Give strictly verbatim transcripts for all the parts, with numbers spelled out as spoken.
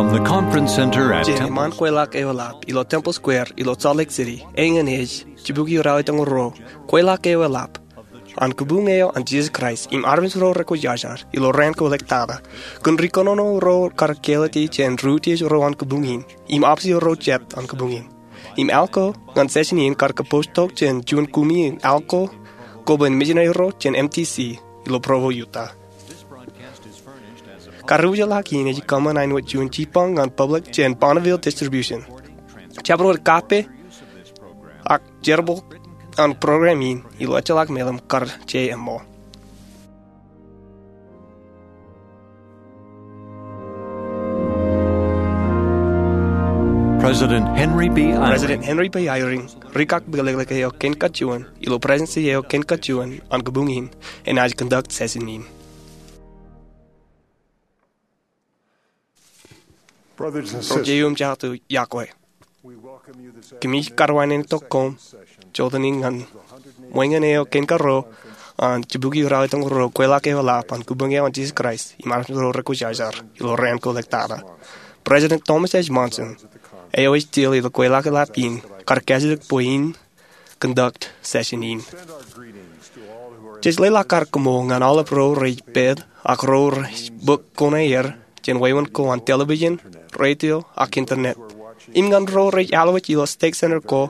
From the conference center at Jān Temple iṃaan kweilọk eo eḷap ilo Temple Square ilo Salt Lake City, eñin ej jibukwi ralitōñoul ruo, kweilọk eo eḷap an kōbuñ eo an Jisōs Kraist im armej ro rekwōjarjar ilo raan ko ḷọk tata. Kōn ri kōnono ro kar kāālōt e jān ri utiej ro an kōbuñ in im office ro jet an kōbuñ in. Im al ko ñan session in kar kapooj tok jān juon kumi in al ko koba in missionary ro jān M T C ilo Provo, Utah. Kar wōjḷọk in ej kōṃṃan āinwōt juon jibboñ ñan public jān Bonneville Distribution. Jabdewōt kape ak jerbal an program in ilo ejjeḷọk meḷeḷe kar je eṃṃool. President Henry B. Eyring. President Henry B. Eyring, ri kak bōklōklōk eo kein kajuon ilo Presidentsi eo kein kajuon an kōbuñ in, enaaj conduct session in. Ro jeiū im jatū iọkwe, kōmij karuwainene tok koṃ jota in ñan ṃweñin eo kein karuo an jibukwi ralitōñoul ruo kweilọk eo eḷap an kōbuñ eo an Jisōs Kraist im armej ro rekwōjarjar ilo raan ko ḷọk tata. President Thomas H. Monson eo ej til ilo kweilọk eḷap in kar kajjitōk bwe in conduct session in. Jej leḷọk ad koṃṃool ñan aolep ro rej pād ak ro rej bōk kuṇaer jān wāween ko an television, radio, ak internet, im ñan ro rej alwōj ilo Stake Center ko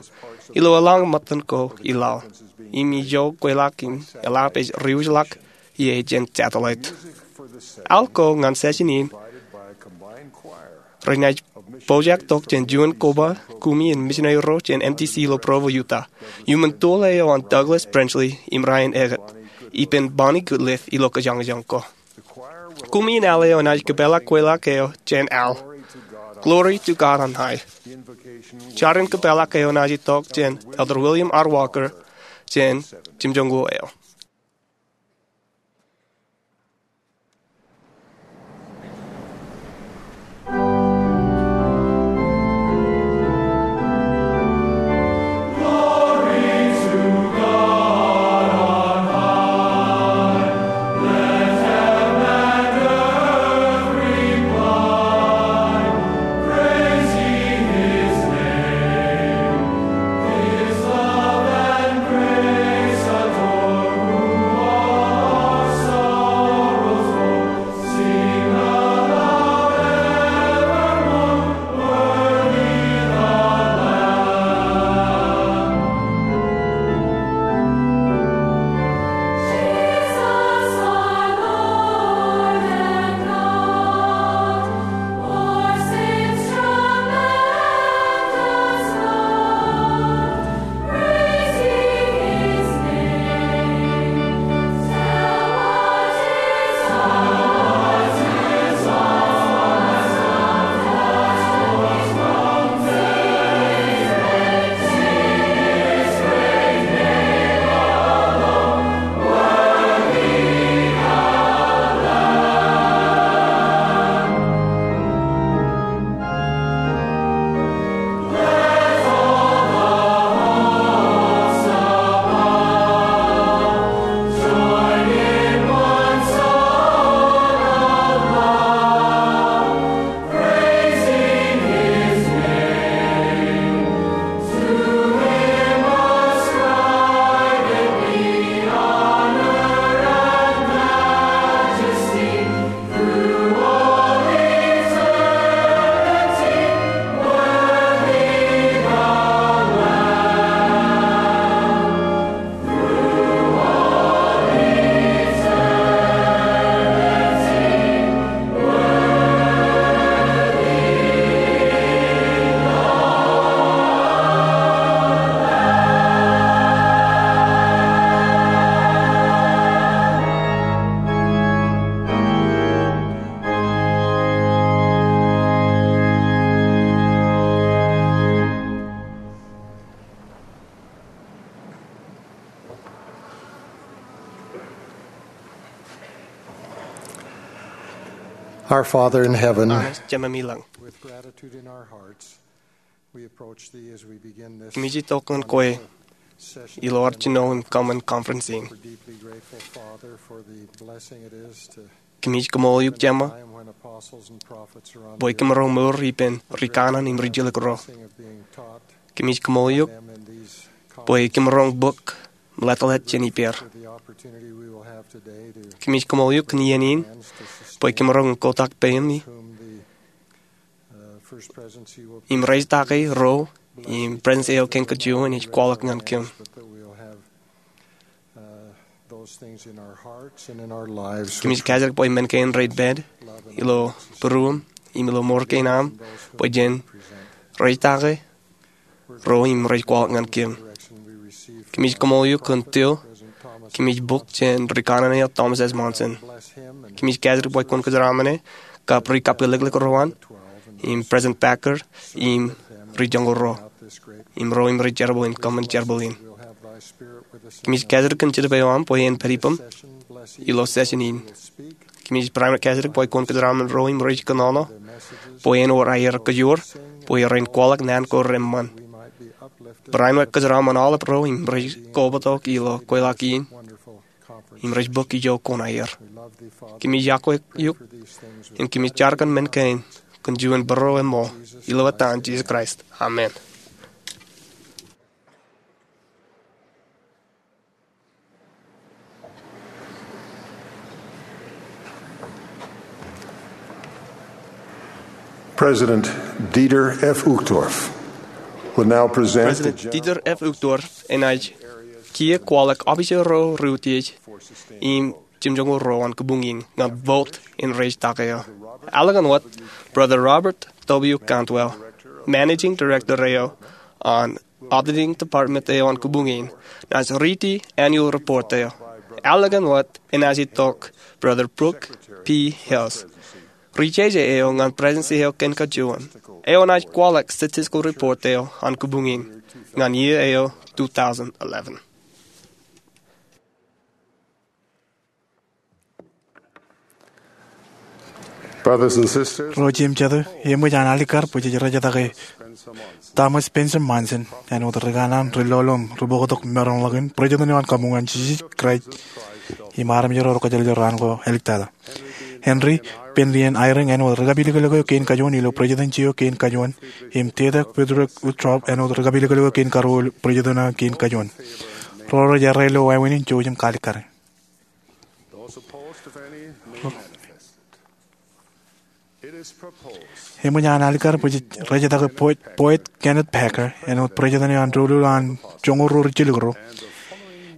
ilo eḷaññe ṃōttan ko i laḷ. Im ijo kweilọk in eḷap ej diwōjḷọk ie jān satellite. Al ko ñan session in renaaj pojak tok jān juon koba kumi in missionary ro jān M T C ilo Provo, Utah, iuṃwin tool eo an Douglas Prenchley im Ryan Eggett, ippān Bonnie Goodliffe ilo kōjañjañ ko. Kumi in al eo enaaj kōpeḷḷọk kweilọk eo jān al, Glory to God on High. Jar in kōpeḷḷọk eo enaaj itok jān Elder William R. Walker jān jimjuonñoul eo. Our Father in heaven, Jemem ilañ, with gratitude in our hearts, we approach thee as we begin this. Kōmij itok ñan kwe ilo ad jino im kōṃṃan conference in. We're deeply grateful, Father, for the blessing it is to Kōmij kaṃool eok Jema bwe kōmaroñ mour ippān ri kanaan im ri jilkinro. Kōmij kaṃool eok bwe kōmaroñ bōk meḷeḷe jān ippāer. Kōmij kaṃool eok kōn iien in bwe kōmaroñ kotak peiṃ im rejitakḷọk ro im President eo kein kajuon ej kwaḷọk ñan kōm. Kōmij kajidik bwe men kein rej pād ilo būruōm im ilo mour kein aṃ bwe jen rejitakḷọk ro im rej kwaḷọk ñan kōm. Kōmij kaṃool eok kōn til kōmij bōk jān ri kanaan eo Thomas S. Monson. Kōmij kajidik bwe kwōn kōjeraṃṃan e kab ri kapilōklōk ro an im President Packer im ri joñoul ro im ro im rej jerbal im kōṃṃan jerbal in. Kōmij kajidik kōn Jetōb eo aṃ bwe en pād ippām ilo session in. Kōmij barāinwōt kajidik bwe kwōn kōjeraṃṃan ro im rej kōnono bwe en wōr aer kajoor bwe ren kwaḷọk naan ko reṃṃan. Barāinwōt kōjeraṃṃan aolep ro im rej kobatok ilo kweilọk in im rej bōk ijo ko aer. Kōmij iọkwe eok im kōmij jar kōn men kein kōn juon būruōm eo, ilo etan Jisōs Kraist, amen. President Dieter F. Uchtdorf will now present the President Dieter F. Uchtdorf enaaj kiiō kwaḷọk officer ro ri utiej im jimjuonñoul ruo an kabuñ in ñan vote in rejitakḷọk eo. Ālikin wōt, Brother Robert W. Cantwell, Managing Director eo an Auditing Department eo an kabuñ in, naaj riiti annual report eo. Ālikin wōt enaaj itok Brother Brooke P. Hales, rijeje eo ñan President eo kein kajuon, eo enaaj kwaḷọk statistical report eo an kabuñ in ñan iiō eo two thousand eleven. Brothers and sisters, ro jeiū im jatū, eṃōj an alikkar bwe jej rejatake Thomas Spencer Monson āinwōt ri kanaan, ri lolom, ri bōktok maroñ ḷọk in, President eo an kabuñ an Jisōs Kraist im armej ro rej kajjeḷḷoḷ raan ko āliktata. Henry Bennion Eyring āinwōt ri kapilōklōk eo kein kajuon ilo Presidency eo kein kajuon, im Dieter Friedrich Uchtdorf āinwōt ri kapilōklōk eo kein karuo ilo President eo kein kajuon. Ro rej errā ilo wāween in, jouj im kaalikkare. Eṃōj an alikkar bwe jej rejatake Boyd, Boyd Kenneth Packer āinwōt President eo an doulul an joñoul ruo ri jilkinro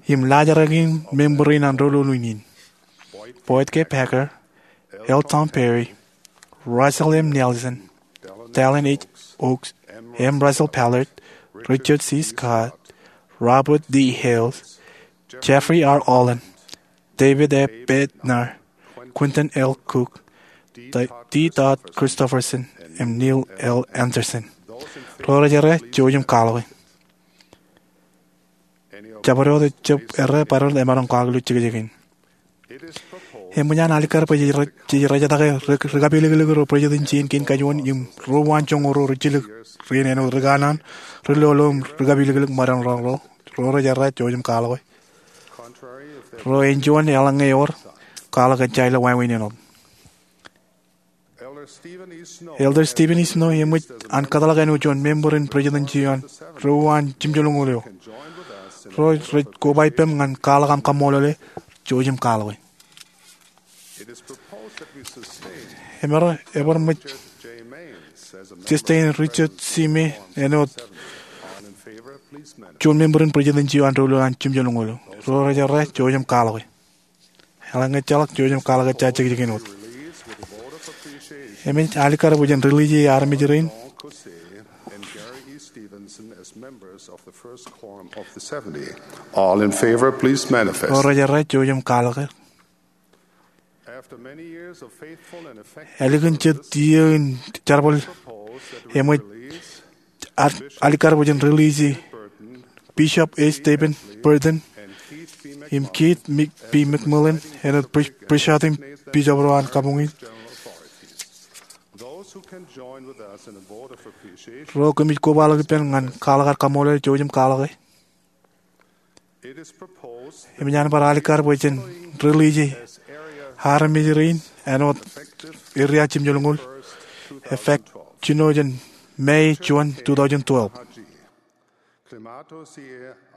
im laajrak in member in an doulul in in: Boyd K. Packer, L. Tom Perry, Russell M. Nelson, Dallin H. Oaks, M. Russell Ballard, Richard C. Scott, Robert D. Hales, Jeffrey R. Holland, David A. Bednar, Quentin L. Cook, D. Todd Christofferson, im Neil L. Andersen. Ro rej errā, jouj im kwaḷọke. Jabdewōt eo ejjab errā, bar wōt emaroñ kwaḷọk ilo jekjekin. Eṃōj an alikkar bwe jej re-, jej rejatake ri, ri kapilōklōk ro Presidency in kein kajuon im ruo an joñoul ruo ri jilkinro in āinwōt ri kanaan, ri lolom, ri kapilōklōk maroñ ḷọk ro. Ro rej errā, jouj im kwaḷọke. Ro ej juon, eḷaññe ewōr, kwaḷọk ejja ilo wāween in wōt. Elder Stephen E. Snow eṃōj an kōtḷọk āinwōt juon member in Presidency eo an ruo an jimjuonñoul eo. Ro rej koba ippām ñan kwaḷọk aṃ kaṃṃoolol e, jouj im kwaḷọke. Ebar, ebar ṃōj sustain Richard C. Maynes āinwōt juon member in Presidency eo an doulul an jimjuonñoul eo. Ro rej errā, jouj im kwaḷọke. Eḷaññe ejjeḷọk, jouj im kwaḷọke ejja jekjekin wōt. Eṃōj alikkar bwe jen release armej rein. All in favor, please manifest. Ro rej errā, jouj im kwaḷọke. Ālikin jet iiō in jerbal, eṃōj alikkar bwe jen release Bishop A. Stephen Burton im Keith B. McMillan āinwōt pre-, presidency im bishop ro an kabuñ in. Ro kōmij koba ḷọk ippān ñan kwaḷọk ad kaṃṃoolol, jouj im kwaḷọke. Eṃōj an bar alikkar bwe jen release armej rein āinwōt Area Jimjilñuul, effect jino jān May juon two thousand twelve. Climato C.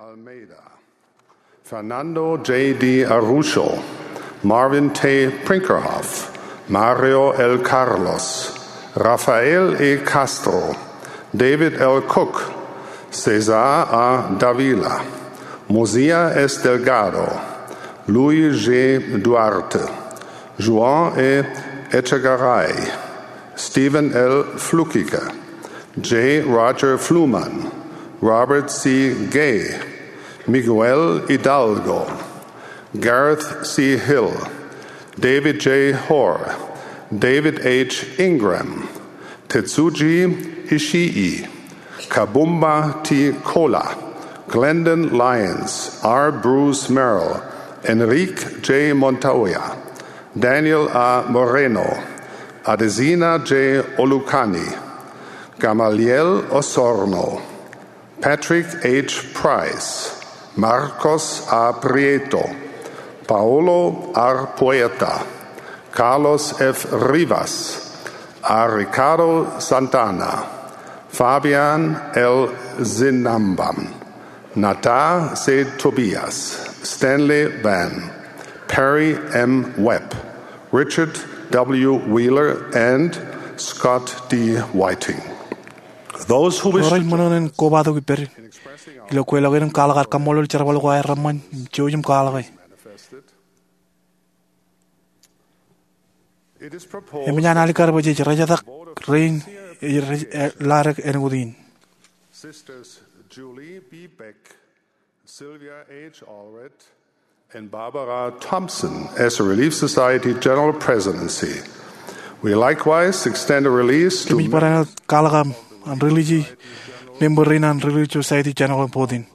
Almeida, Fernando J. de Araujo, Marvin T. Brinkerhoff, Mario L. Carlos, Rafael E. Castro, David L. Cook, Cesar A. Dávila, Mosiah S. Delgado, Luis G. Duarte, Juan E. Etchegaray, Steven L. Fleischer, J. Roger Fluhman, Robert C. Gay, Miguel Hidalgo, Gareth C. Hill, David J. Hoare, David H. Ingram, Tetsuji Ishii, Kapumba T. Kola, Glendon Lyons, R. Bruce Merrill, Enrique J. Montoya, Daniel A. Moreno, Adesina J. Olukanni, Gamaliel Osorno, Patrick H. Price, Marcos A. Prieto, Paulo R. Puerta, Carlos F. Rivas, A. Ricardo Santana, Fabian L. Sinamban, Nata C. Tobias, Stanley Vann, Perry M. Webb, Richard W. Wheeler, and Scott D. Whiting. Those who wish Ro rej ṃōṇōṇō in kobatok ippād ilo kweilọk in im kwaḷọk aer kaṃṃoolol jerbal ko aer reṃṃan im jouj im kwaḷọke. Eṃōj an alikkar bwe jej rejatak rein ej rej ḷadik āinwōt in. Sisters Julie B. Beck, Sylvia H. Allred, and Barbara Thompson as Relief Society General Presidency. We likewise extend a release to Kōmij bar āinwōt kwaḷọk an Relief, member rein an Relief Society General Board in.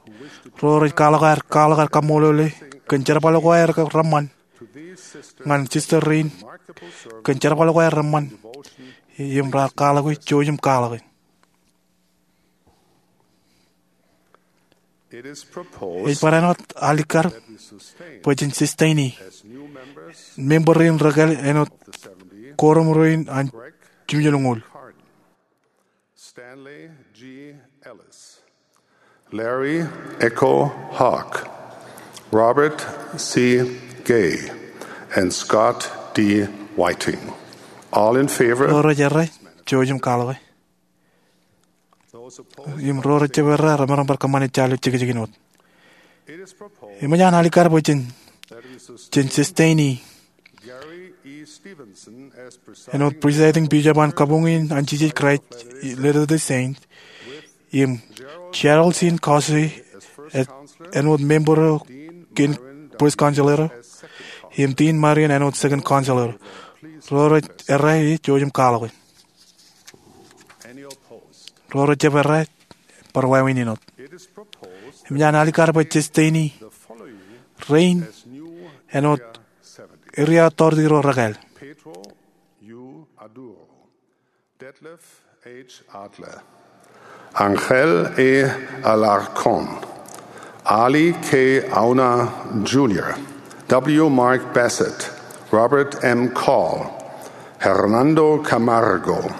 Ro rej kwaḷọk aer, kwaḷọk aer kaṃṃoolole kōn jerbal ko aer reṃṃan ñan sister rein kōn jerbal ko aer reṃṃan im raar kwaḷọke, jouj im kwaḷọke. Ej bar āinwōt alikkar bwe jen sustain e member rein rekāāl āinwōt koruṃ rein an jimjilñuul. Stanley G. Ellis, Larry Echo Hogg, Robert C. Gay, and Scott D. Whiting. All in favor? Ro rej errā, jouj im kwaḷọke. Im ro rej jab errā, remaroñ bar kōṃṃane jar ilo jekjekin wōt. Eṃōj an alikkar bwe jen, jen sustain e āinwōt presiding bishop an Kabuñ in an Jisōs Kraist Latter-day Saint, im Gerald C. Caussé āinwōt member kein first counselor, im Dean Marion āinwōt second counselor. Ro rej errā, jouj im kwaḷọke. Ro rej jab errā, bar wāween in wōt. Eṃōj an alikkar bwe jen sustain e rein āinwōt area authority ro rekāāl. Pedro U. Aduro, Detlef H. Adler, Ángel E. Alarcón, Ali K. Auna Junior, W. Mark Bassett, Robert M. Call, Hernando Camargo,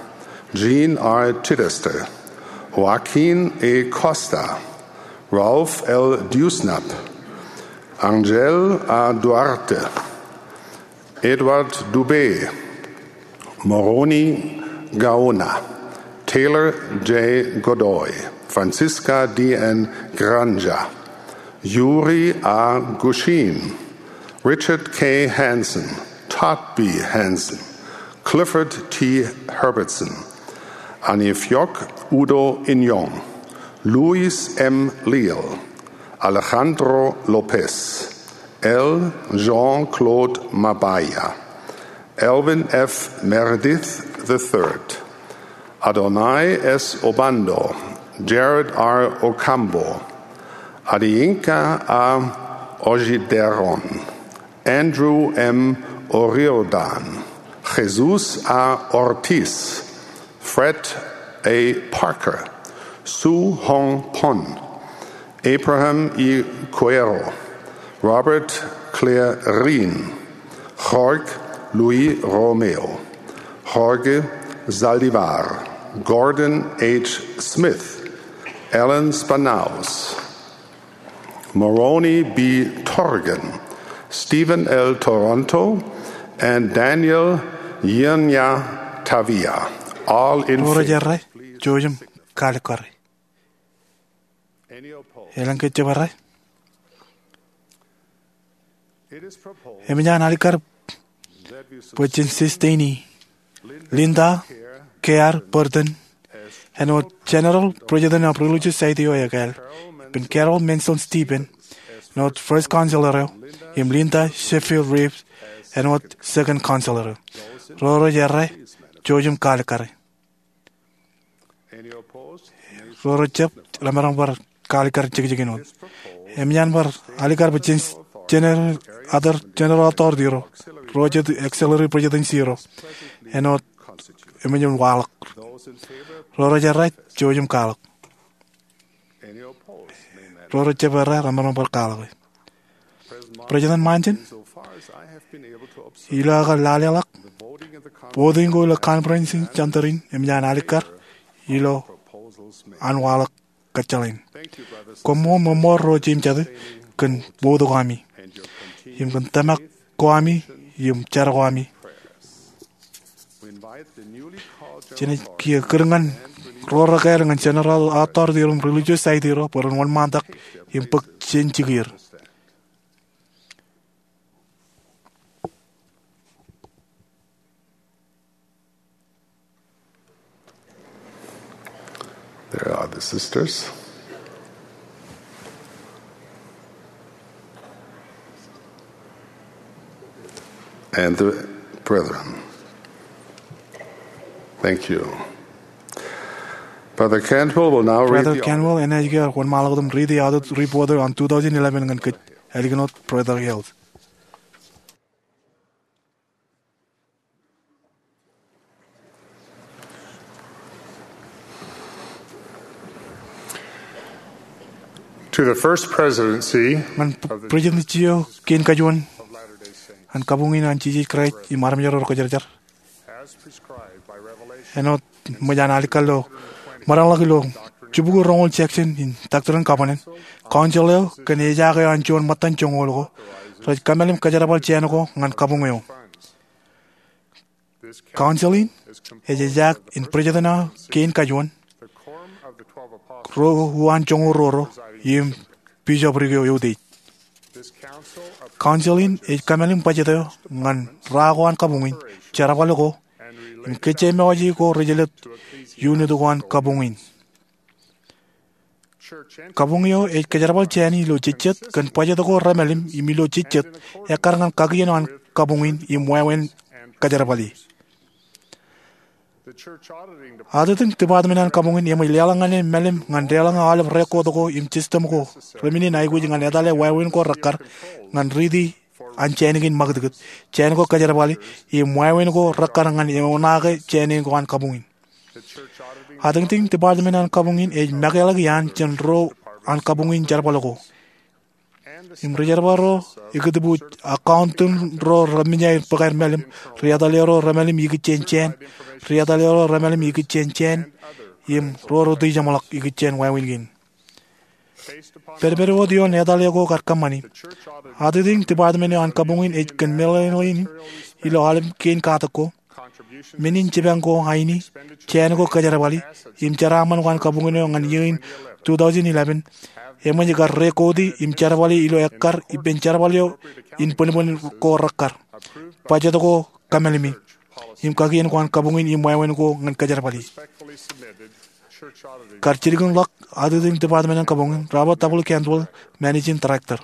Jean R. Chittister, Joaquin E. Costa, Ralph L. Dewsnup, Ángel A. Duarte, Edward Dubé, Moroni Gaona, Taylor J. Godoy, Francisca D. N. Granja, Yuri A. Gushchin, Richard K. Hansen, Todd B. Hansen, Clifford T. Herbertson, Anifjok Udo Inyong, Luis M. Leal, Alejandro Lopez, L. Jean-Claude Mabaya, Elvin F. Meredith the third, Adonai S. Obando, Jared R. Ocampo, Adeyinka A. Oyederan, Andrew M. O'Riordan, Jesus A. Ortiz, Fred A. Parker, Su Hong Pon, Abraham E. Cuero, Robert Claire Reen, Jorge Luis Romeo, Jorge Zaldivar, Gordon H. Smith, Alan Spannaus, Moroni B. Torgan, Stephen L. Toronto, and Daniel Yirnya Tavia, all in favor. Ro rej errā, jouj im kaalikkare. Elōñ ke ejjab errā? Eṃōj an alikkar bwe jen sesteinie Linda K. R. Burton āinwōt General President of Religious Society eo ekāāl, ippān Carol Manson Stephen āinwōt First Counselor eo, im Linda Sheffield Reeves āinwōt Second Counselor eo. Ro rej errā, jouj im kaalikkare. Ro rejjab, remaroñ bar kaalikkar jekjekin wōt. Eṃōj an bar alikkar bwe jen, jener, other general authority ro, ro jet auxiliary presidency ro, āinwōt eṃōj an waḷọk. Ro rej errā, jouj im kaḷọk. Ro rejjab errā, remaroñ bar kaḷọk. President Monson, ilo aō lale ḷọk, voting ko ilo conference in center in eṃōj an alikkar ilo an waḷọk kōjjeḷāin. Koṃṃool ṃōṃool ro jeiū im jatū kōn vote ko ami im kōn tōmak ko ami im jar ko ami. Jenaaj kiiō kūr ñan ro rekāāl ñan General Authority ro im Religious Society ro bwe ren wōnṃaantak im bōk jān jikier. There are the sisters and the brethren. Thank you. Brother Cantwell will now read Brother the Cantwell enaaj kiiō wōnṃaanḷọk im riiti audit report eo an two thousand eleven ñan kōj ālikin wōt, Brother Hales. To the First Presidency ñan President eo kein kajuon an kabuñ in an Jisōs Kraist im armej ro rekajerjer, āinwōt eṃōj an alikkar ilo maroñḷọk ilo jibukwi roñoul section in Doctrine and Covenants, council eo kōn ejaak eo an juon ṃōttan joñoul ko rej kōmālim kōjerbal jāān ko ñan kabuñ eo. Council in ej ejaak in president eo kein kajuon, ro uwaan joñoul ruo ro, im bishopric eo eutiej. Council in ej kōmālim bajjek eo ñan ra ko an kabuñ in, jerbal ko, im kōjjeṃṃae ko rej jelōt unit ko an kabuñ in. Kabuñ eo ej kōjerbal jāān in ilo jejjet kōn bajjek ko remālim im ilo jejjet ekkar ñan kakien eo an kabuñ in im wāween kōjerbale. Audit in department an kabuñ in eṃōj leḷọk ñan e mālim ñan deḷọñ aolep record ko im system ko remennin aikuj ñan etale wāween ko rekkar ñan riiti an jāān kein ṃakūtkūt, jāān ko kōjerbale, im wāween ko rekkar ñan eoonake jāān ko an kabuñ in. Autiej department an kabuñ in ej mekeḷọk iaan jān ro an kabuñ in jerbal ko im ri-jerbal ro, ikōtbuuj, accountant ro remenñe aer bōk aer mālim, ri-etale ro remālim ikijjien jāān, ri-etale ro remālim ikijjien jāān, im ro rej ijeṃḷọk ikijjien wāween kein. Pedped wōt ioon etale ko kar kōṃṃani, autiej department eo an kabuñ in ej kōn meḷeḷein ilo aolep kein katak ko, men in jipañ ko aini, jāān ko kōjerbali, im jeraaṃṃan ko an kabuñ eo ñan iiō in two thousand eleven, eṃōj kar record im jerbali ilo ekkar ippān jerbal eo in bōnbōn ko rekkar, bajjek ko kōmālimi, im kakien ko an kabuñ in im wāween ko ñan kōjerbali. Kar jilkinḷọk autiej department an kabuñ in, Robert W. Cantwell, Managing Director.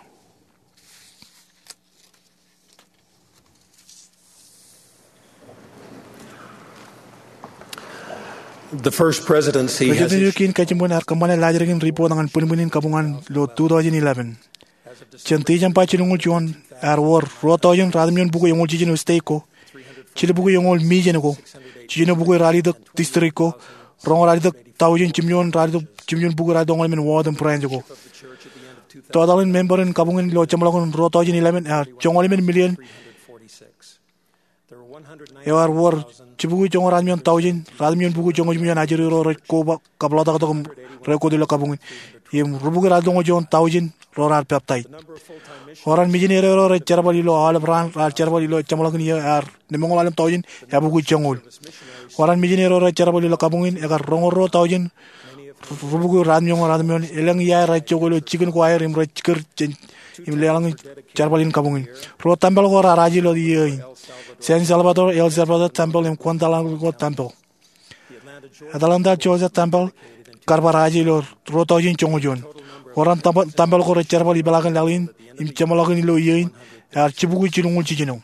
The First Presidency has President eo kein kajiṃwe ear kōṃṃane laajrak in report ñan bwinbwin in kabuñ an ilo two thousand eleven. Jān December jilñuul juon, ear wōr ruo tọujin ratimjuon bukwi eñoul jiljino state ko, jilbukwi eñoul million ko, jiljino bukwi ralitōk district ko, roñoul ralitōk tọujin jimjuon ralitōk, jimjuon bukwi ralitōk oñoul emān ward im branch ko. Total in member in kabuñ in ilo jeṃḷọkin ruo tọujin eleven ear joñoul emān million Eo ear wōr jibukwi joñoul ratimjuon taujin ratimjuon bukwi joñoul jimjuon ajri ro rej koba kabḷotaktok im rej kōt ilo kabuñ in, im rubukwi ratimjuon taujin ro raar peptaij. Oran mijineri ro rej jerbal ilo aolep raan raar jerbal ilo jeṃḷọkin iiō ear lemñoul ḷalem taujin eabukwi joñoul. Oran mijineri ro rej jerbal ilo kabuñ in ekar roñoul ruo taujin rubukwi ratimjuon ratimjuon. Elōñ iaer rej jokwe ilo jikin ko aer im rej jikūr jān im leḷọk jerbal in kabuñ in. Ruo tempel ko raar aje ilo iiō in: San Salvador El Salvador Tempel im Guadalajara Tempel. Atlanta Georgia Tempel kar bar aje ilo ruo taujin joñoul juon. Oran tempel ko rej jerbal ipeḷaakin laḷ in im jeṃḷọkin ilo iiō in ear jibukwi jilñuul jiljino.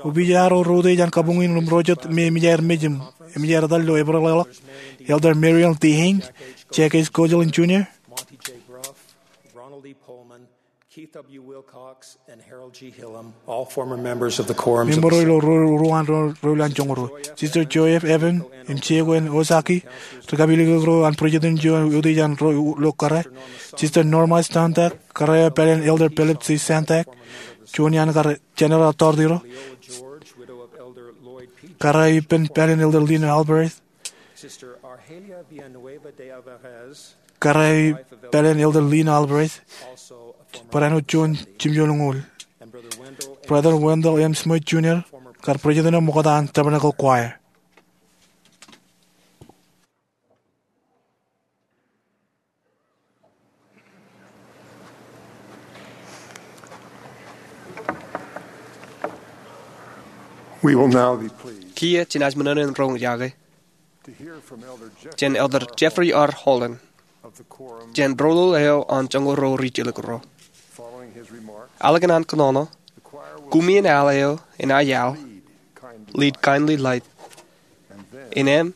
Opiij eo ro reutiej an kabuñ in im ro jet me eṃōj aer mej im eṃōj aer etal ilo Epril ḷọk: Elder Marion T. Hank, Jacques Courteline Junior, Monte J. Gruff, Ronald E. Pohlman, Keith W. Wilcox, and Harold G. Hillam, all former members of the Quorum of the Saints. Miembro ro ro ro an ro ro an joñoul ruo: Sister Joy F. Evan im Jeko N. Ozaki, ri kapilōklōk ro an prejident eo eutiej an ro ilo kōrā. Sister Norma Stantak, kōrā eo pāleen Elder Philip C. Stantak, juon iaan kar General Tordiro, kōrā ippān pāleen Elder Lino Alvarez, Sister Argelia Villanueva de Alvarez, kōrā eo pāleen Elder Lino Alvarez, also a former bwe en juon jimjuon ñoul, and Brother Wendell M. Brother Wendell M. Smith Junior, kar prejident eo ṃokta an Tabernacle Choir. We will now be pleased Kiiō jenaaj ṃōṇōṇō in roñ iọkwe to hear from Elder jān Elder Jeffrey R. Holland, of the Quorum jān roḷoḷ eo an joñoul ruo ri jilkinro. Following his remarks, ālikin an kōnono, the choir will kuṃwin al eo enaaj al, lead kindly, Lead Kindly Light, and then im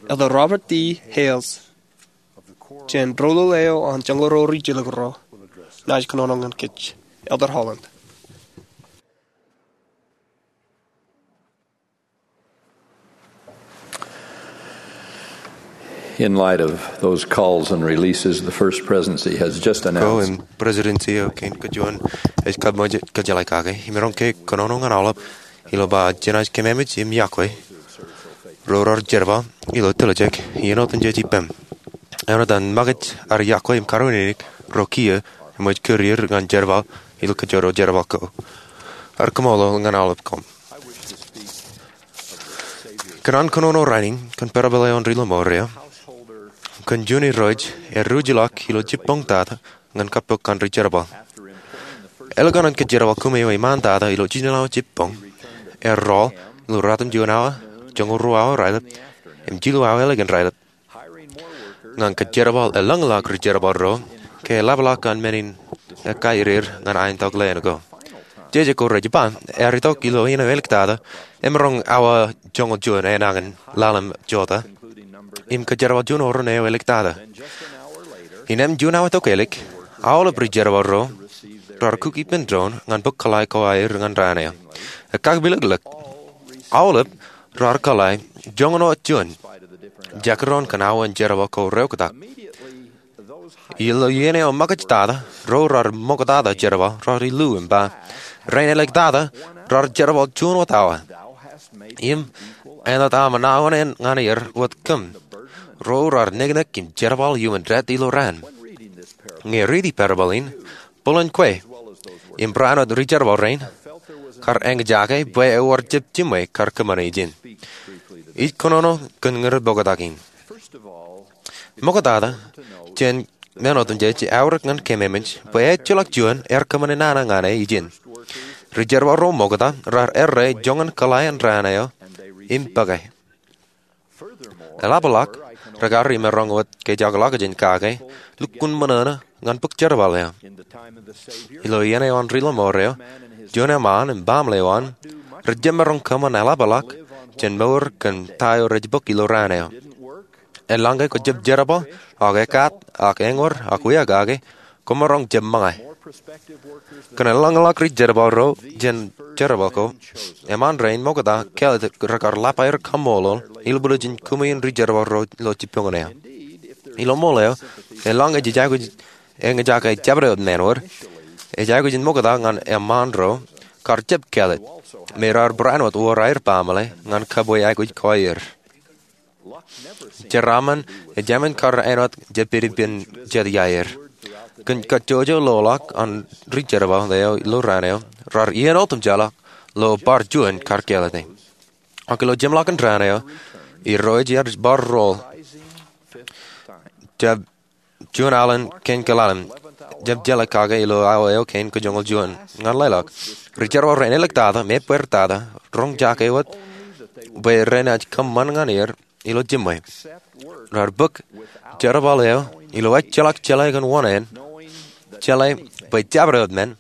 Elder Robert D. Hales, jān roḷoḷ eo an joñoul ruo ri jilkinro, naaj kōnono ñan kōj. Elder Holland. In light of those calls and releases the First Presidency has just announced, ko im Presidency eo kein kajuon ej kab ṃōj kōjjeḷā kake, im eroñ ke kōnono ñan aolep ilo ba jenaaj kememej im iọkwe ro raar jerbal ilo tiljek iien otemjej ippaṃ. Āinwōt an makūt ar iọkwe im karuwiniki ro kiiō eṃōj kūr er ñan jerbal ilo kōjro jerbal ko, ear kaṃṃoolol ñan aolep koṃ. Kōn an kōnono rainin kōn parable eo an ri Ḷōṃour eo, kōn juon irooj ear ruj ḷọk ilo jibboñ tata ñan kappok an ri jerbal. Ālikin an kōjjerbal kōm eo iṃaan tata ilo jiljino awa jibboñ, ear rọọl ilo ratimjuon awa, joñoul ruo awa raelep, im jilu awa ālikin raelep ñan kōjjerbal elōñḷọk ri jerbal ro ke eḷapḷọk an men in ekkā iriir ñan aentok leen ko. Jeje ko rej ba ear itok ilo iien eo āliktata emaroñ awa joñoul juon enañin ḷalem jota im kōjjerbal juon oran eo āliktata. Innām juon awa tokālik, aolep ri jerbal ro raar kuk ippān doon ñan bōk kōḷḷā ko aer ñan raan eo. Ekkakpilōklōk, aolep raar kōḷḷā joñan wōt juon, jakidoon kōn awa in jerbal ko reoktak. Ilo iien eo ṃōkaj tata, ro raar ṃoktata jerbal raar illu im ba, rein āliktata raar jerbal juon wōt awa. Im āinwōt aṃ ṇaōṇaen ñan er wōt kōm, ro raar neknek im jerbal iuṃwin death ilo raan. Ñe riiti parable in, bōlen kwe im raan wōt ri jerbal rein kar eñjake bwe ewōr jab jiṃwe kar kōṃṃane ijin. Ij kōnono kōn ñan ri ṃoktak in. Ṃoktata jān men otemjej, aorōk ñan kememej bwe ejjeḷọk juon ear kōṃṃane nana ñan e ijin. Ri jerbal ro ṃokta raar errā joñan kōḷḷā in raan eo im bōke. Eḷapḷọk, rekar imaroñ wōt kōjekḷọk jān kake lukkuun ṃōṇōṇō ñan bōk jerbal eo. Ilo iien eo an ri Ḷōṃour eo, juon eṃṃaan im baaṃle eo an rej jab maroñ kōṃṃan eḷapḷọk jān mour kōn ta eo rej bōk ilo raan eo. Eḷaññe kwō jab jerbal, ak ekkaat, ak eñor, ak wiakake, kwōmaroñ jab ṃōñā. Kōn eḷaññe ḷọk ri jerbal ro jān jerbal ko, eṃṃaan rein ṃokta kāālōt rekar lap aer kaṃṃoolol ilbwiljin kōmwin ri jerbal ro ilo jibboñōn eo. Ilo ṃool eo, eḷaññe jej aikuj eñjake jabdewōt men wōt, ej aikuj in ṃokta ñan eṃṃaan ro kar jab kāālōt, me raar barāinwōt wōr aer baaṃle ñan kabwe aikuj ko aer. Jeraaṃṃan ejāmin kar āinwōt jab pād ippān jet iaer. Kōn kajjojo loḷọk an ri-jerbal eo ilo raan eo, raar iien otemjeḷọk ilo bar juon kar kāālōte. Ak ilo jeṃḷọkin raan eo, Irooj ear bar roll, jab juon alen kein kōḷalem, jab jeḷā kake ilo awa eo kein kajoñoul juon ñan leḷọk. Ri-jerbal rein āliktata im ebbeertata roñjake wōt bwe renaaj kōṃṃan ñan er ilo jiṃwe. Raar bōk jerbal eo ilo ejjeḷọk jeḷā kōn wōṇāān, jeḷā bwe jabdewōt men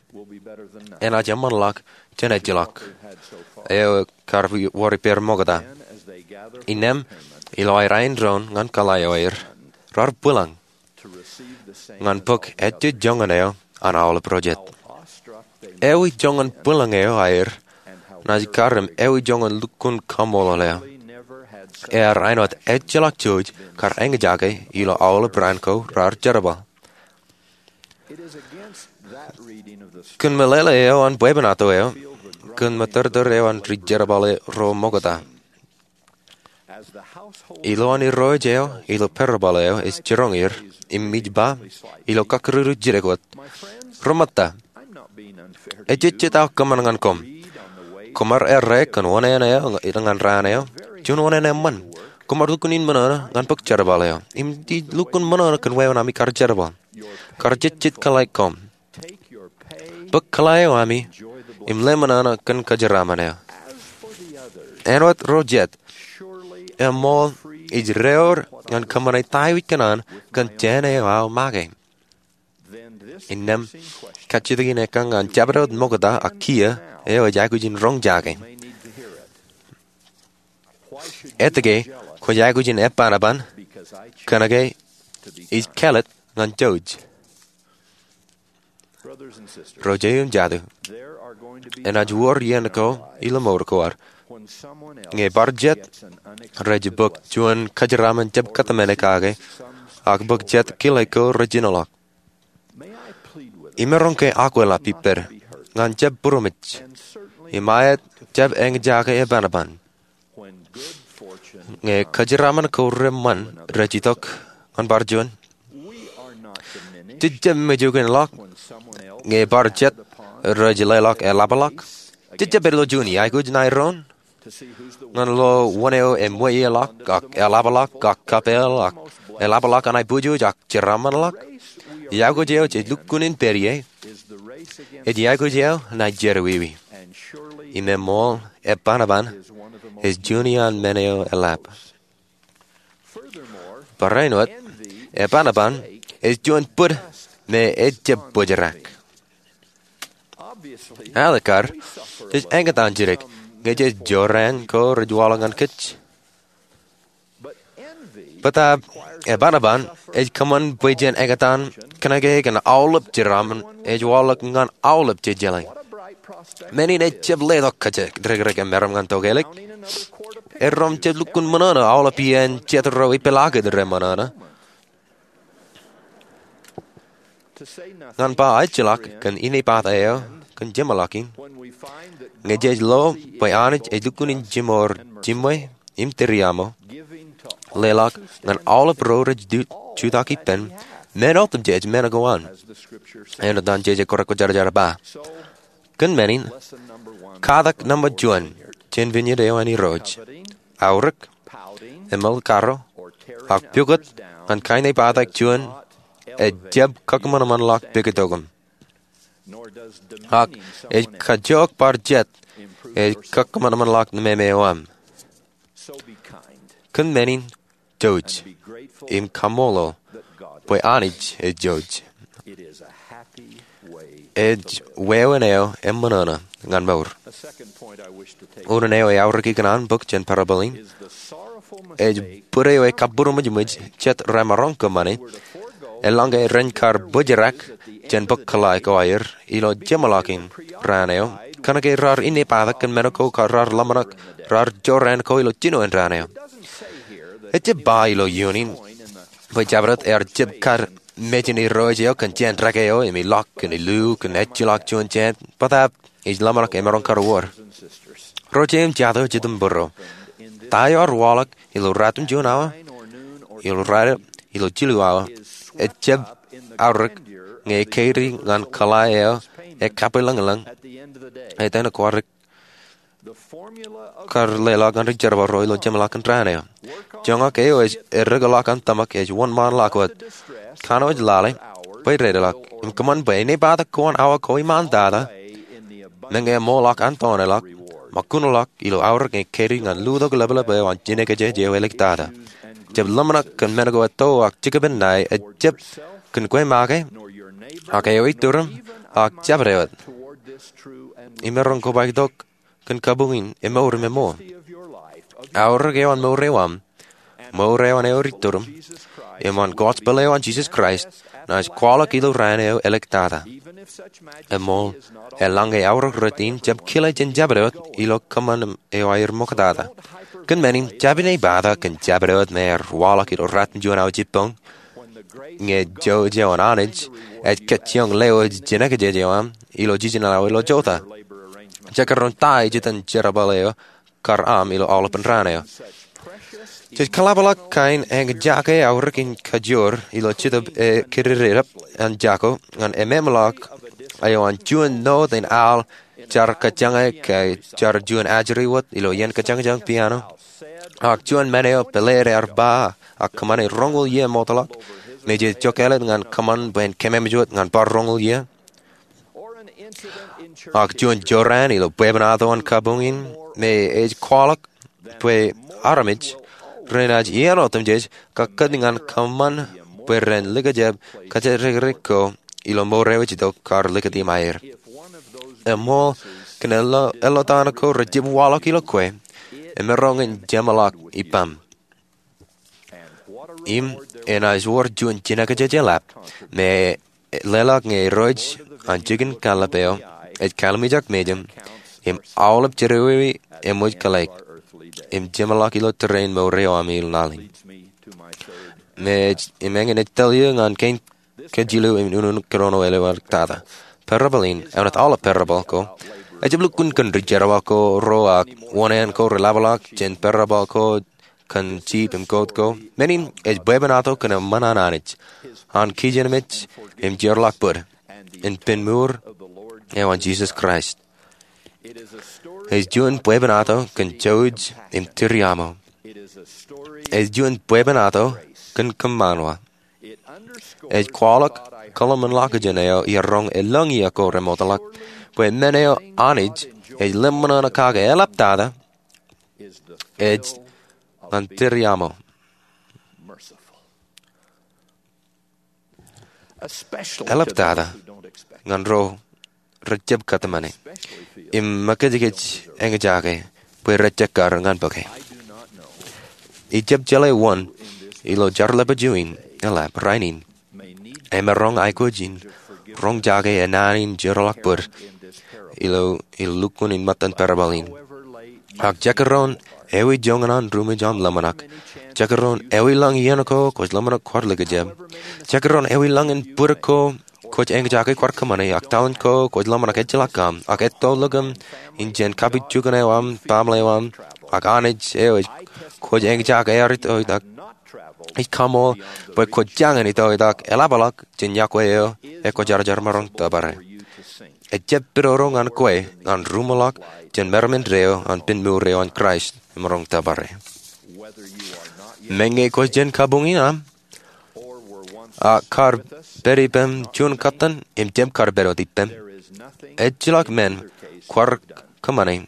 enaaj eṃṃanḷọk jān ejjeḷọk eo kar wor ippāer ṃokta. Innām, ilo aer aendoon ñan kōḷḷā eo aer, raar bwilōñ ñan bōk ejjejoñan eo an aolep ro jet. Ewi joñan bwilōñ eo aer naaj kar im ewi joñan lukkuun kaṃṃoolol eo? Ear āinwōt ejjeḷọk jouj kar eñjake ilo aolep raan ko raar jerbal. Kōn meḷeḷe eo an bwebwenato eo, kōn mōtōrtōr eo an ri-jerbal ro ṃokta, ilowaan Irooj eo ilo parable eo ej jiroñ er im ij ba ilo kakkure jidik wōt, ri-ṃōtta, ejejjet aō kōṃṃan ñan koṃ. Koṃ ar errā kōn wōṇāān eo ñan raan eo, juon wōṇāān eṃṃan. Koṃ ar lukkuun in ṃōṇōṇō ñan bōk jerbal eo im ij lukkuun ṃōṇōṇō kōn wāween ami kar jerbal. Kar jejjet kōḷḷā koṃ. Bōk kōḷḷā eo ami im leṃōṇōṇō kōn kōjeraaṃṃan eo. Āinwōt ro jet, eṃool ij reor ñan kōṃṃane ta eo ij kōṇaan kōn jān eo aō make. Innām, kajjitōk in ekkañ an jabdewōt ṃokta ak kiiō eo ej aikuj in roñjake. Etke kwōj aikuj in ebanban kōnke ij kāālōt ñan jouj? Ro jeiū im jatū, enaaj wōr iien ko ilo mour ko ad ñe bar jet rej bōk juon kōjeraaṃṃan jab kōtmāne kake, ak bōk jet kile ko rej jinoḷọk. Imaroñ ke akwālōt ippād ñan jab būroṃōj im aet jab eñjake ebanban ñe kōjeraaṃṃan ko reṃṃan rej itok ñan bar juon? Jej jab mejākinḷọk ñe bar jet rej leḷọk eḷapḷọk? Jej jab pād ilo juon iaikuj ṇa iroon ñan lo wōn eo eṃweieḷọk ak eḷapḷọk ak kapeel ak eḷapḷọk an aiboojoj ak jeraaṃṃanḷọk? Iaikuj eo jej lukkuun in pād ie ej iaikuj eo ṇae jerọwiwi. Im eṃool ebanban ej juon iaan men eo eḷap. Barāinwōt, ebanban ej juon bōd me ejjab bōjrak. Alikkar, jej eñtaan jidik ñe jej jorrāān ko rej waḷọk ñan kōj. Bōtaab ebanban ej kōṃṃan bwe jen eñtaan kōnke kōn aolep jeraaṃṃan ej waḷọk ñan aolep jejeḷā. Men in ejjab letok kōjatdikdik emaroñ ñan tokālik. Erom jab lukkuun ṃōṇōṇō aolep iien jet ro epālọked reṃōṇōṇō. Ñan ba ejjeḷọk kōn inepata eo kōn jeṃḷọkin, ñe jej lo bwe Anij ej lukkuun in jimour jiṃwe im tūriaṃo, leḷọk ñan aolep ro rej jutak ippān, men otemjej men ko an, āinwōt an jeje kōrā kwōjarjar ba. Kōn men in, katak nōṃba juon jān viññāān eo an Irooj, aorōk, eṃōl karo, ak pukot ñan kainepata juon ejjab kakōṃanṃanḷọk pukot eo aṃ. Ak ej kajook bar jet ej kakōṃanṃanḷọk nemāmeo aṃ. Kōn men in, jouj im kaṃṃoolol bwe Anij ej jouj. Ej wāween eo eṃōṇōṇō ñan mour. Unin eo eaorōk ikōṇaan bōk jān parable in ej bōd eo ekabūroṃōjṃōj jet remaroñ kōṃṃane eḷaññe ren kar bōjrak jān bōk kōḷḷā ko aer ilo jeṃḷọkin raan eo, kōnke raar inepata kōn men ko kar raar ḷōmṇak raar jorrāān ko ilo jinoin raan eo. Ejjab ba ilo iunin bwe jabdewōt ear jab kar mejān Irooj eo kōn jān dreke eo im ilọk kōn illu kōn ejjeḷọk juon jān, bōtaab ij ḷōmṇak emaroñ kar wōr. Ro jeiū im jatū, jitōnbōro, ta eo ear waḷọk ilo ratimjuon awa, ilo raelep, ilo jilu awa, ejjab aorōk ñe ekeidi ñan kōḷḷā eo ekabwilōñlōñ, etan kwaar kar leḷọk ñan ri-jerbal ro ilo jeṃḷọkin raan eo. Joñak eo ej erōkḷọk an tōmak ej wōnṃaanḷọk wōt. Kanooj lale bwe dedeḷọk im kōṃṃan bwe enaaj pād kōn awa ko iṃaantata, meñe eṃool ḷọk an tọọneḷọk, ṃōkuṇḷọk ilo aorōk ñe ekeidi ñan lutok lepḷep eo an jinōkjeje eo eliktata. Jab ḷōmṇak kōn men ko etto ak jikōpin ṇae, ejjab kōn kwe make, ak eo iturim, ak jabdewōt. Imaroñ kobaik tok kōn kabuñ in emour im eṃool. Aorōk eo an mour eo aṃ, mour eo an ewi iturim, im an gospel eo an Jisōs Kraist, naaj kwaḷọk ilo raan eo eliktata. Eṃool, eḷaññe aorōk rot in jab kile jān jabdewōt ilo kōṃṃan eo aer ṃoktata. Kōn men in, jab ij pād kōn jabdewōt me ear waḷọk ilo ratimjuon awa jibboñ, ñe jouj eo an Anij ej kajjioñ lewōj jinōkjeje eo aṃ ilo jiljino awa ilo jota. Jekdọọn ta ej itok jān jerbal eo kar aṃ ilo aolepen raan eo. Jej kōḷapḷọk kain eñjake aorōk in kajoor ilo Jetōb Kōdidedep an jako ñan ememeḷọk eo an juon note in al jar kōjañe ke jar juon ajri wōt ilo iien kōjañjañ piano, ak juon men eo pāleid ear ba ak kōṃṃane roñoul iien ṃootḷọk, me jej jokāāl ñan kōṃṃan bwe en kememej wōt ñan bar roñoul iien, ak juon jorrāān ilo bwebwenato an kabuñ in me ej kwaḷọk bwe armej renaaj iien otemjej kakkōt ñan kōṃṃan bwe ren likjab kōjatdikdik ko ilo mour eo ej itok kar likūt iṃaaer. Eṃool, kōn ello, ello ta ko rej jab waḷọk ilo kwe, emaroñ in jeṃḷọk ippaṃ. Im enaaj wōr juon jinōkjeje eḷap me leḷọk ñe Irooj an jikin kallib eo ej kallimjek mejaṃ im aolep jerọwiwi eṃōj kōḷḷāik im jeṃḷọk ilo tōre in mour eo aṃ ilo laḷ in. Me ej, im eñin ej tōl eō ñan kein kajilu im unin kōnono eo eliktata. Parable in, āinwōt aolep parable ko, ejjab lukkuun kōn ri-jerbal ko ro ak wōṇāān ko reḷapḷọk jān parable ko kōn jiip im goat ko. Men in ej bwebwenato kōn eṃṃan an Anij, an kijenmej im jeorḷọk bōd, im pen mour eo an Jisōs Kraist. Ej juon bwebwenato kōn jouj im tūriaṃo. Ej juon bwebwenato kōn kōṃṃan wa. Ej kwaḷọk kōḷmānḷọkjeṇ eo iaroñ elōñ iiō ko remootḷọk, bwe men eo Anij ej ḷōmṇak kake eḷaptata ej ñan tūriaṃo. Eḷaptata ñan ro rejjab kōtmāne im ṃōkajkōj eñjake bwe rej jekkar ñan bōke. Ijab jeḷā wōn ilo jar lepād in eḷap rainin emaroñ aikuj in roñjake naan in jeorḷọk bōd ilo, ilo lukkuun in ṃōttan parable in. Ak jekdọọn ewi joñan an ruṃwij aṃ ḷōmṇak, jekdọọn ewi lañ iien ko kwōj ḷōmṇak kwaar likjab, jekdọọn ewi lañ in bōd ko kwōj eñjake kwaar kōṃṃane, ak talent ko kwōj ḷōmṇak ejjeḷọk aṃ, ak etto ḷọk aṃ in jān kapijuknen eo aṃ, baaṃle eo aṃ, ak Anij eo ej kwōj eñjake ear itoitak, ij kaṃool bwe kwōj jañin itoitak eḷapḷọk jān yokwe eo ekwōjarjar maroñ tōpare. Ejjab pidodo ñan kwe ñan ruṃwij ḷọk jān meram indeeo an pen mour eo an Kraist emaroñ tōpare. Meñe kwōj jān kabuñ in aṃ, ak kar pād ippem juon kōttan im jab kar pād wōt ippem, ejjeḷọk men kwaar kōṃṃane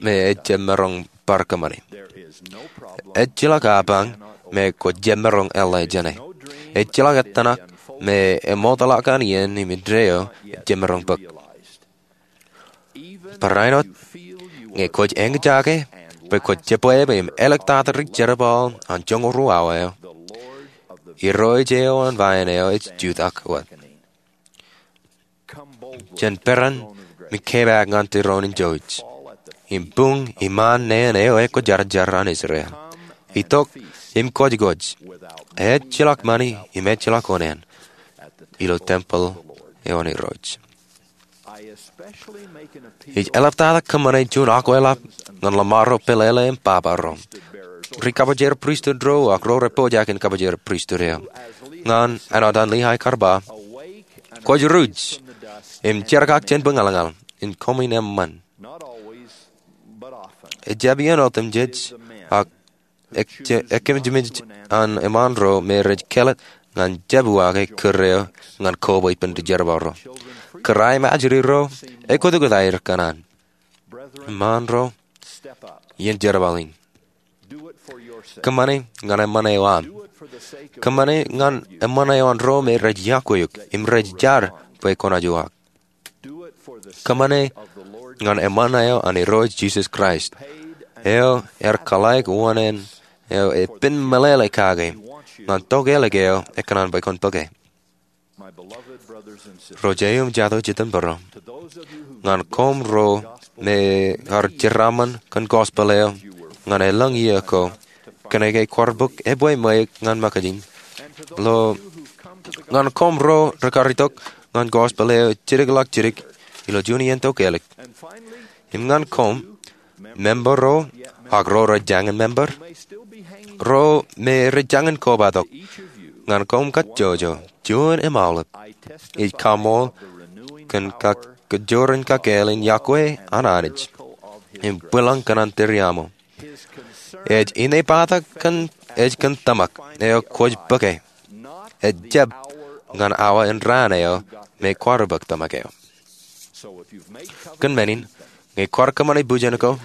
me ejjab maroñ bar kōṃṃane. Ejjeḷọk apañ me kwōjjab maroñ eḷḷā jāne. Ejjeḷọk ettōṇak me eṃootḷọk an iien im indeeo ejjab maroñ bōk. Barāinwōt ñe kwōj eñjake bwe kwōj jebwābwe im eliktata ri-jerbal an joñoul ruo awa eo, Irooj eo an vain eo ej jutak wōt. Jen peran im kepaak ñan tūroon in jouj, im buñ iṃaan neen eo ekwōjarjar an Israel. Itok im kwōjkwōj, ejjeḷọk ṃani im ejjeḷọk oṇāān, ilo tempel eo an Irooj. Ij eḷaptata kōṃṃane juon akwelap ñan ḷōṃaro, pālele im baba ro, ri kabōjjer pristut ro ak ro rej pojak in kabōjjer pristut eo. Ñan āinwōt an Lihay kar ba, kwōj ruj im jerkak jān buñalñal, in koṃwin eṃṃan. Ejjab iien otemjej, ak ekkejemej an eṃṃaan ro me rej kelōt ñan jab uwaake kūr eo ñan kobwe ippān ri jerbal ro. Kūr aimajri ro ekotkot aer kōṇaan. Eṃṃaan ro, iien jerbal in. Kōṃṃane ñan eṃṃan eo aṃ. Kōṃṃane ñan eṃṃan eo an ro me rej yokwe eok im rej jar bwe kwōnaaj uwaak. Kōṃṃane ñan eṃṃan eo an Irooj Jisōs Kraist, eo ear kōḷḷāik uwaan eo epen meḷeḷe kake ñan tokālik eo ekōṇaan bwe kwōn bōke. Ro jeiū im jato jitōnbōro, ñan koṃ ro me ar jeraaṃṃan kōn gospel eo ñan elōñ iiō ko, kōnke kwaar bōk ebwe ṃweiuk ñan ṃōkajin, ilo ñan koṃ ro rekar itok ñan gospel eo jidikḷọk jidik ilo juon iien tokālik, im ñan koṃ, member ro ak ro rej jañin member, ro me rej jañin kobatok, ñan koṃ kajjojo, juon im aolep, ij kaṃool kōn kajjoor in kakāāl in yokwe an Anij im bwilōñ kōn an tūriaṃo. Ej inepata kōn, ej kōn tōmak eo kwōj bōke. Ejjab ñan awa in raan eo me kwaar bōk tōmak eo. Kōn men in, ñe kwaar kōṃṃane bujen ko,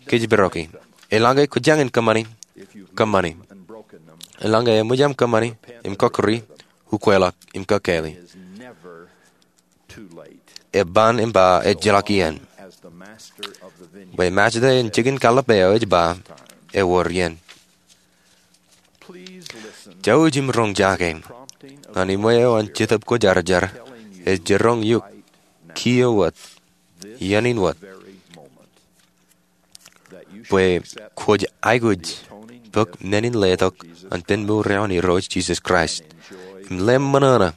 kōjparok e. Eḷaññe kwōjañin kōṃṃane, kōṃṃane. Eḷaññe eṃōj aṃ kōṃṃane im kọkkure, ukweḷọk im kakāāle. Eban im ba ejjeḷọk iien. Bwe Mājde in jikin kallib eo ej ba, ewōr iien. Jouj im roñjake ñan iṃwe eo an Jetōb Kwōjarjar ej jiroñ eok kiiō wōt, iien in wōt, bwe kwōj aikuj bōk men in letok an pen mour eo an Irooj Jisōs Kraist im lale ṃōṇōṇō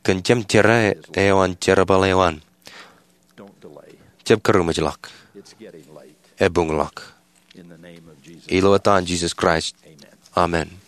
kōn jemjerā eo an jerbal eo an. Jab kūrṃōjḷọk. Ebuñḷọk. Ilo etan Jisōs Kraist, amen.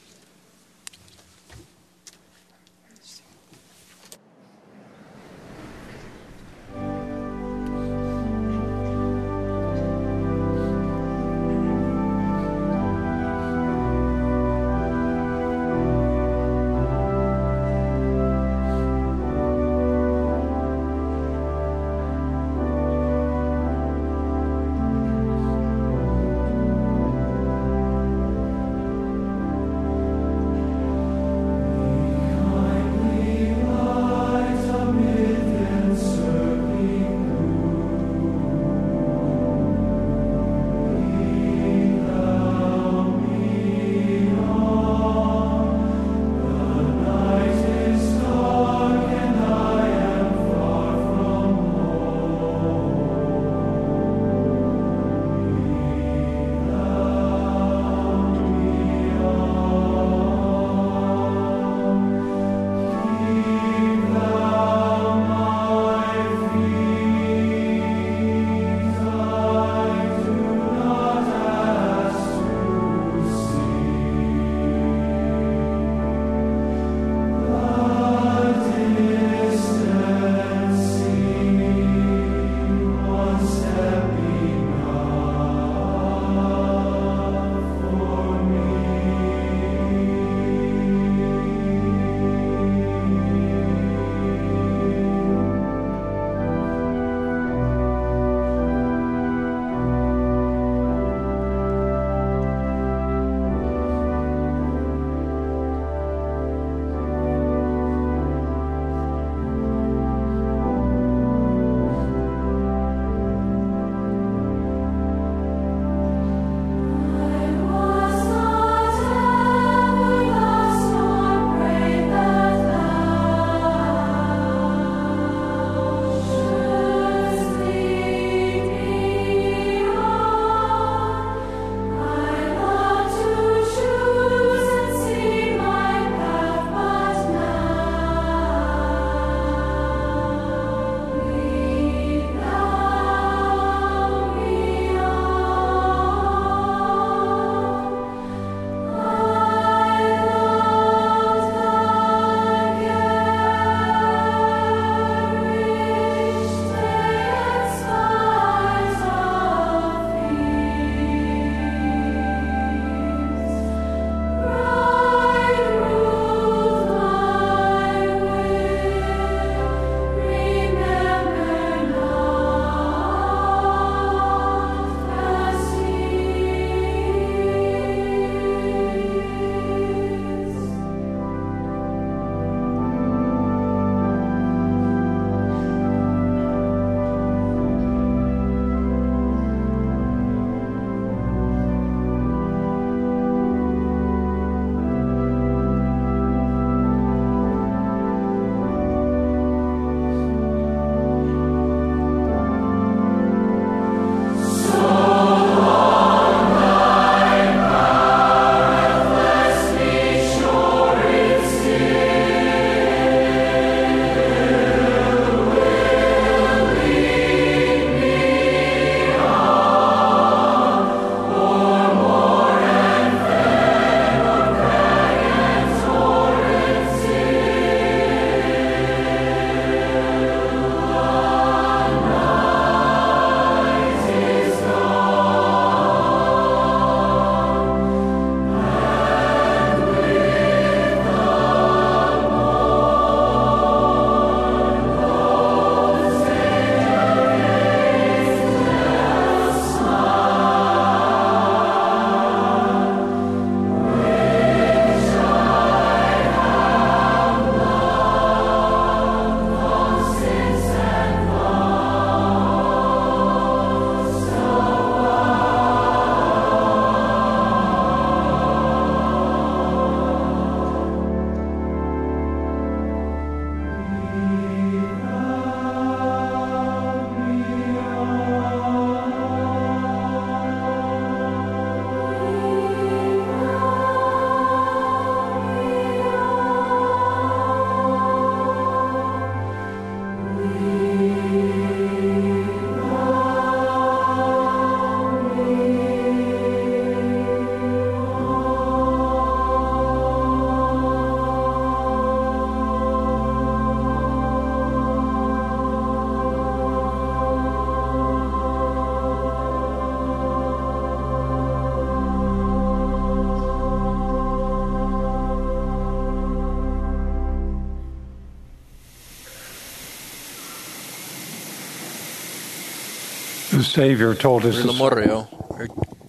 The Savior told us Ri Lemor eo,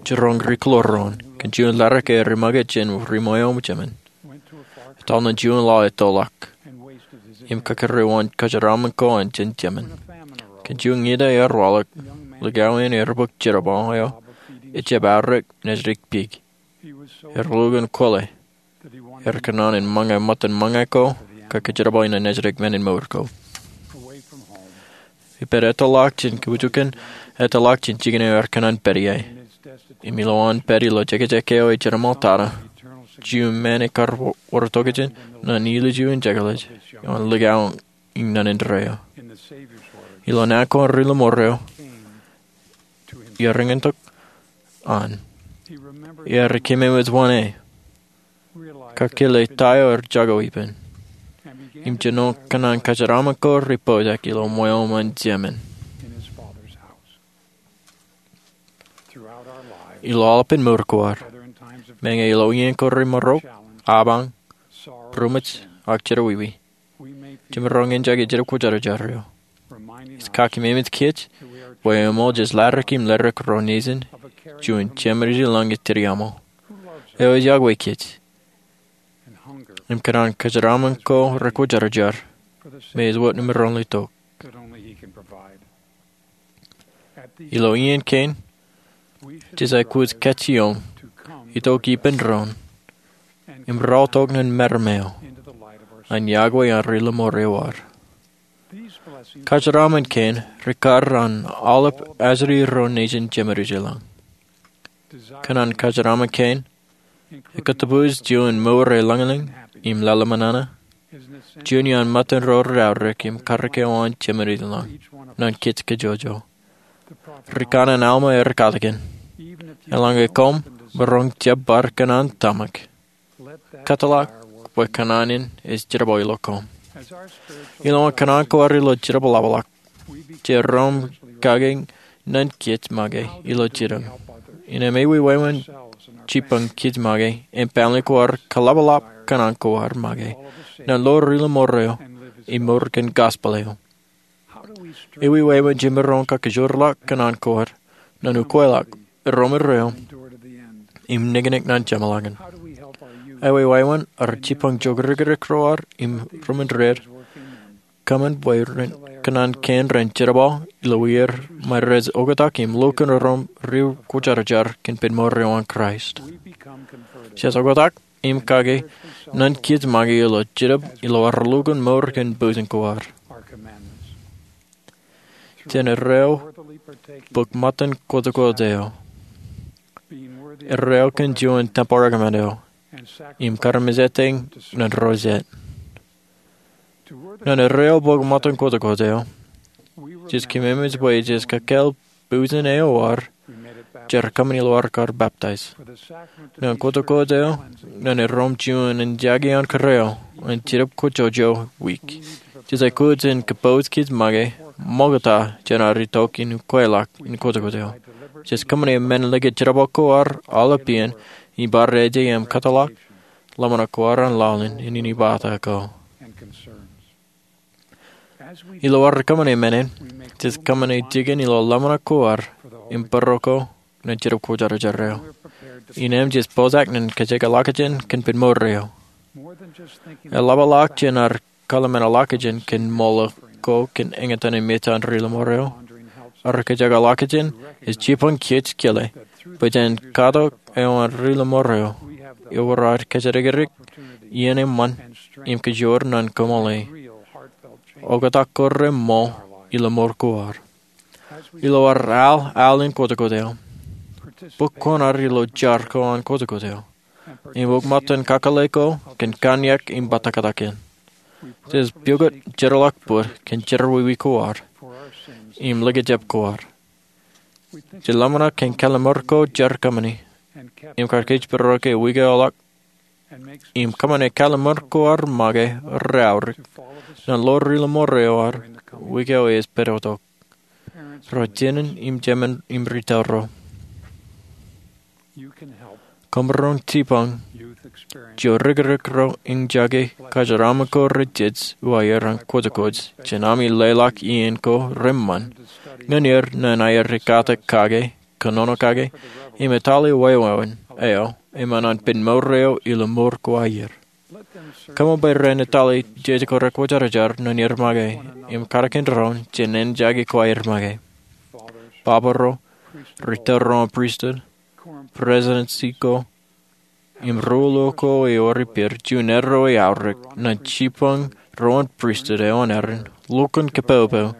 jiroñ ri kōḷoor ro an, kōn juon laḷ ke ri make jān ri ṃweo jemān, etal ṇe juon laḷ ettoḷọk im kakōrā wōn kōjeraaṃṃan ko an jān jemān. Kōn juon ñe ta ear waḷọk, likao in ear bōk jerbal eo ejjab aorōk nejdik pik. Ear lukkuun kwōle. Ear kōṇaan in ṃōñā ṃōttan ṃōñā ko, kōjerbali ñan nejdik men in mour ko. Ippān ettoḷọk jān kōpooj kein, ettoḷọk jān jikin eo ear kōṇaan pād ie. Im ilowaan pād ilo jekjek eo ejjeḷọk tata, juon men ekar wōr tokjān ṇe ilju in jekḷaj ioon likao in ṇa indeeo. Ilo naan ko an Ri Lemor eo, ear eñintok an. Ear kememej wōn e, kakile ta eo ear jako ippān, im jino kōṇaan kōjeraaṃṃan ko rej pojak ilo ṃweo ṃōn jemān. Ilo aolepān mour ko ad, meñe ilo iien ko remaroñ, apañ, būroṃōj, ak jerọwiwi, jemaroñ in jake Jetōb Kwōjarjar eo. Ej kakememej kōj bwe eṃool jej laḷ im leḷọk ro nejin juon Jemed eo ilañ ej tiriaṃo, eo ej yokwe kōj, im kōṇaan kōjeraaṃṃan ko rekwōjarjar, me ej wōt emaroñ letok. Ilo iien kein, jej aikuj kajjioñ itok ippān doon im raorōk ñan meram eo an yokwe an Ri Lemor eo ad. Kōjeraaṃṃan kein rekar an aolep ajri ro nejin Jemed eo ilañ. Kōṇaan kōjeraaṃṃan kein ekōtōpar juon mour eo lañlōñ im lale ṃōṇōṇō, juon iaan ṃōttan ro rej aorōk im karōk eo an Jemed eo ilañ ñan kōj kajjojo. Rikanaan Alma ear katakin, eḷaññe koṃ maroñ jab bar kōṇaan tōmak, kōtḷọk bwe kōṇaan in ej jerbal ilo koṃ. Ilo an kōṇaan ko ad ilo Jetōb Ḷapḷọk, jej roñ kake ñan kōj make ilo jidik. Innām ewi wāween jibboñ kōj make im family ko ad kaḷapḷọk kōṇaan ko ad make ñan ḷoor Ri Lemor eo im mour kōn gospel eo? Ewi wāween jemaroñ kakajoorḷọk kōṇaan ko ad ñan ukweḷọk, erom indeeo, im niknik ñan jeṃḷọkin? Ewi wāween ad jibboñ jokdikdik ro ad im reṃwiin kōṃṃan bwe kōṇaan kein ren jerbal ilo wōj ṃae rej oktak im lukkuun erom ri kwōjarjar kōn pen mour eo an Kraist? Jej oktak im kake ñan kōj make ilo Jetōb ilo ad lukkuun mour kōn pojak ko ad. Jān erreo bōk ṃōttan kotkot eo, erreo kōn juon tempel recommend eo, im kar mejātōk ñan ro jet. Ñan erreo bōk ṃōttan kotkot eo, jej kememej bwe jej kōkāāl pojak eo ad jar kōṃṃani ilo ad kar baptize. Ñan kotkot eo, ñan erom juon in jake an kōrā eo an Jetōb Kwōjarjar wiik, jej aikuj in kōpooj kōj make ṃokta jān ad itok in ukweḷọk in kotkot eo. Jej kōṃṃane men likūt jerbal ko ad aolep iien im bar eje im kōtḷọk ḷōmṇak ko ad an laḷ in inepata ko. Ilo ad kōṃṃane men in, jej kōṃṃane jikin ilo ḷōmṇak ko ad im būruo ko ñan Jetōb Kwōjarjar eo. Innām jej pojak ñan kōjekḷọkjeṇ kōn pen mour eo. Eḷapḷọk jān ad kōḷmānḷọkjeṇ kōn ṃool ko kōn eñtaan im mejān Ri Lemor eo, ad kōjekḷọkjeṇ ej jibboñ kōj kile bwe jān katok eo an Ri Lemor eo, ewōr ad kōjatdikdik iien eṃṃan im kajoor ñan kōṃṃane oktak ko reṃool ilo mour ko ad. Ilo ad al al in kotkot eo, bōk koṇ ad ilo jar ko an kotkot eo, im bōk ṃōttan kakōḷḷe ko kōn kanniōk im bōtōktōkin. Jej pukot jerḷọk bōd kōn jerọwiwi ko ad im likjab ko ad. Jej ḷōmṇak kōn kalliṃur ko jar kōṃṃani im kar kōjparok e wiik eo ḷọk im kōṃṃane kalliṃur ko ad make reaorōk ñan ḷoor Ri Lemor eo ad wiik eo ej pād tok. Ro jinen im jemān im retail ro, Kōmro jipañ jeo rikirikro im jake kōjeraaṃṃan ko rej jej uwaer an kōjkōj jān ami leḷọk iien ko reṃṃan ñan er ñan aer ekkatak kake, kōnono kake, im etale wāween eo eṃṃan an pen mour eo ilo mour ko aer. Kōṃṃan bwe ren etale jeje ko rekwōjarjar ñan er make im katak doon jān āne jake ko aer make. Papa ro, ri tōl ro an pristut, prestutensi ko, im ri-luo ko ewōr ippāer juon erreo eaorōk ñan jipañ ro an pristut eo an Aaron lukkuun kapopo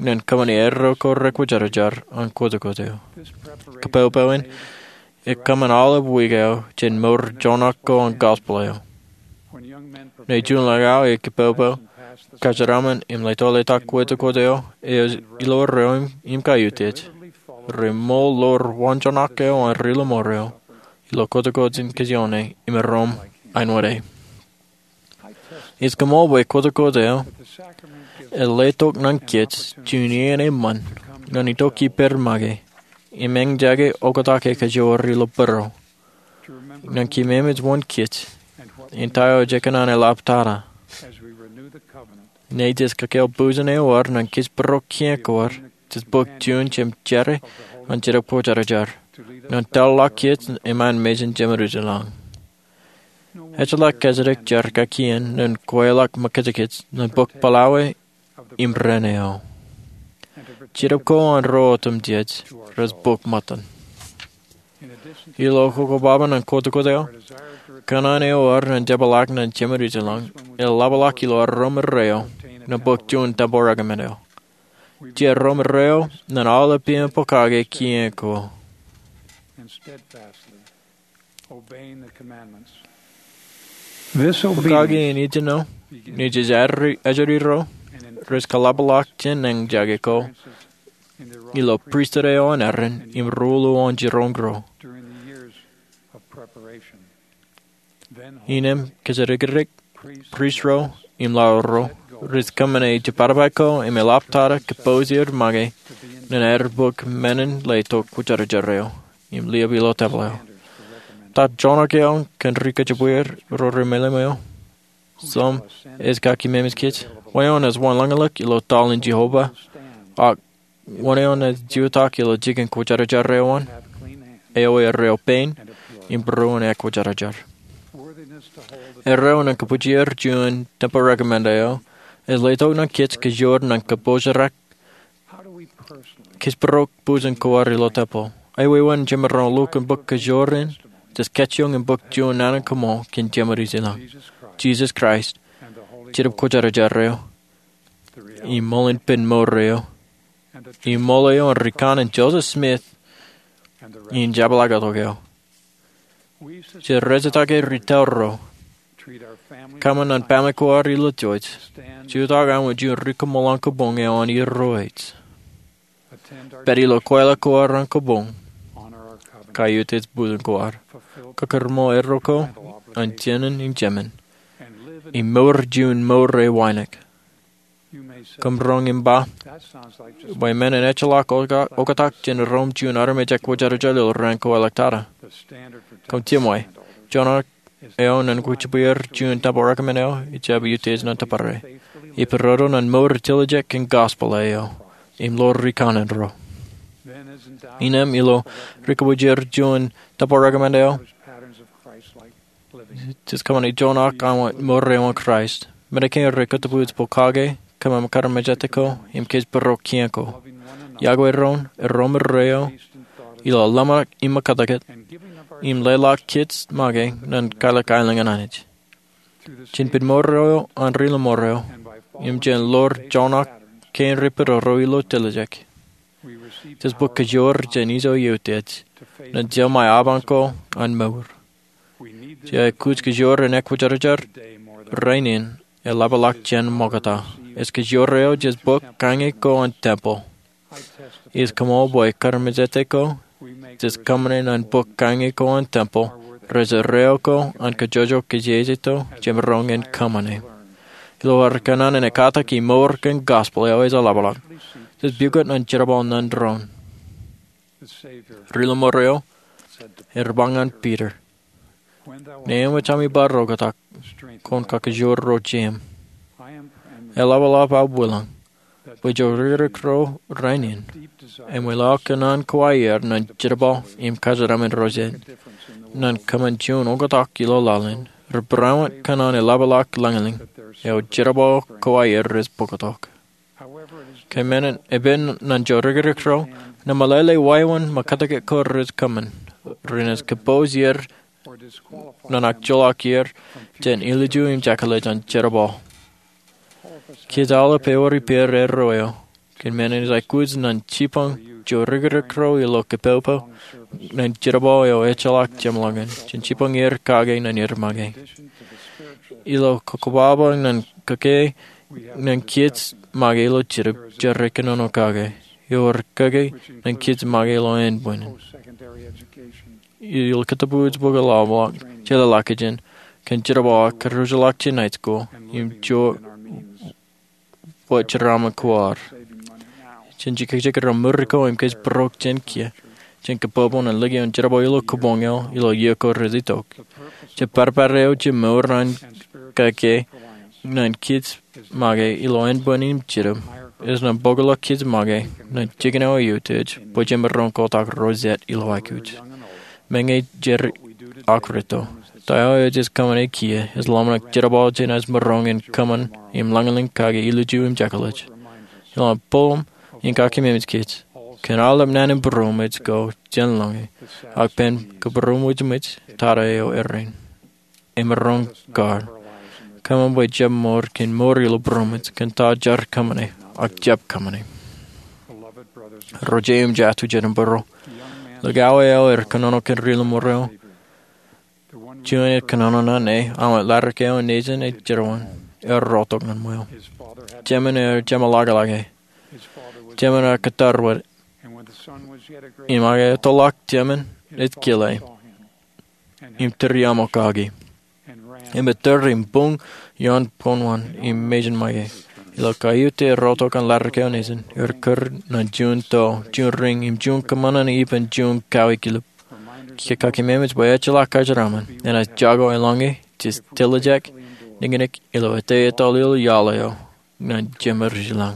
ñan kōṃṃane erreo ko rekwōjarjar an kōjkōj eo. Kapopo in ekōṃṃan aolep wiik eo jān mour joñak ko an gospel eo. Ñe juon laḷ eo ekapopo, kōjeraaṃṃan im leḷḷọk kōjkōj eo, ej ilo erreo im kaiutiej, reṃool ḷoor waanjoñak eo an ri-lọmọọr eo ilo kōjkōj in kajioñe im erom āinwōt e. Ij koṃṃool bwe kōjkōj eo eḷḷātok ñan kōj juon iien eṃṃan ñan itok ippāer make im āne jake oktak ekajoor ilo būruō, ñan kememej wōn kōj im ta eo ej kōṇaan eḷap tata. Ñe jej kakāāl bwijin ewōr ñan kōjparok kiiō ko ad, jej bōk juon jemjerā an Jetōb Kwōjarjar ñan tōl ḷọk kōj im an mejān Jemedwōj ilañ. Ejjeḷọk kōjatdikjer kaki iien ñan kweilọk ṃōkajkōj ñan bōk ploway im ren eo. Jetōb ko an ro otemjej rej bōk ṃōttan. Ilo kokobaban an kōjkōj eo, kōṇaan eo ad ñan jepḷaak ñan Jemedwōj ilañ eḷapḷọk ilo ad ro ṃōrreo ñan bōk juon tempeḷ recommend eo. Jej ro ṃōrreo ñan aolep iien pokake kiiō ko. Pokake in ijin eo, ñe jej ejjeḷọk ro, rej kaḷapḷọk jān āne jake ko ilo pristut eo an Aaron im ri-luo an jiroñ ro. Innām kōjatdikdik, prist ro im laḷ ro rej kōṃṃane jibadbad ko im eḷap tata kōpooj er make ñan aer bōk men in letok kwōjarjar eo im liab ilo tempeḷ eo. Ta joñak eo kōn ri kōjparok ro remeḷeḷe eo? Some ej kakememej kōj. Wōn eo ej wanlañlōñ ilo tōl in Jeova, ak wōn eo ej jutak ilo jikin kwōjarjar eo an? Ewi erreo pein im būruon ekwōjarjar? Erreo ñan kōbwijer juon tempeḷ recommend eo ej letok ñan kōj kajoor ñan kōpooj rak kōjparok bwijin ko ad ilo tempeḷ. Ewōr wōt jemaroñ lukkuun bōk kajoor in, jej kajjioñ im bōk juon naan in koṃṃool kōn Jemedwōj ilañ, Jisōs Kraist, Jetōb Kwōjarjar eo, im ṃōḷan pen mour eo, im ṃool eo an rikanaan Joseph Smith im jepḷaaktok eo. Jej rejjitōk ri tōl ro, kōṃṃan ñan family ko ad ilo Georgia, jutak aṃ wōt juon ri-koṃṃool an kōboñ eo an Irooj. Pād ilo kweilọk ko ad an kōboñ, kaiutiej bwijin ko ad, kōkōrṃōl erreo ko an jinen im jemān, im mour juon mour eo wānōk. Kōmro im ba, bwe men in ejjeḷọk oktak jān rom juon armej ekwōjarjar ilo raan ko eḷḷāk tata. Kōm jimwe, joñak eo ñan kōjparok juon tempeḷ recommend eo ejjab utiej ñan tōpare. Ej būrodo ñan mour etiljek kōn gospel eo im ḷoor rikanaan ro. Innām ilo ri kōjparok juon tempeḷ recommend eo, jej kōṃṃane joñak an mour eo an Kraist. Men kein rej kōtōpwij pokake, kōṃṃan kar mejāte ko, im kōjparok kiiō ko. Iakwe doon, erom erreo ilo ḷōmṇak im ṃōkajkōj, im leḷọk kōj make ñan kwaḷọk aelōñ an Anij. Jān pen mour eo an ri-lọmọọr eo, im jān ḷoor joñak kein rej būroro ilo tiljek, jej bōk kajoor jān ijo eutiej ñan jeṃae aban ko an mour. Jej aikuj kajoor in ekwōjarjar rainin eḷapḷọk jān ṃokta. Ej kajoor eo jej bōk kañe ko an tempeḷ. Ij koṃṃool bwe kar mejāte ko, jej kōṃṃane ñan bōk kañe ko an tempeḷ rej erreo ko an kōjojok kōjejjeto jemaroñ in kōṃṃane. Ilo ad kōṇaan in ekkatak im mour kōn gospel eo ej eḷapḷọk, jej pukot ñan jerbal ñan doon. Ri-lọmọọr eo ear ba ñan Piter, Ñe eṃōj ami bar oktak, kwōn kakajoor ro jeiūṃ. Eḷapḷọk aō bōk lañ bwe ijoko ri-kōrā ro rainin eṃōj lọk kōn an kōwā er ñan jerbal im kōjeraaṃṃan ro jet. Ñan kōṃṃan juon oktak ilo laḷ in, ri-barāinwōt kōṇaan eḷapḷọk lañlōñ eo jerbal kōwā er rej bōktok. Kōn men in, epen ñan ijoko ri-kōrā ro, nōṃalele wāween ṃōkajjien ko rej kōṃṃan, renaaj kōpooj er ñan ak joḷọk er jān ilju im jekḷaj an jerbal. Kiiō aolep ewōr ippāer erro eo. Kōn men in ej aikuj ñan jipañ ijoko ri-kōrā ro ilo kōpopo ñan jerbal eo ejjeḷọk jeṃḷọkin, jān jipañ er kake ñan er make. Ilo kokkobaba ñan kōkōe ñan kiiō make ilo Jibūn, rej kōnono kake. Ewōr kōkōe ñan kiiō make ilo ānbwinnin. Ilo kōtōpūj bok eḷapḷọk, jeḷāḷọkjeṇ, kōn jerbal ak kōjjeḷọk jān high school im ijo wōt jeraaṃṃan ko ad. Jān jekjek ro mour ko im kōj būrok jān kiiō, jān kōpopo ñan lōke ioon jerbal ilo kōbōn eo ilo iiō ko rej itok. Jet parpar eo je mour an kōkōe ñan kiiō make ilo ānbwinnin im Jibūn, ej ñan bōkḷọk kiiō make ñan jikin eo eutiej bwe jemaroñ kotak ro jet ilo aikuj. Meñe jer akwōj to, ta eo ej kōṃṃane kiiō ej ḷōmṇak jerbal jān ej maroñ in kōṃṃan im lañlōñ kake ilju im jekḷaj. Ilo an bōk im kaki memeej kōj, kōn aolep naan in būruōm ej ko jān lōñe, ak pen kōbūruōm wōjmwōj tata eo errein. Emaroñ kar kōṃṃan bwe jab mour kōn mour ilo būruōm ej kōn ta jar kōṃṃane ak jab kōṃṃane. Ro jeiū im jatū jet im būruō, likao eo ear kōnono kōn ri-lọmọọr eo, juon ear kōnono ñan e, aṃ wōt ladik eo nejin ej jeroan, ear rotok ñan ṃweo. Jemān ear jeṃḷọkḷọke. Jemān ear kōttar wōt. Im ak ettoḷọk jemān, ej kile im tūriaṃo kaki. Im etōr im buñ ioon boñwan im mejān make. Ilo kaiut ear rotok an ladik eo nejin, ear kūr ñan juon to, juon riñ, im juon kōṃṃan an ippān juon kawi kilip. Kiiō kaki memeej bwe ejjeḷọk kōjeraaṃṃan, enaaj jako eḷaññe jej tiljek, niñniñ ilo ettā ettoḷ ilo iaḷ eo ñan jemān ri-lañ.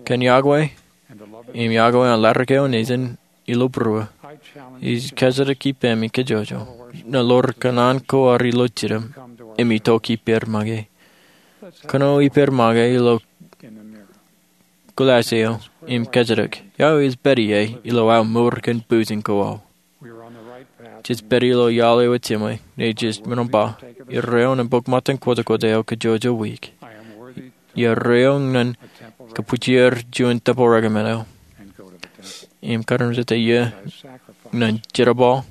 Kōn iọkwe im iọkwe an ladik eo nejin ilo būruō, ij kōjatdikpe ippemi kajjojo ñan ḷoor kōṇaan ko ad ilo jidim im itok ippāer make. Kōṇaan ippāer make ilo kuḷaaj eo im kōjatdikdik, ia eo ej pād ie ilo aō mour kōn pūsin ko aō. Jej pād ilo iaḷ eo ej jeṃwe, ñe jej ṃōṇōṇō ba, erreo ñan bōk ṃōttan kwōjkwōj eo kajjojo wiik. Ia erreo ñan kabwijer juon tempel recommend eo im karuṃwij eo ñan jerbal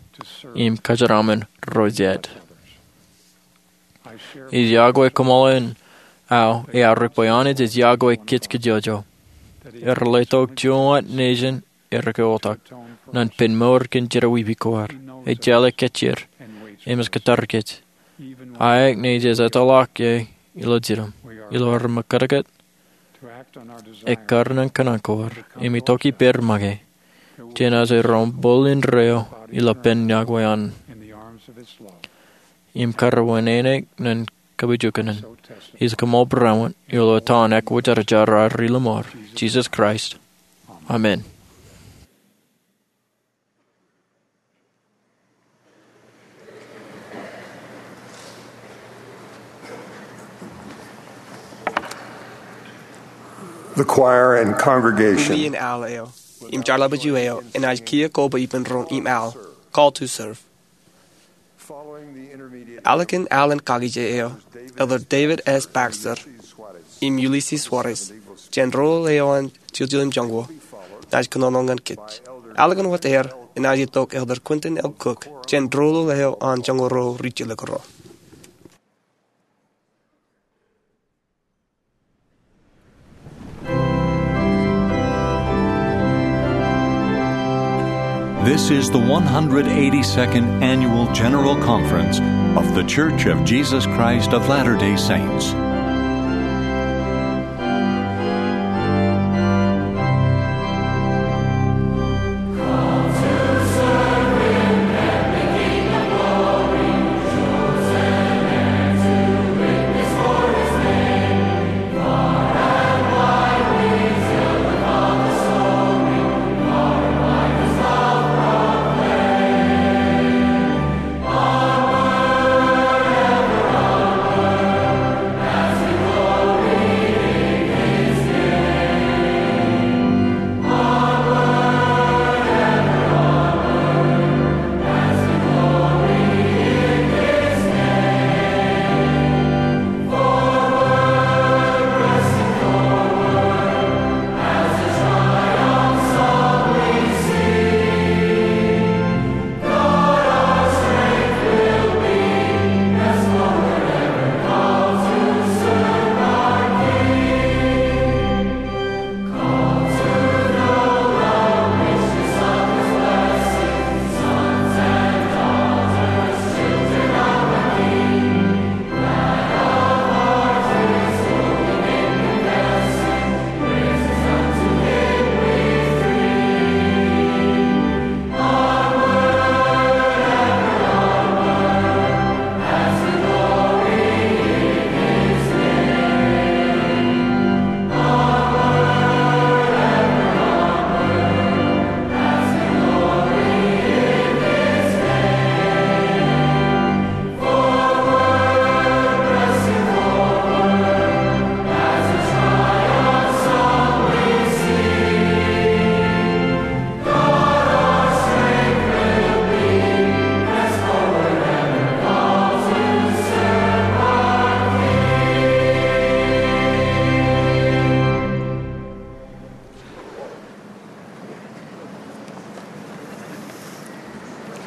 im kōjeraaṃṃan ro jet. Ij iọkwe kōṃṃool in aō, eaorōk bwe Anij ej iọkwe kōj kajjojo. Ear letok juon wōt nejin ear oktak ñan pen mour kōn jerọwiwi ko ad. Ej jeḷā kōj er im ej kōttar kōj, aet ñe jej ettoḷọk e ilo jidim, ilo ad ṃōkajjien ekkar ñan kōṇaan ko ad im itok ippāer make, jān aō ro ṃool indeeo ilo ippān iọkwe an im kar wūnin ñan kabujukunen. Ij kōṃṃool būruōm ilo etan Ekwōjarjar ad ri-lọmọọr, Jisōs Kraist. Amen. The choir and congregation. Iien aḷ eo im jarlepju eo enaaj kiiō koba ippān roñ im aḷ, call to serve. Alen aḷ in kakije eo, Elder David S. Baxter im Ulisses Soares, jān rool eo an Chilchin Joñoul, enaaj kōnono ñan kōj. Alen wōt aer enaaj itok Elder Quentin L. Cook, jān rool eo an Joñoul Ro Ri-Jilkinrot. This is the one hundred eighty-second Annual General Conference of The Church of Jesus Christ of Latter-day Saints.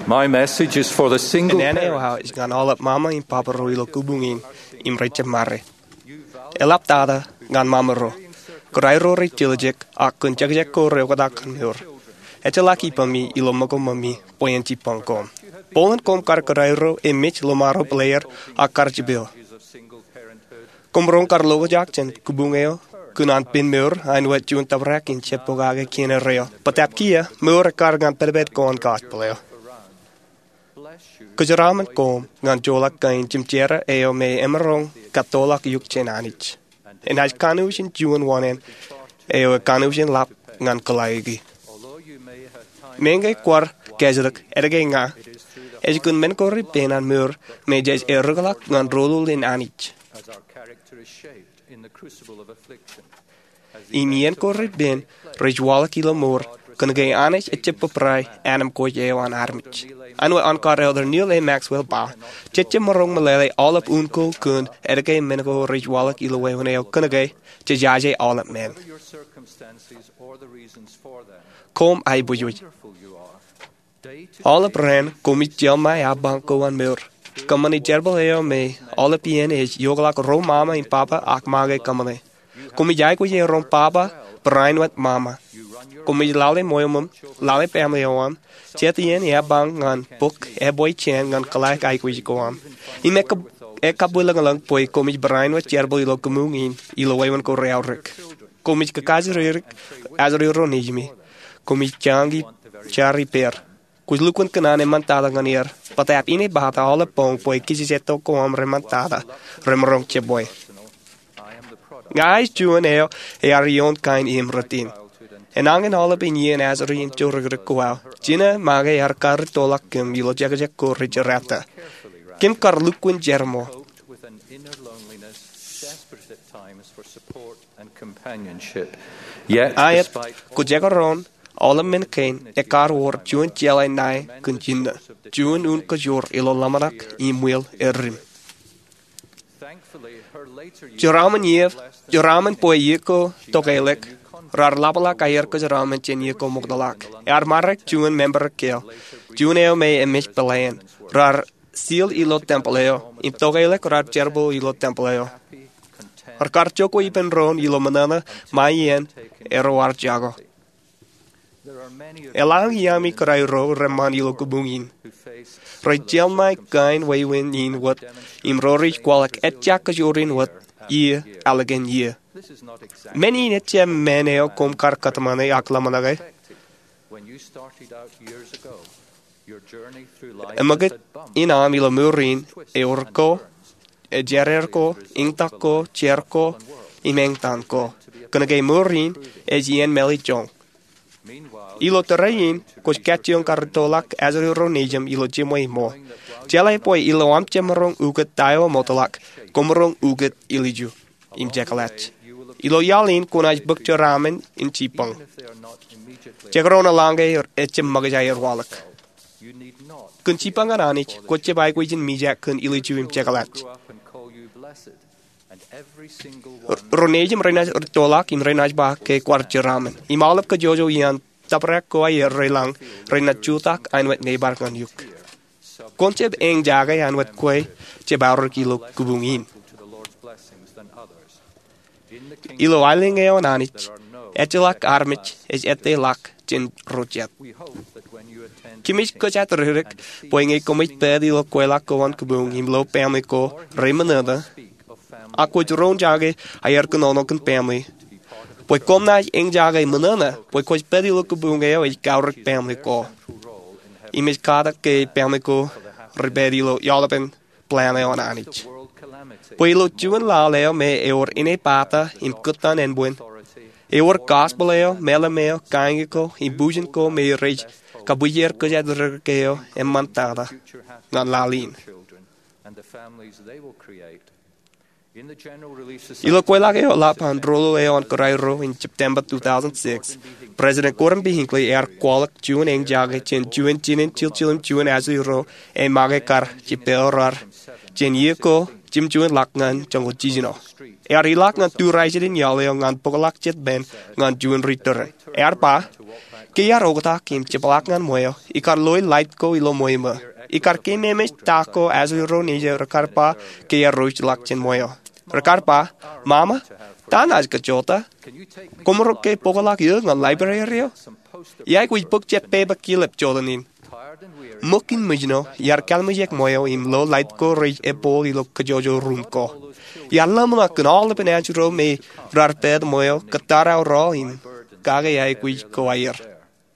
My message is for the single Naan eo aō ej ñan aolep mama im papa ro ilo kōbuñ in im rej jab ṃare. Eḷaptata ñan mama ro. Kōrā ro rej tiljek ak kōn jekjek ko reoktak ñan mour. Ejjeḷọk ippaṃ ilo ṃōko ṃōṃi bwe en jibboñ koṃ. Bōlen koṃ kar kōrā ro, emej, lomaro, peleer, ak kar jipeo. Koṃ roñ kar loḷọk jān kōbuñ eo kōn an pen mour, āinwōt juon tōprak in jab pokake kien erreo. Bōtaab kiiō, mour ekkar ñan pedped ko an gospel eo. Kōjeraaṃṃan koṃ ñan joḷọk kain jimjera eo me emaroñ kattoḷọk eok jān Anij. Enaaj kanooj in juon wōṇāān eo ekanooj in ḷap ñan kōḷaiki. Meñe kwaar kajjitōk, etke ña? Ej kōn men ko repen an mour me jej errikḷọk ñan rōlul in Anij. Im iien ko repen rej waḷọk ilo mour, kōnke Anij ejjab bōbrae ānōṃ kōj eo an armej. Āinwōt Elder Neal A. Maxwell ba, jejjab maroñ meḷeḷe aolep un ko kōn etke men ko rej waḷọk ilo wāween eo, kōnke jejaje aolep men. Koṃ aiboojoj. Aolep raan koṃij jeḷā ṃae apañ ko an mour. Kōṃṃane jerbal eo me aolep iien ej iokḷọk ro mama im papa ak make kōṃṃane. Koṃij aikuj erom papa barāinwōt mama. Koṃij lale ṃweo ṃōṃ, lale family eo aṃ, jet iien epañ ñan bōk epojjāān ñan kōḷaik aikuj ko aṃ. Im ekabwilōñlōñ bwe koṃij barāinwōt jerbal ilo kōbuñ in ilo wāween ko reaorōk. Koṃij kakajoor ajri ro nejimi. Koṃij jañin jar ippāer. Kwōj lukkuun kōṇaan eṃṃantata ñan er, bōtaab inepata aolep boñ bwe kijejetok ko aṃ reṃṃantata, remaroñ jebwe. Ña ij juon eo ear ioon kain im rot in. Enañin aolepen iien ajri im jorōkrōk ko aō, jino make ear karreoḷọk kōm ilo jekjek ko rej jerata. Kōm kar lukkuun jerṃo. Aet, kwōjekaroñ aolep men kein, ekkar wōr juon jeḷā ṇae kōn jinō, juon un kajoor ilo ḷōmṇak im weel edim. Jeraaṃṃan iiō, jeraaṃṃan bwe iiō ko tokeḷọk, raar ḷapḷọk aer kōjeraaṃṃan jān iiō ko ṃoktaḷọk. Ear ṃarek juon member ekkā, juon eo me emej peḷein. Raar seal ilo tempeḷ eo, im tokeḷọk raar jerbal ilo tempeḷ eo. Raar kar jokwe ippān doon ilo ṃōṇōṇō ṃae iien eroar jako. Eḷaññe iaami kōrā ro reṃṃan ilo kōbuñ in. Rej jeḷā ṃae kain wāween in wōt, im ro rej kwaḷọk ejja kōjwōr in wōt, iiō ālikin iiō. Men in ejjab men eo koṃ kar kōtmāne ak ḷōmṇake. Eṃōkaj in aṃ ilo mour in, ewōr ko, ejeraer ko, eñtak ko, jer ko, im eñtaan ko. Kōnke mour in ej iien mālejjoñ. Ilo tōre in, kwōj kajjioñ karreoḷọk ajri ro nejūṃ ilo jiṃwe ṃool. Jeḷā bwe ilo aṃ jemaroñ ukōt ta eo eṃoktaḷọk, koṃ maroñ ukōt ilju im jekḷaj. Ilo iaḷ in kwōnaaj bōk jeraaṃṃan in jibboñ. Jekdọọn eḷaññe ejjab ṃōkaj aer waḷọk. Kōn jibboñ an Anij, kwōj jab aikuj in mijak kōn ilju im jekḷaj. Ro nejūṃ renaaj rūttoḷọk im renaaj ba ke kwaar jeraaṃṃan. Im aolep kōjwōjwo iaan tōprak ko aer reilañ renaaj jutak āinwōt neibar ñan eok. Kwōn jab eñjake āinwōt kwe jab aorōk ilo kōbuñ in. Ilo aelōñ eo an Anij, ejjeḷọk armej ej ettā ḷọk jān ro jet. Kōmij kōjatrōddik bwe ñe koṃij pād ilo kweilọk ko an kōbuñ im lo family ko reṃōṇōṇō, ak kwōj roñjake aer kōnono kōn family, bwe koṃ naaj eñjake ṃōṇōṇō bwe kwōj pād ilo kōbuñ eo ej kaorōk family ko. Im ej katak ke family ko rej pād ilo aolepen plan eo an Anij. Bwe ilo juon laḷ eo me ewōr inepata im kōttan ānbwin, ewōr gospel eo, mālim eo, kañin ko, im bujen ko me rej kabwijer kōjatrōddik eo eṃṃantata ñan laḷ in. Ilo kweilọk eo ḷap an rōlul eo an kōrā ro in September two thousand six, President Gordon B. Hinckley ear kwaḷọk juon eñjake jān juon jinen jiljilimjuon ajri ro ej make kar jepel raar jān iiō ko jimjuon ḷọk ñan joñoul jiljino. Ear ilọk ñan tūrajjiten iaḷ eo ñan bōkḷọk jet pen ñan juon ri tōre. Ear ba, Ke iar oktak im jepḷaak ñan ṃweo, ikar loi lait ko ilo ṃweo ṃō. Ikar keememej ta ko Asri ro nejū rekar ba ke iar rooj ḷọk jān ṃweo. Rekar ba, "Mama, ta naaj kajjoota? Koṃro ke bōkḷọk eō ñan library eo? Iaikuj bōk jet pepe kilep jota in." Ṃōk in mijno, iar kallimjek ṃweo im lo lait ko rej eppoḷ ilo kajjojo ruum ko. Iar ḷōmṇak kōn aolepen anjro me raar pād ṃweo kōttar aō rọọl im kake aikuj ko aer.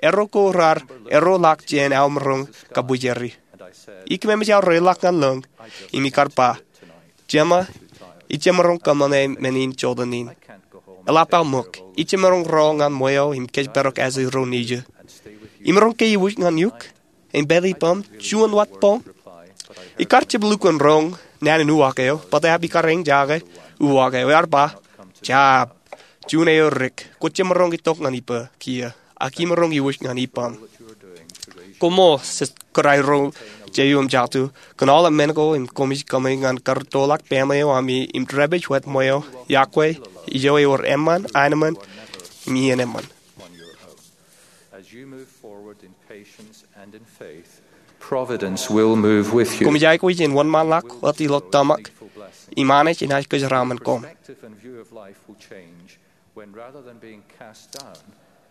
Erro ko raar erro ḷọk jān aō maroñ kabwijeri. Ikememej aō reiḷọk ñan lōñ im ikar ba, "Jema, ij jemaroñ kōṃṃane men in jota in." Eḷap aō ṃōk, "Ij jemaroñ rọọl ñan ṃweo im kōjparok Asri ro nejū." "Imaroñ ke iwōj ñan eok im pād ippaṃ juon wōt boñ?" Ikar jab lukkuun roñ naan in uwaak eo, bōtaab ikar eñjake uwaak eo. Ear ba, "Jab, juon eo dik. Kwō jemaroñ itok ñan ippa kiiō, ak imaroñ iwōj ñan ippaṃ." Koṃṃool, kōrā ro jeiū im jatū, kōn aolep men ko im koṃij kōṃṃane ñan karūttoḷọk baaṃle eo ami im dāpij wōt ṃweo, iọkwe ijo ewōr eṃṃan, aenōṃṃan, im iien eṃṃan. As you move forward in patience and in faith, Providence will move with you. Koṃij aikuj in wōnṃaanḷọk wōt ilo tōmak im Anij enaaj kōjeraaṃṃan koṃ. Perspective and view of life will change when, rather than being cast down,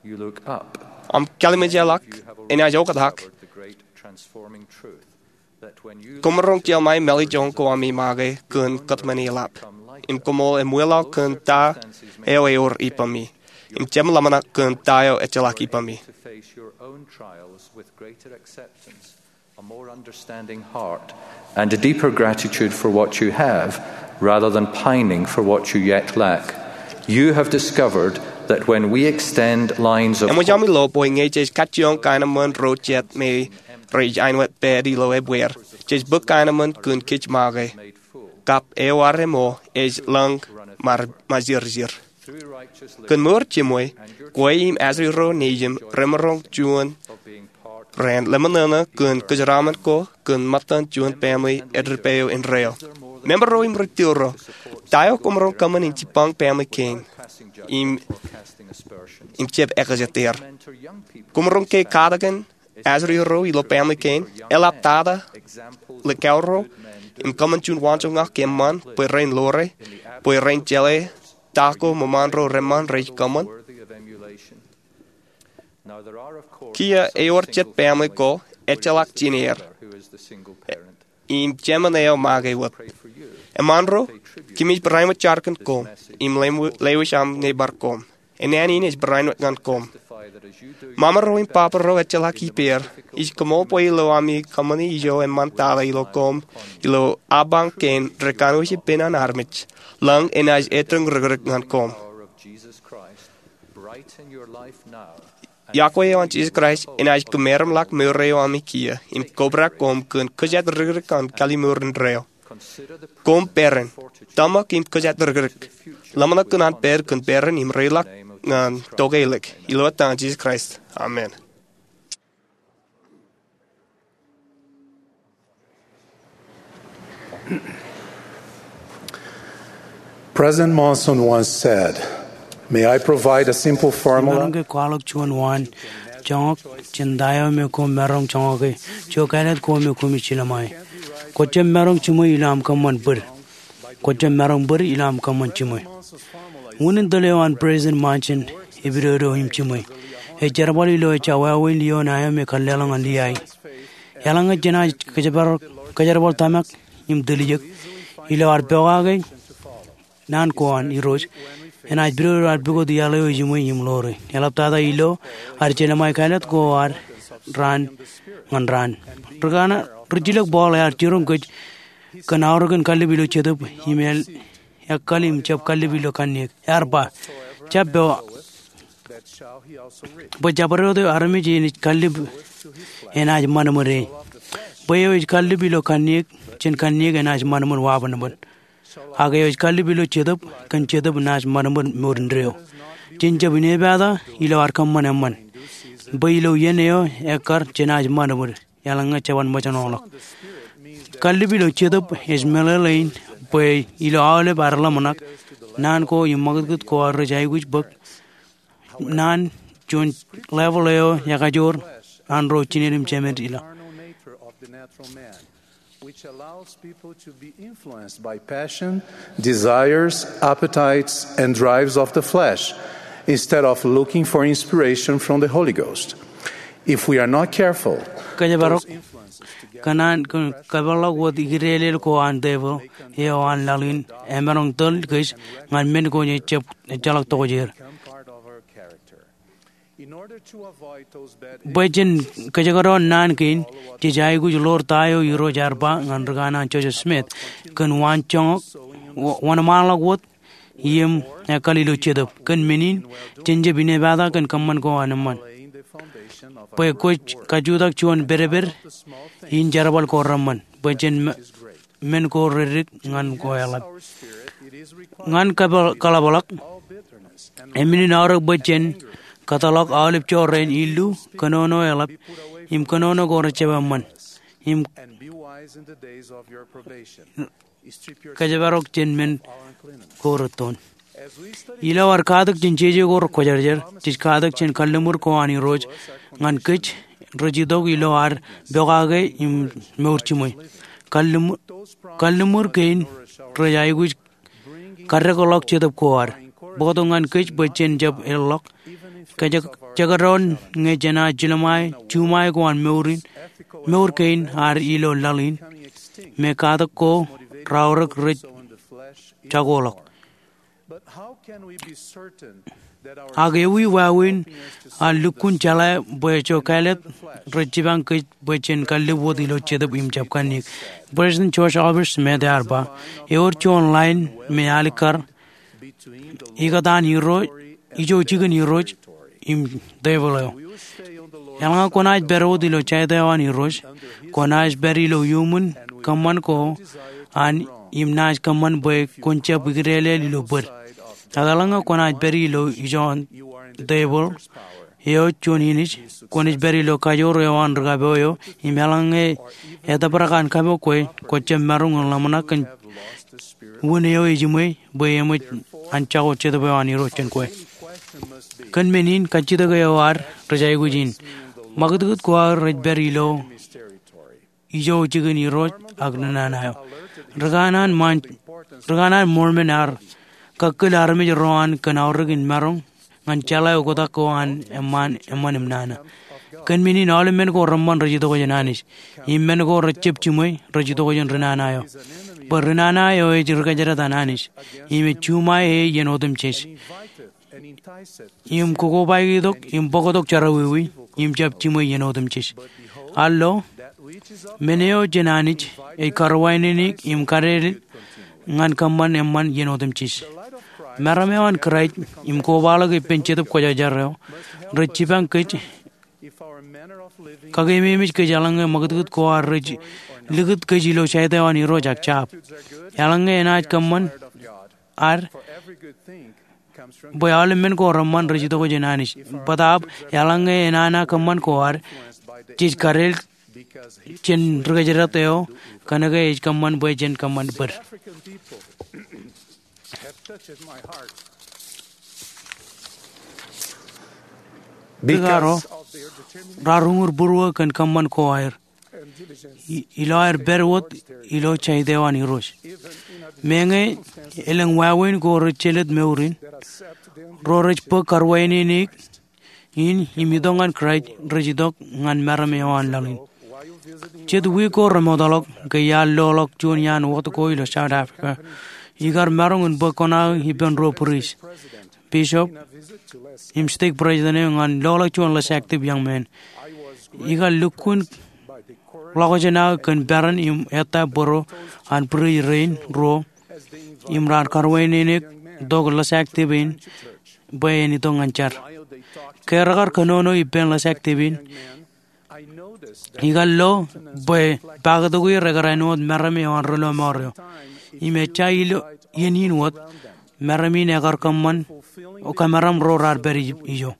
you look up. Aṃ kallimjek ḷọk enaaj oktak. You have already discovered the great transforming truth that when you Koṃ maroñ jeḷā mālejjoñ ko ami make kōn kōtmāne eḷap, im koṃ eṃwilaḷ kōn ta eo ewōr ippemi, im jab ḷōmṇak kōn ta eo ejjeḷọk ippemi. To face your own trials with greater acceptance, a more understanding heart, and a deeper gratitude for what you have, rather than pining for what you yet lack. You have discovered that when we extend lines of Eṃōj ami lo bwe ñe jej kajjioñ kaenōṃṃan ro jet me rej aenwōt pād ilo ebbeer, jej bōk kaenōṃṃan kōn kōj make. Kab eo armej ej lōñ ṃajeḷjeḷ. Kōn mour jiṃwe, kwe im Asri ro nejūṃ remaroñ juon raan ḷōmṇak kōn kōjeraaṃṃan ko kōn ṃōttan juon baaṃle editpeo indeeo. Member ro im ri tōl ro, ta eo koṃ maroñ kōṃṃan in jibbañ baaṃle kein im, im jab ekjetaer? Koṃ maroñ ke katakin Asri ro ilo baaṃle kein? Eḷaptata likao ro im kōṃṃan juon waanjoñak eṃṃan bwe ren ḷoore, bwe ren jeḷā ta ko ṃōṃaan ro reṃṃan rej kōṃṃan? Kiiō ewōr jet baaṃle ko ejjeḷọk jineer im jemān eo make wōt. Eṃṃan ro, kōmij barāinwōt jar kōn koṃ im lewōj aṃ nōbar koṃ. Naan in ej barāinwōt ñan koṃ. Mama ro im baba ro ejjeḷọk ippāer. Ij koṃṃool bwe ilo ami kōṃṃane ijo eṃṃan tata ilo koṃ ilo apañ kein rekanooj ippān an armej, lōñ enaaj etōñ rikrik ñan koṃ. Iọkwe eo an Jisōs Kraist enaaj kōmeramḷọk mour eo ami kiiō im kobrak koṃ kōn kōjatdikdik an kallimur indeeo. Koṃ peran, tōmak im kōjatdikdik. Ḷōmṇak kōn an pād kōn peran im reiḷọk ñan tokālik. Ilo etan Jisōs Kraist, amen. President Monson once said, "May I provide a simple formula?" Imaroñ ke kwaḷọk juon waan joñak jān ta eo me koṃ maroñ joñake, ijo kāālōt ko me koṃij jilōṃae? Kwōjjab maroñ jiṃwe ilo aṃ kōṃṃan bōd. Kwōjjab maroñ bōd ilo aṃ kōṃṃan jiṃwe. Unin tōl eo an President Monson epidodo im jiṃwe. Ej jerbal ilo ejja wāween lio ṇae eo me kōlleḷọk ñan Liai. Eḷaññe jenaaj kōjerbal tōmak im tiljek ilo ad pokake naan ko an Irooj, enaaj pidodo ad pukot iaḷ eo ejiṃwe im ḷoore. Eḷaptata ilo ad jelōṃae kāālōt ko ad raan ñan raan. Ri kaṇe, ri jilōk Paul ear jiroñ kōj kōn aorōkin kallib ilo jetōb im ekkal im jab kallib ilo kanniōk. Ear ba, jab pād bwe jabdewōt eo armej enaaj kallib enaaj ṃanṃōd e. Bwe eo ej kallib ilo kanniōk jān kanniōk enaaj ṃanṃōd wabōnbōn. Ak eo ej kallib ilo jetōb kōn jetōb naaj ṃanṃōd mour indeeo. Jen jab inepata ilo ad kōṃṃan eṃṃan, bwe ilo iien eo ekkar jenaaj ṃanṃōd eḷaññe jeban ṃōjṇọḷọk. Kallib ilo jetōb ej meḷeḷein bwe ilo aolep ad ḷōmṇak, naan ko im ṃakūtkūt ko ad rej aikuj bōk naan juon level eo ekajoor an ro jined im jemed ilo. Which allows people to be influenced by passion, desires, appetites, and drives of the flesh, instead of looking for inspiration from the Holy Ghost. If we are not careful, kōjparok, kōn an kōn kōpeḷḷọk wōt ikdeḷeḷ ko an devil eo an laḷ in emaroñ tōl kōj ñan men ko jej jab ejjeḷọk tokjāer. Bwe jen kōjekdọọn naan kein, jej aikuj ḷoor ta eo Irooj ear ba ñan ri kanaan Joseph Smith, kōn waan joñak, wa-, wōnṃaanḷọk wōt, im ekkal ilo jetōb. Kōn men in, jen jab inepata kōn kōṃṃan ko an eṃṃan. Bwe kwōj kajutak juon pedped in jerbal ko reṃṃan. Bwe jen me-, men ko reddik ñan ko eḷap. Ñan kaḷapḷọk, emenin aorōk bwe jen kōtḷọk aolep jorrāān illu, kōnono eḷap, im kōnono ko rejjab eṃṃan, im kōjparok jān men ko rettoon. Ilo ad katak jān jeje ko rekwōjarjar, jej katak jān kalliṃur ko an Irooj ñan kōj rej itok ilo ad pokake im mour jiṃwe. Kalliṃur, kalliṃur kein rej aikuj kaddekḷọk jetōb ko ad. Bōktok ñan kōj bwe jen jab eḷḷọk. Kōjekdọọn ñe jenaaj juṃae, juṃae ko an mour in, mour kein ad ilo laḷ in. Me katak ko raorōk rej jakoḷọk. Ak ewi wāween ad lukkuun jeḷā bwe ejjo kāālōt rej jipañ kōj bwe jen kallib wōt ilo jetōb im jab kanniōk? President George Albert Smith ear ba, ewōr juon line me alikkar ikōtaan Irooj, ijo jikin Irooj im devil eo. Eḷaññe kwōnaaj pād wōt ilo jaid eo an Irooj, kwōnaaj pād ilo iuṃwin kōṃṃan ko an im naaj kōṃṃan bwe kwōn jab ikdeḷeḷ ilo bōd. Ak eḷaññe kwōnaaj pād ilo ijo an devil eo juon inij, kwōnaaj pād ilo kajoor eo an ri kapo eo, im eḷaññe etōprak an kapo kwe, kwōj jab maroñ in ḷōmṇak kōn wūn eo ejiṃwe, bwe eṃōj an jako jetōb eo an Irooj jān kwe. Kōn men in kajjitōk eo ad rej aikuj in. Ṃakūtkūt ko ad rej pād ilo ijo jikin Irooj ak ri nana eo. Ri kanaan ṃaan, ri kanaan Mormon ear kakkōl armej ro an kōn aorōk in maroñ ñan jeḷā oktak ko an eṃṃaan, eṃṃan im nana. Kōn men in aolep men ko reṃṃan rej itok jān Anij. Im men ko rejjab jiṃwe rej itok jān ri nana eo. Bwe ri nana eo ej ri kōjdat an Anij. Im ej juṃae e iien otemjej. Im kokobaekitok im bōktok jerọwiwi im jab jiṃwe iien otemjej. Al lo, men eo jān Anij ej karuwaineneik im kadeḷ ñan kōṃṃan eṃṃan iien otemjej. Meram eo an Kraist im kobaḷọk ippān Jetōb Kwōjarjar eo rej jipañ kōj, kakeememej kōj eḷaññe ṃakūtkūt ko ad rej likūt kōj ilo jaid eo an Irooj ak jab. Eḷaññe enaaj kōṃṃan ad, bwe aolep men ko reṃṃan rej itok jān Anij. Bōtaab, eḷaññe enana kōṃṃan ko ad, jej kadeḷ jān ri kōjdat eo, kōnke ej kōṃṃan bwe jen kōṃṃan bōd. Ri karo raar uñūr būruō kōn kōṃṃan ko aer i-, ilo aer pād wōt ilo jaid eo an Irooj. Meñe elōñ wāween ko rej jelōt mour in, ro rej bōk karuwaineneik in im itok ñan Kraist rej itok ñan meram eo an laḷ in. Jet wiik ko remootḷọk ke iar loḷọk juon iaan wōt ko ilo South Africa, ikar maroñ in bōk kōṇaan ippān ruo priest, bishop, im stake president eo ñan loḷọk juon lōsāktip young man. Ikar lukkuun ḷọkjeṇ aō kōn peran im ettā bōro an priest rein ruo im raar karuwaineneik tok lōsāktip in bwe en itok ñan jar. Ke rekar kōnono ippān lōsāktip in, ikar lo bwe paktok er ekar āinwōt meram eo an ri lọmọọr eo. Im ejja ilo iien in wōt, meram in ekar kōṃṃan, o kōmeram ro raar pād ijo.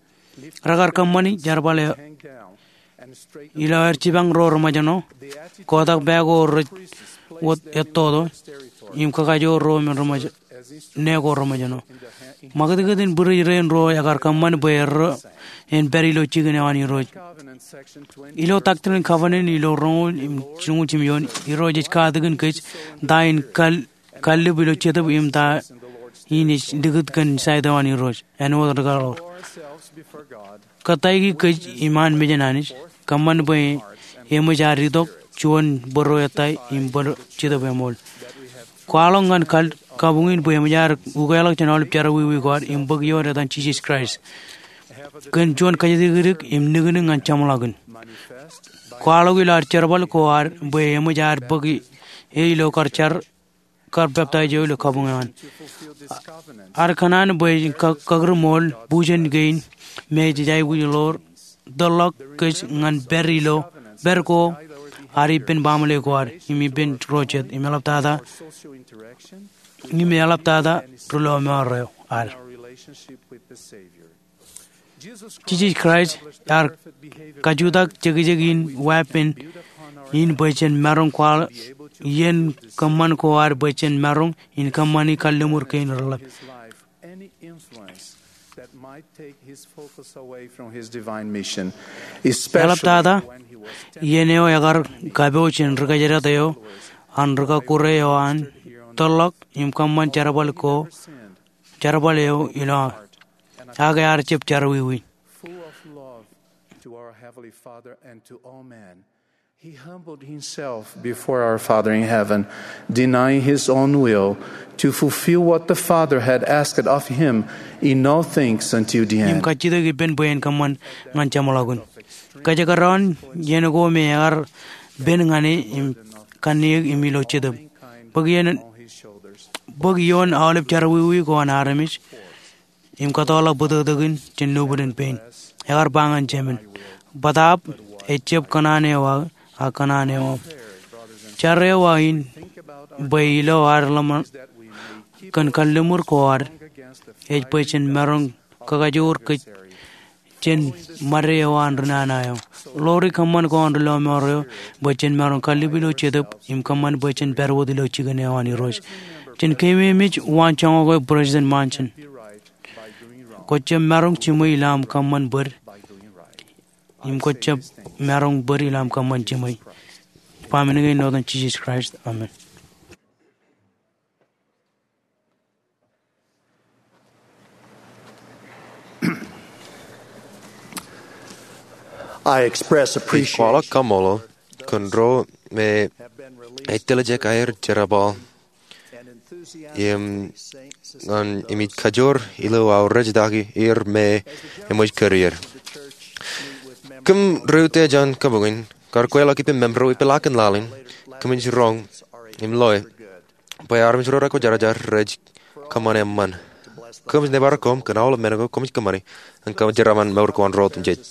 Rekar kōṃṃani jerbal eo ilo aer jipañ ro reṃōjṇọ, kotak pā ko rej wōt ettoto, im kakajoor ro men reṃōj-, ne ko reṃōjṇọ. Ṃakūtkūt in būruōj rein ruo ekar kōṃṃan bwe erro en pād ilo jikin eo an Irooj. Ilo Doctrine and Covenants ilo roñoul im, roñoul jimjuon, Irooj ej katakin kōj ta in kal, kallib ilo Jetōb im ta in ej likūt kōn side eo an Irooj. Āinwōt rūkaḷoor. Kōttāik kōj iṃaan mejān Anij, kōṃṃan bwe eṃōj ad itok juon bōro ettā im bōro Jetōb eṃool. Kwaḷọk ñan kal, kabuñ in bwe eṃōj ad ukeḷọk jān aolep jerọwiwi ko ad im bōk ioon etan Jisōs Kraist kōn juon kajjitōk im niknik ñan jeṃḷọkin. Kwaḷọk ilo ad jerbal ko ad bwe eṃōj ad bōk e ilo kar jar kar peptaij eo ilo kabuñ eo an. Ad kōṇaan bwe ej ka-, kakūrmool bujen kein me jej aikuj ḷoor tōrḷọk kōj ñan pād ilo, pād ko ad ippān baaṃle ko ad, im ippān ro jet, im eḷaptata, im eḷaptata ri lọmọọr eo ad. Jisōs Kraist ear kajutak jekjek in weeppān in bwe jen maroñ kwaḷọk iien kōṃṃan ko ad bwe jen maroñ in kōṃṃani kalliṃur kein reḷap. Eḷaptata iien eo ekar kapooj jān ri kōjdat eo an ri kọkkure eo an tōrḷọk im kōṃṃan jerbal ko, jerbal eo ilo aō, ak ear jab jerọwiwi. Full of love to our Heavenly Father and to all men, he humbled himself before our Father in heaven, denying his own will to fulfill what the Father had asked of him. In all things unto the end. Im kajjitōk ippān bwe en kōṃṃan ñan jeṃḷọkin. Kōjekdọọn iien ko me ear pen ñan e im kanniōk im ilo Jetōb. Bōk iien, bōk ioon aolep jerọwiwi ko an armej im kōtọọrḷọk bōtōktōkin jān nōbwidin pein. Ekar ba ñan Jemān, bōtaab ejab kōṇaan eo aō, ak kōṇaan eo aṃ. Jar eo aō in bwe ilo ad ḷōmṇak kōn kalliṃur ko ad, ej bwe jen maroñ kakajoor kōj jān ṃade eo an ri nana eo. Ḷoori kōṃṃan ko an ri lọmọọr eo bwe jen maroñ kallib ilo Jetōb im kōṃṃan bwe jen pād wōt ilo jikin eo an Irooj. Jen keememej waan joñak eo President Monson. Kwōjab maroñ jiṃwe ilo aṃ kōṃṃan bōd, im kwōjab maroñ bōd ilo aṃ kōṃṃan jiṃwe. Ba men kein ilo etan Jisōs Kraist, amen. I express appreciation. Ij kwaḷọk kaṃṃoolol kōn ro me ej tiljek aer jerbal im ñan im ij kajoor ilo aō rejjitōk er me eṃōj kōrā er. Kōm ri-utiej an kabuñ in kar kweilọk ippān member eo ippaḷaak in laḷ in, kōmij roñ im loe bwe armej ro rekwōjarjar rej kōṃṃan eṃṃan. Kōmij nōbar koṃ kōn aolep men ko kōmij kōṃṃani ñan kōjeraaṃṃan mour ko an ro otemjej.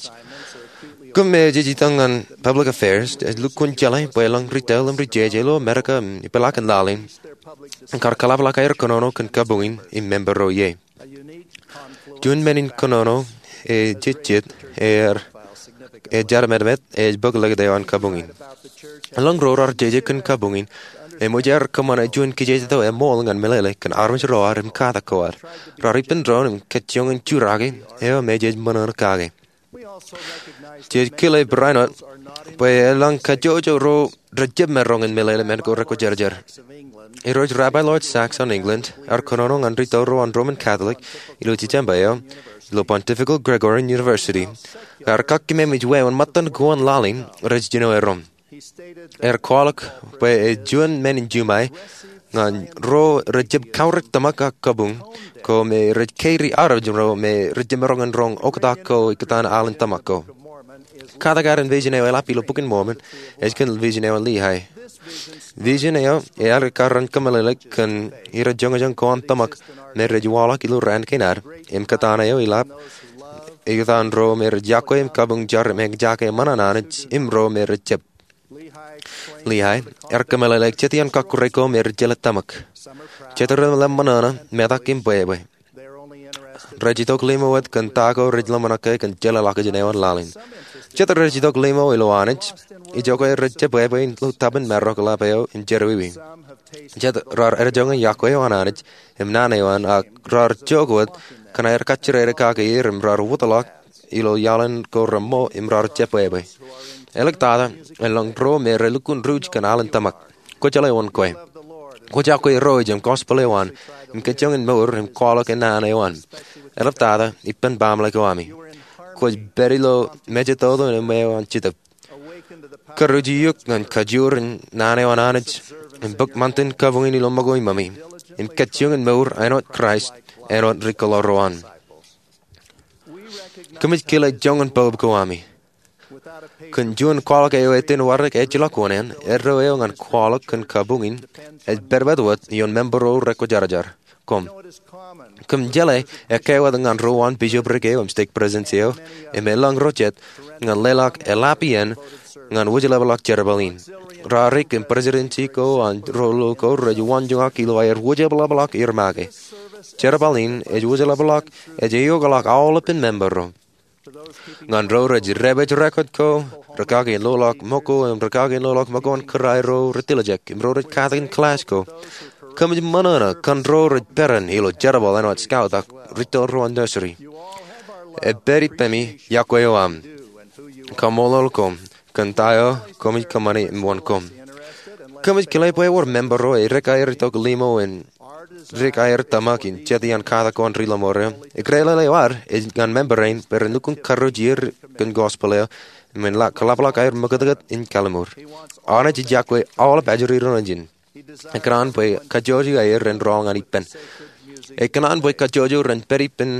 Kōm me jej itok ñan Public Affairs, ej lukkuun jeḷā bwe elōñ ri tōl im ri jeje ilo Amerika im ippaḷaak in laḷ in kar kōḷapḷọk aer kōnono kōn kabuñ in im member ro ie. Juon men in kōnono ejejjet er, ej jeraṃṃan ej bōk likūt eo an kabuñ in. Elōñ ro raar jeje kōn kabuñ in eṃōj aer kōṃṃane juon kijejet eo eṃool ñan meḷeḷe kōn armej ro ad im katak ko ad. Raar ippān doon im kajjioñ in jurake eo me jej ṃōṇōṇō kake. Jej kile barāinwōt bwe elōñ kajjojo ro rejjab maroñ in meḷeḷe men ko rekwōjarjar. Irooj Rabbi Lord Sacks an England ear kōnono ñan ri tōl ro an Roman Catholic ilo December eo ilo Pontifical Gregorian University, ear kakkememej wāween ṃōttan ko an laḷ in rej jino erom. Ear kwaḷọk bwe ej juon men in juṃae ñan ro rejjab kaurōk tōmak ak kabuñ ko me rej kōiri armej ro me rejjab maroñ in roñ oktak ko ikōtaan al in tōmak ko. Katak ad in vision eo eḷap ilo Bok in Mormon ej kōn vision eo an Lehi. Vision eo ear ekkar in kōmeḷeḷe kōn irrejoñjoñ ko an tōmak me rej waḷọk ilo raan kein ad im kōtaan eo eḷap ikōtaan ro me rej yokwe im kabuñ jar im eñjake ṃōṇōṇō an Anij im ro me rej jab. Lehi ear kōmeḷeḷe jet iaan kọkkure ko me rej jeḷā tōmak. Jet rej lōṃōṇōṇō, metak im bwebwe. Rej itok limo wōt kōn ta ko rej lōṃōṇōṇō ke kōn jeḷā ḷọkjeṇ eo an laḷ in. Jet rej itok limo ilo Anij, ijoke rej jab bwebwe ilo tōpar in marok ḷap eo in jerọwiwi. jet raar ejoñe iọkwe eo an Anij im naan eo an, ak raar jokwe wōt kōn aer kajjirere kake er im raar wōtlọk ilo iaḷan ko reṃṃo im raar jebwābwe. Āliktata, elōñ ro me relukkuun ruj kōn alen tōmak. Kwōjeḷā wōn kwe. Kwōj iọkwe Irooj im gospel eo an im kōjeañ in mour im kwaḷọk naan eo an. Āliktata, ippān baaṃle ko ami. Kwōj pād ilo mejatoto im ṃweo an Jetōb. Kūrūj eok ñan kajoor in naan eo an Anij im bōk ṃantin kabuñ in ilo ṃōko iṃōmi im kōjeañ in mour āinwōt Kraist, āinwōt ri-kōḷaḷ ro an. Kōmij kile joñan bōb ko ami. Kōn juon kwaḷọk eo etan warek ejjeḷọk wōṇāān, erro eo ñan kwaḷọk kōn kabuñ in ej pedped wōt ioon member ro rekwōjarjar. Koṃ, kōm jeḷā ekkā wōt ñan ro an bisoprik eo im stake presidency eo im elōñ ro jet ñan leḷọk eḷap iien ñan wōjlepḷọk jerbal in. Raar dik im presidency ko an ro lo ko rej waanjoñak ilo aer wōjlepḷọk er make. Jerbal in ej wōjlepḷọk, ej eokḷọk aolepān member ro. Ñan ro rej dāpij record ko, rikaki in loḷọk ṃōko im rikaki in loḷọk ṃōko an kūrae ro rej tiljek im ro rej katakin class ko, kōmij ṃōṇōṇō kōn ro rej peran ilo jerbal āinwōt scout ak ri-tōl ro an nursery. Epād ippemi iọkwe eo aṃ, kaṃṃoolol koṃ kōn ta eo kōmij kōṃṃane im wōn koṃ. Kōmij kile bwe ewōr member ro ej dik aer itok limo in dik aer tōmak in jet iaan katak ko an ri-lọmọọr eo. Eklele eo ad ej ñan member rein bwe ren lukkuun kūrūj er kōn gospel eo im en kōḷapḷọk aer ṃakūtkūt in kalliṃur. Anij ej iọkwe aolep ajri ro nejin. Ekōṇaan bwe kajjojo aer ren rọọl ñan ippān. Ekōṇaan bwe kajjojo ren pād ippān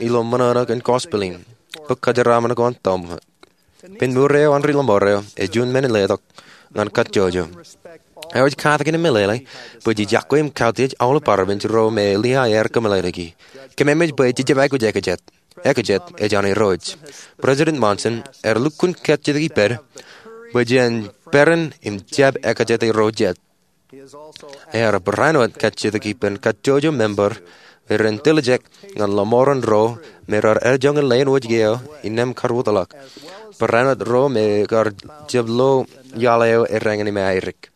ilo ṃōṇōṇō kōn gospel in, bōk kōjeraaṃṃan ko an tōmak. Pād ṃour eo an ri-lọmọọr eo ej juon men in letok ñan kajjojo. Eo ej katakin im meḷeḷe bwe jej iọkwe im kautiej aolep armej ro me Liai ear kōmeḷeḷeiki. Kōmemeej bwe jej jab aikuj ekajet. Ekajet ej an Irooj. President Monson ear lukkuun kajjitōk ippād bwe jen peran im jab ekajet ro jet. Ear barāinwōt kajjitōk ippān kajjojo member ren tiljek ñan lọmọọren ro me raar ejoñe leen wōjke eo innām kar wōtlọk. Barāinwōt ro me kar jab lo iaḷ eo erāñin im airik.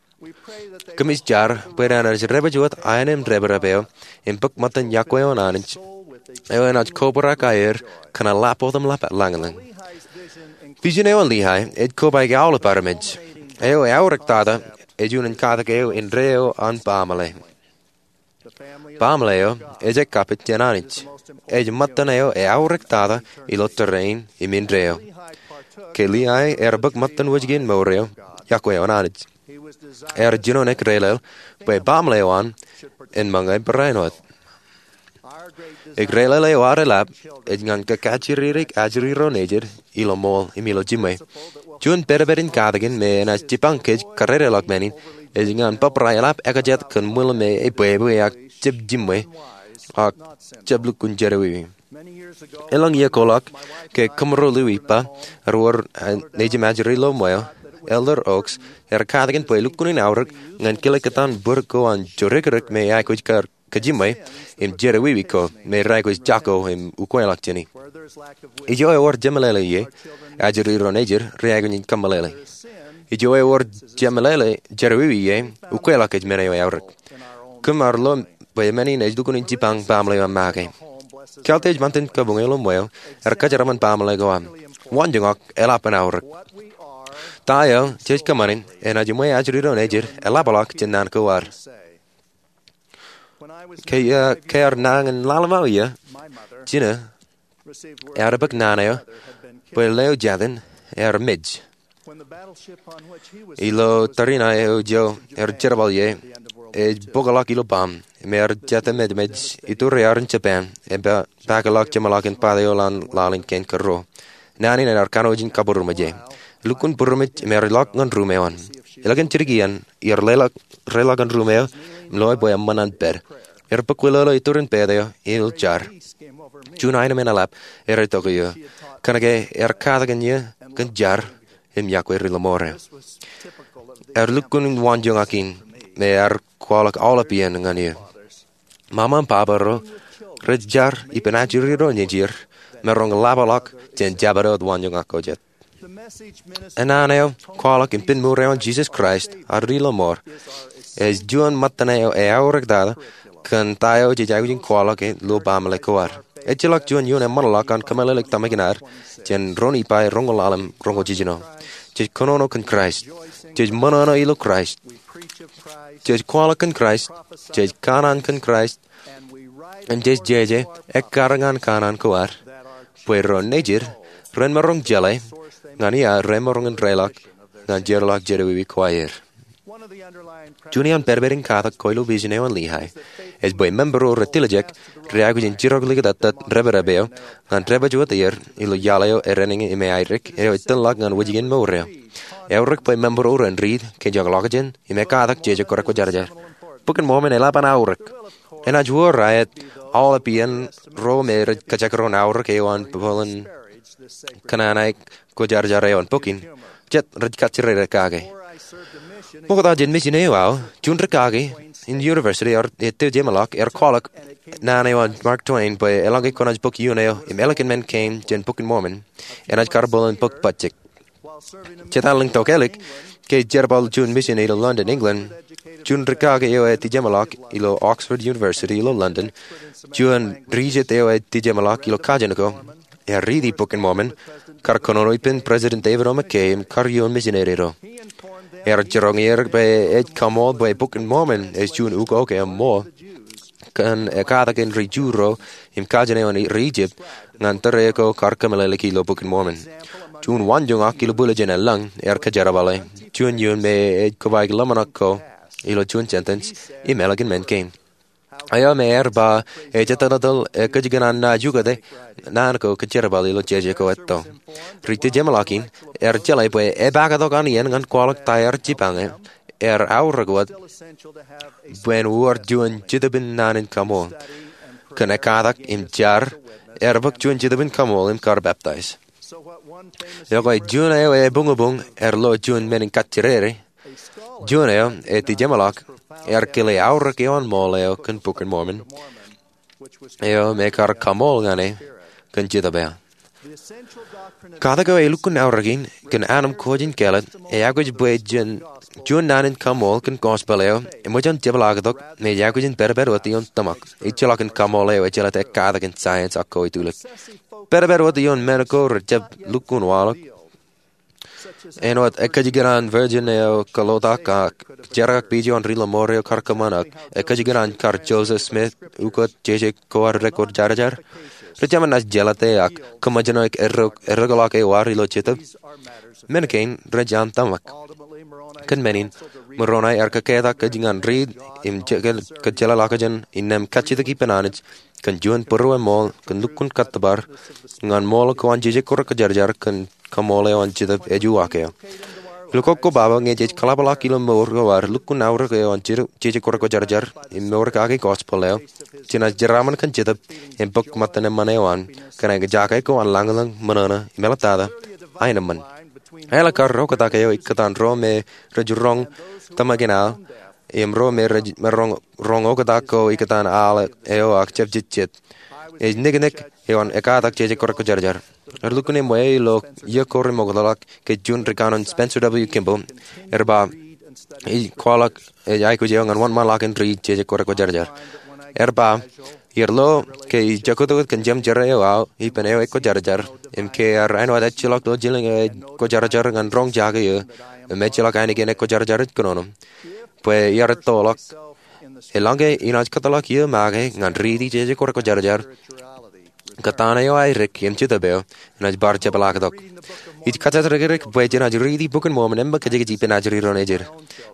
Kōmij jar bwe en naaj dāpij wōt aenōṃ dāpdep eo im bōk ṃōttan iọkwe eo an Anij eo enaaj kobrak aer kōn eḷap wōt im lañlōñ. Vision eo an Liai ej kobaik aolep armej. Eo eaorōk tata ej unin katak eo indeeo an baaṃle. Baaṃle eo ej ekkapit jān Anij. Ej ṃōttan eo eaorōk tata ilo tōre in im indeeo. Ke Liai ear bōk ṃōttan wōjke in mour eo, iọkwe eo an Anij, ear jino in eklele bwe baaṃle eo an en ṃōñā barāinwōt. Eklele eo ad eḷap ej ñan kōkajjirere ajri ro nejid ilo ṃool im ilo jiṃwe. Juon pedped in katakin me enaaj jipañ kōj kadedeḷọk men in ej ñan bōbrae eḷap ekajet kōn ṃwilaṃ me ebwebwe ak jab jiṃwe ak jab lukkuun jerọwiwi. Elōñ iiō koḷọk, ke kōmro lewōj ippa, ewōr nejūṃ ajri lo ṃweo, Elder Oaks ear katakin bwe lukkuun in aorōk ñan kile kōtaan bōd ko an jodikdik me eaikuj kar kajiṃwe im jerọwiwi ko me reaikuj jako im ukweḷọk jāni. Ijo ewōr jemeḷeḷe ie, ajri ro nejid reaikuj in kōmeḷeḷe. Ijo ewōr jemeḷeḷe jerọwiwi ie, ukweḷọk ej men eo eaorōk. Kōm ar lo bwe men in ej lukkuun in jipañ baaṃle eo aṃ make. Kaltej ṃantin kabuñ eo lo ṃweo ear kōjeraaṃṃan baaṃle ko aṃ. Waanjoñak eḷap an aorōk. Ta eo jej kōṃṃane enaaj ṃwe ajri ro nejid eḷapḷọk jān naan ko ad. Ke, eh, ke ear nañin lōḷñọñ iiō, jinō ear bōk naan eo bwe leo jatin ear mej. Ilo tariṇae eo ijo ear jerbal ie, ej bōkḷọk ilo baṃ, im ear jatdikdik im mej, ituriaer in Japan, im ba, bakeḷọk jeṃḷọkin pate eo an laḷ in kein kōrro. Naan in ear kanooj in kabūroṃōj ie. Lukkuun būroṃōj im ear ilọk ñan ruum eo an. Ilọk in jidik iien, iar leḷọk, reḷọk ñan ruum eo im loe bwe eṃṃan an pād. Ear bōkwilōḷo iturin pate eo im jar. Juon aenōṃ in eḷap ear itok iiō. Kōnke ear katakin iiō kōn jar im iọkwe ri-lọmọọr eo. Ear lukkuun waanjoñak in me ear kwaḷọk aolep iien ñan iiō. Ṃaṃa im baba ro rej jar ippān ajri ro nejid maroñ ḷapḷọk jān jabdewōt waanjoñak ko jet. Naan eo kwaḷọk ippān mour eo an Jisōs Kraist, ad ri-lọmọọr, Ej juon ṃōttan eo eaorōk tata kōn ta eo jej aikuj in kwaḷọk e ilo baaṃle ko ad. Ejjeḷọk juon iioon eṃṃanḷọk an kōmeḷeḷeik tōmak in ad jān Ruo Nifai roñoul ḷalem roñoul jiljino. Jej kōnono kōn Kraist. Jej ṃōṇōṇō ilo Kraist. Jej kwaḷọk kōn Kraist. Jej kanaan kōn Kraist. Im jej jeje ekkar ñan kanaan ko ad bwe ro nejid ren maroñ jeḷā ñan ia remaroñ in reḷọk ñan jeorḷọk jedewiwi ko aer. Juon iaan pedped in katak ko ilo vision eo an Lehi ej bwe member ro retiljek reaikuj in jirok likūt ettā depedep eo ñan depej wōt er ilo iaḷ eo edenañin im eaerōk eo ej tōnḷọk ñan wōjke in mour eo. Eaorōk bwe member ro ren riit ke jekḷọkjeṇ im ekkatak jeje kwōjarjar. Bok in Mormon eḷap an aorōk. Enaaj wōr aet aolep iien ro me rej kajekdọọn aorōk eo an bōlen kōṇaan ae kwōjarjar eo an bok in, jet rej kajjirere kake. Ṃokta jān mission eo aō, juon rikaki in university eo ej tijeṃḷọk ear kwaḷọk naan eo an Mark Twain bwe eḷaññe kwōnaaj bōk iioon eo im ālikin men kein jān bok in Mormon, enaaj kar bōlen bōk bajjek. Jet an lōñ tokālik ke jerbal juon mission ilo London, England, juon rikaki eo ej tijeṃḷọk ilo Oxford University ilo London, juon rijet eo ej tijeṃḷọk ilo kajin ko, ear riiti bok in Mormon, kar kōnono ippān President David O. McKay im kar iioon misineri ro. Ear jiroñ er bwe ej kaṃool bwe bok in Mormon ej juon ukok eo ṃool kōn ekkatak in ri-Ju ro im kajin eo an ri-Ijip ñan tōre ko kar kōmeḷeḷeiki ilo bok in Mormon. Juon waanjoñak ilo bwilōjin eḷaññe ear kōjerbale juon iioon me ej kobaik ḷōmṇak ko ilo juon sentence im ālikin men kein. Eo me ear ba ej etanatōl ekkajjikōṇaan naaj ukōte naan ko kōjerbal ilo jeje ko etto. Ri-tijeṃḷọk in ear jeḷā bwe epaaktok an iien ñan kwaḷọk ta ear jipañe, ear aorōk wōt bwe en wōr juon Jetōb in naan in kaṃool. Kōn ekkatak im jar, ear bōk juon Jetōb in kaṃool im kar peptaij. Ekwe juon eo ebuñbuñ ear lo juon men in kajjirere. Juon eo ej tijeṃḷọk ear kile aorōk eo an ṃool eo kōn bok in Mormon eo me kar kaṃool ñan e kōn Jetōb eo. Katak eo ej lukkuun aorōk in kōn anemkwōj in kāālōt ej aikuj bwe jen juon naan in kaṃool kōn gospel eo eṃōj an jepḷaaktok me ej aikuj in pedped wōt ioon tōmak. Ejjeḷọk in kaṃool eo ejjeḷọk ekkatak in science ak ko ej tulik. Pedped wōt ioon men ko rejjab lukkuun waḷọk. Āinwōt ekkajjikōṇaan virgin eo kōḷotak ak jerkakpeje an ri-lọmọọr eo kar kōṃṃan ak ekkajjikōṇaan kar Joseph Smith ukōt jeje ko ad rekwōjarjar. Ri-jemān naaj jelōte ak kōṃōjṇọ errōkḷọk eo ad ilo Jetōb. Men kein rej an tōmak. Kōn men in, Moroni ear kōkketak kōj ñan riit im kōjjeḷāḷọkjeṇ innām kajjitōk ippān Anij kōn juon būrueṃool kōn lukkuun kōttōpar ñan ṃool ko an jeje kwōjarjar kōn kaṃool eo an Jetōb ej uwaak eo. Ilo kōkobaba ñe jej kōḷapḷọk ilo mour ko ad lukkuun aorōk eo an jeje kwōjarjar im mour kake gospel eo, jenaaj jeraaṃṃan kōn Jetōb im bōk ṃōttan eṃṃan eo an kōn aō jake ko an lañlōñ, ṃōṇōṇō im eḷaptata aenōṃṃan. Aelōñ kar oktak eo ikōtaan ro me rej roñ tōmak in al im ro me rej maroñ roñ oktak ko ikōtaan al eo ak jab jejjet ej niknik eo an ekkatak jeje kwōjarjar. Ear lukkuun eṃṃan ilo iiō ko remootḷọk ke juon rikanoin Spencer W. Kimball ear ba ij kwaḷọk ej aikuj eo ñan wōnṃaanḷọk in riit jeje kwōjarjar. Ear ba iar lo ke ij joktok kōn jemjerā eo aō ippān eo ekwōjarjar im ke ear āinwōt ejjeḷọk ilo jilōñ eo ej kwōjarjar ñan roñ jake eō im ejjeḷọk ainikien ekwōjarjar ej kōnono bwe iar ettoḷọk. Eḷaññe inaaj kōtḷọk iiō make ñan riiti jeje kwōjarjar, kōttan eo aerōk im Jetōb eo enaaj bar jepḷaaktok. Ij kōjatdikdik bwe jenaaj riiti bok in Mormon eṃṃan kōjkōj ippān ajri ro nejid.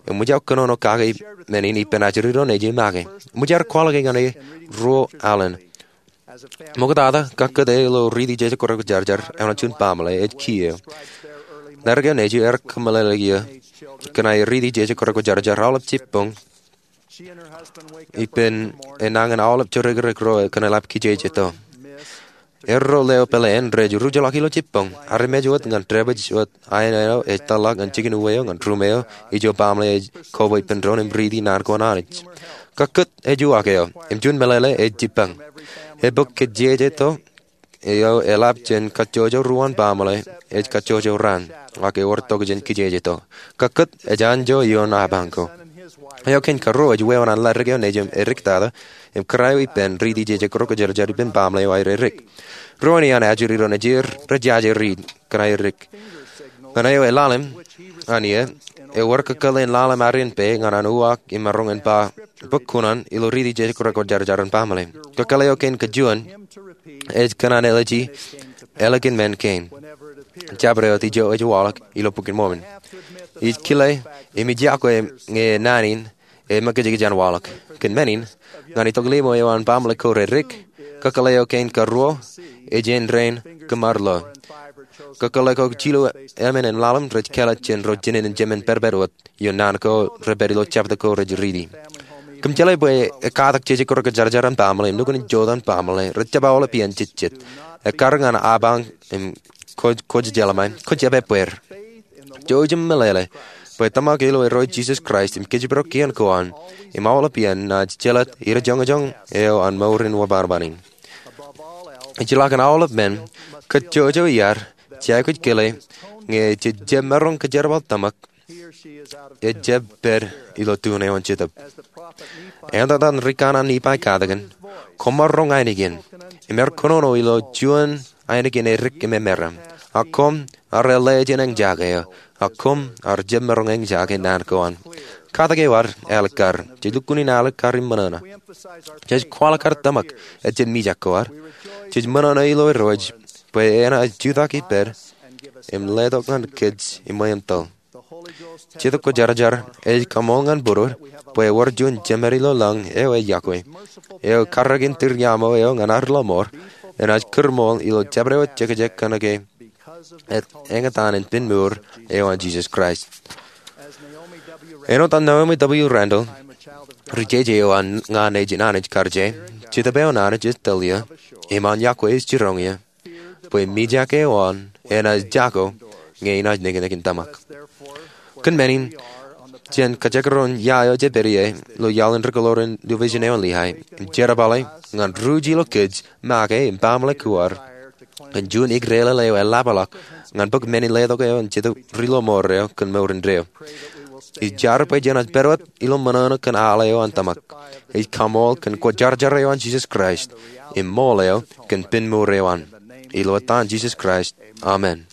Eṃōj aō kōnono kake men in ippān ajri ro nejid make. Eṃōj aer kwaḷọk ñan e ruo alen. Ṃoktata, kakkōt e ilo riiti jeje kwōjarjar eo an juon baaṃle ej kiiō. Ḷadik eo nejū ear kōmeḷeḷeik iiō kōn aer riiti jeje kwōjarjar aolep jibboñ ippān enañin aolep jodikdik ro kōn eḷap kijejeto. Erro leo pāleen rej rujḷọk ilo jibboñ armej wōt ñan dāpij wōt aenō eo ej tōlḷọk ñan jikin uwe eo ñan ruṃ eo ijo baaṃle ej koba ippān doon im riiti naan ko an Anij. Kakkōt ej uwaak eo im juon meḷeḷe ej jibboñ. Ebōk kijejeto eo eḷap jān kajjojo ruo an baaṃle ej kajjojo raan ak ewōr tokjān kijejeto. Kakkōt ej anjọ ioon apañ ko. Eo kein karuo ej weeoon an ladik eo nejūṃ edik tata im kōrā eo ippān riiti jej ekkrok kōjarjar ippān baaṃle eo aer edik. Ruo in iaan ajri ro nejier rej jaje riit kōn aer edik. Ñan eo eḷalem an ie, ewōr kōkōḷḷe in ḷalem arien pā ñan an uwaak im maroñ in ba bōk kuṇaan ilo riiti jej ekkrok kōjarjar an baaṃle. Kōkōḷḷe eo kein kajuon ej kōn an ālije ālikin men kein. Jabdewōt ijo ej waḷọk ilo Bok in Mormon. Ij kile im ij yokwe ñe naan in e mekijkij an waḷọk. Kōn men in, ñan itok limo eo an baaṃle ko redik, kōkōḷḷe eo kein karuo ej āindein kōṃṃan ḷọk. Kōkōḷḷe ko jilu emān in ḷalem rej kāālōt jān ro jinen in jemān pād pād wōt ioon naan ko rej pād ilo jabdewōt ko rej riiti. Kōm jeḷā bwe ekkatak jej ekkrok kōjarjar an baaṃle im nukun in jotaan baaṃle rej jab aolep iien jejjet. Ekkar ñan apañ im kwōj, kwōj jeḷā ṃae, kwōj jab ebbeer. Jouj im meḷeḷe bwe tōmak ilo Irooj Jisōs Kraist im kōjparok kien ko an im aolep iien naaj jelōt idajoñjoñ eo an mour in wōnṃaanṃaan in. Ejjeḷọk ñan aolep men, kōj jouj iar, jej aikuj kile, ñe jej jab maroñ kōjerbal tōmak, ej jab pād ilo tune eo an Jetōb. Āindein rikanaan Nifai katakin, koṃṃool roñ ainikien, im er kōnono ilo juon ainikien edik im emera. Ak koṃ ar ḷe jān eñjake eo, ak koṃ ar jab maroñ eñjake naan ko an. Katak eo ad alikkar, jej lukkuun in alikkar im ṃōṇōṇō. Jej kwaḷọk ad tōmak ejjab mijak ko ad. Jej ṃōṇōṇō ilo Irooj bwe enaaj jutak ippād im letok ñan kōj iṃwe im tōl. Jetōb Kwōjarjar ej kaṃool ñan būruod bwe ewōr juon Jemān ilo lañ eo ej yokwe, eo karreoin tūriaṃo eo ñan ad ḷōṃour, enaaj kūrṃool ilo jabdewōt jekjek kōnke eñtaan in pen mour eo an Jisōs Kraist. Āinwōt an Naomi W. Randall, ri-jeje eo an ña nejin Anij karjāe, Jetōb eo an Anij ej tōl eō, im an yokwe ej jiroñ eō, bwe mijak eo an enaaj jako ñe enaaj niknik in tōmak. Kōn men in, jān kajekdọọn ia eo jej pād ie ilo iaḷ in rūkōḷoor in Division eo an Lehi, im jerbale ñan ruj ilo kōj make im baaṃle ko ad kōn juon ikdeḷọñ eo eḷapḷọk ñan bōk men in letok eo an Jetōb ri-lọmọọr eo kōn mour indeeo. Ij jar bwe jenaaj pād wōt ilo ṃōṇōṇō kōn al eo an tōmak. Ij kaṃool kōn Kwōjarjar eo an Jisōs Kraist im ṃool eo kōn pen mour eo an. Ilo etan Jisōs Kraist, amen.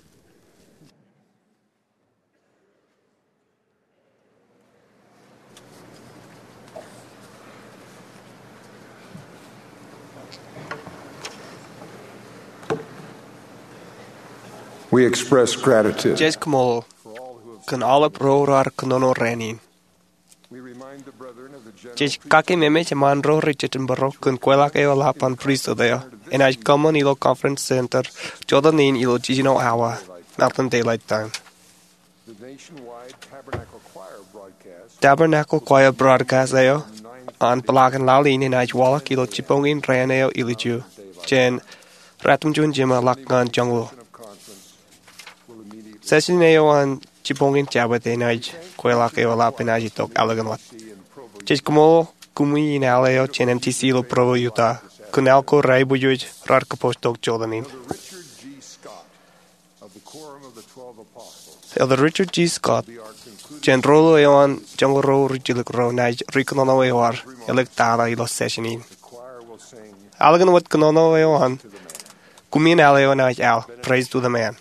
We express gratitude. Jej kaṃṃoolol kōn aolep ro raar kōnono rainin. Jej kakememej eṃṃaan ro rej jejjab būruō kōn kweilọk eo eḷap an pristut eo enaaj kōṃṃan ilo Conference Center jota in ilo jiljino awa, Mountain Daylight Time. Tabernacle Choir broadcast eo an peḷaakin laḷ in enaaj waḷọk ilo jibboñin raan eo ilju jān ratimjuon jiṃa ḷọk ñan joñoul. Session eo an jibboñin Jabōt enaaj, kweilọk eo eḷap enaaj itok ālikin wōt. Jej kaṃṃoolol kumi in al eo jān M T C ilo Provo, Utah, kōn al ko reaiboojoj raar kōpooj tok jota in. Elder Richard G. Scott, jān Ro Ruo eo an Joñoul Ruo Rijjilōk Ruo, naaj rikōnono eor āliktata ilo session in. Ālikin wōt kōnono eo an, kumi in al eo naaj al, Praise to the Man.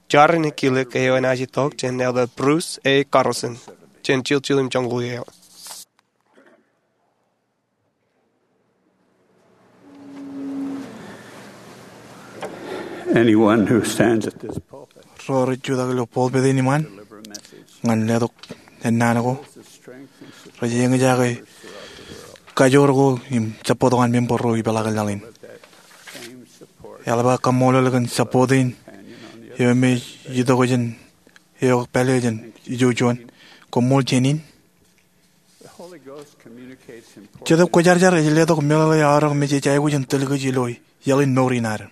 Jar in kilōk eo enaaj itok jān Elder Bruce A. Carlson, jān Jiljil im Joñoul Eo. Anyone who stands at this pulpit Ro rej jutak ilo pulpit in iṃaan ñan letok ennaan ko, rej eñjake kajoor ko im support ko an member ro ipeḷaakin laḷ in. Eḷap aō kaṃṃoolol kōn support in eo me ej itok jān eok pālle jān ijo juon. Koṃṃool jān in. Jetōb Kwōjarjar ej letok meḷeḷe aorōk me jej aikuj in tōl kōj ilo iaḷ in mour in ad.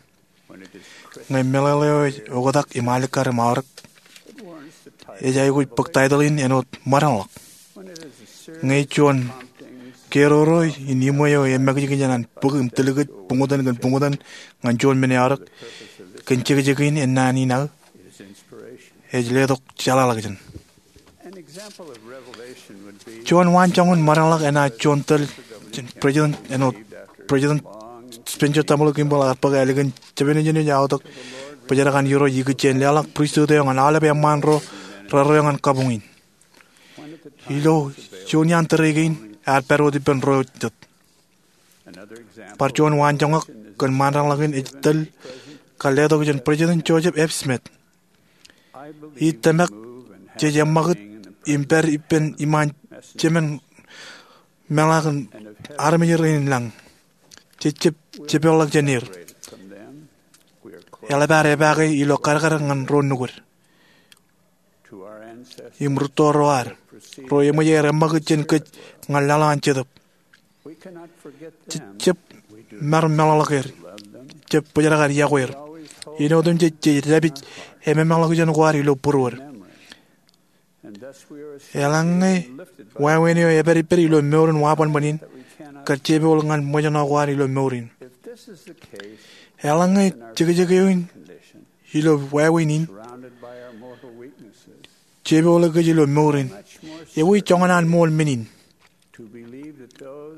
Ñe meḷeḷe eo ej oktak im alikkar im aorōk, ej aikuj bōk title in āinwōt ṃōdanḷọk. Ñe juon keroro in iṃwe eo emekjekjen an bōk im tōl kōj buñtōn kōn buñtōn ñan juon men eo aorōk kōn jekjek in ennaan in aō, ej letok jeḷāḷọkjeṇ. Juon waanjoñan maroñḷọk enaaj juon tōl jān President, āinwōt President Spencer W. Kimball ear bōk ālikin jepān ijin ej aotak bōjrak an Irooj ikijjien leḷọk pristut eo ñan aolep eṃṃaan ro rerreo ñan kabuñ in. Ilo juon iaan tōre kein ear pād wōt ippān ro jet. Bar juon waanjoñak kōn maandeḷọk in ej tōl kar letok jān President Joseph F. Smith. Ij tōmak jej eṃṃakūt im pād ippān iṃaan jemān meḷaak in armej rein lañ. Jej jab jepeḷḷọk jān er. Eḷap ad epaake ilo kadkad ñan ro nukūd im rūtto ro ad, ro eṃōj aer eṃṃakūt jān kōj ñan laḷ eo an Jetōb. Jej jab maroñ meḷọkḷọk er. Jej jab bōjrak ad iọkwe er. Iien otemjej jej dāpij ememḷọkjeṇ ko ad ilo būruod. Eḷaññe wāween eo epād ippād ilo mour in wabōnbōn in, kar jepooḷ ñan ṃōjṇọ ko ad ilo mour in. Eḷaññe jekjek eo in ilo wāween in jepooḷe kōj ilo mour in, ewi joñan an ṃool men in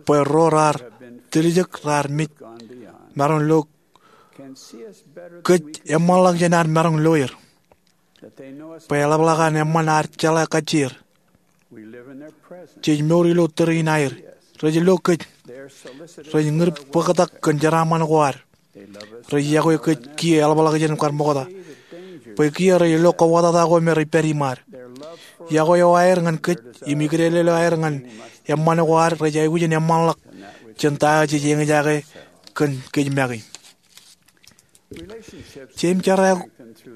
bwe ro raar tiljek raar mej maroñ lo kōj eṃṃanḷọk jān ad maroñ lo er, bwe eḷapḷọk an eṃṃan ad jeḷā kajjier. Jej mour ilo tōre in aer. Rej lo kōj. Rej ñūr bōktak kōn jeraaṃṃan ko ad. Rej iọkwe kōj kiiō eḷapḷọk jān kar ṃokta, bwe kiiō rej lo kōwōtata ko me rej pād iṃaad. Iọkwe eo aer ñan kōj im ikdeḷeḷe eo aer ñan eṃṃan ko ad rej aikuj in eṃṃanḷọk jān ta eo jej eñjake kōn kōj make. Jeim jera eo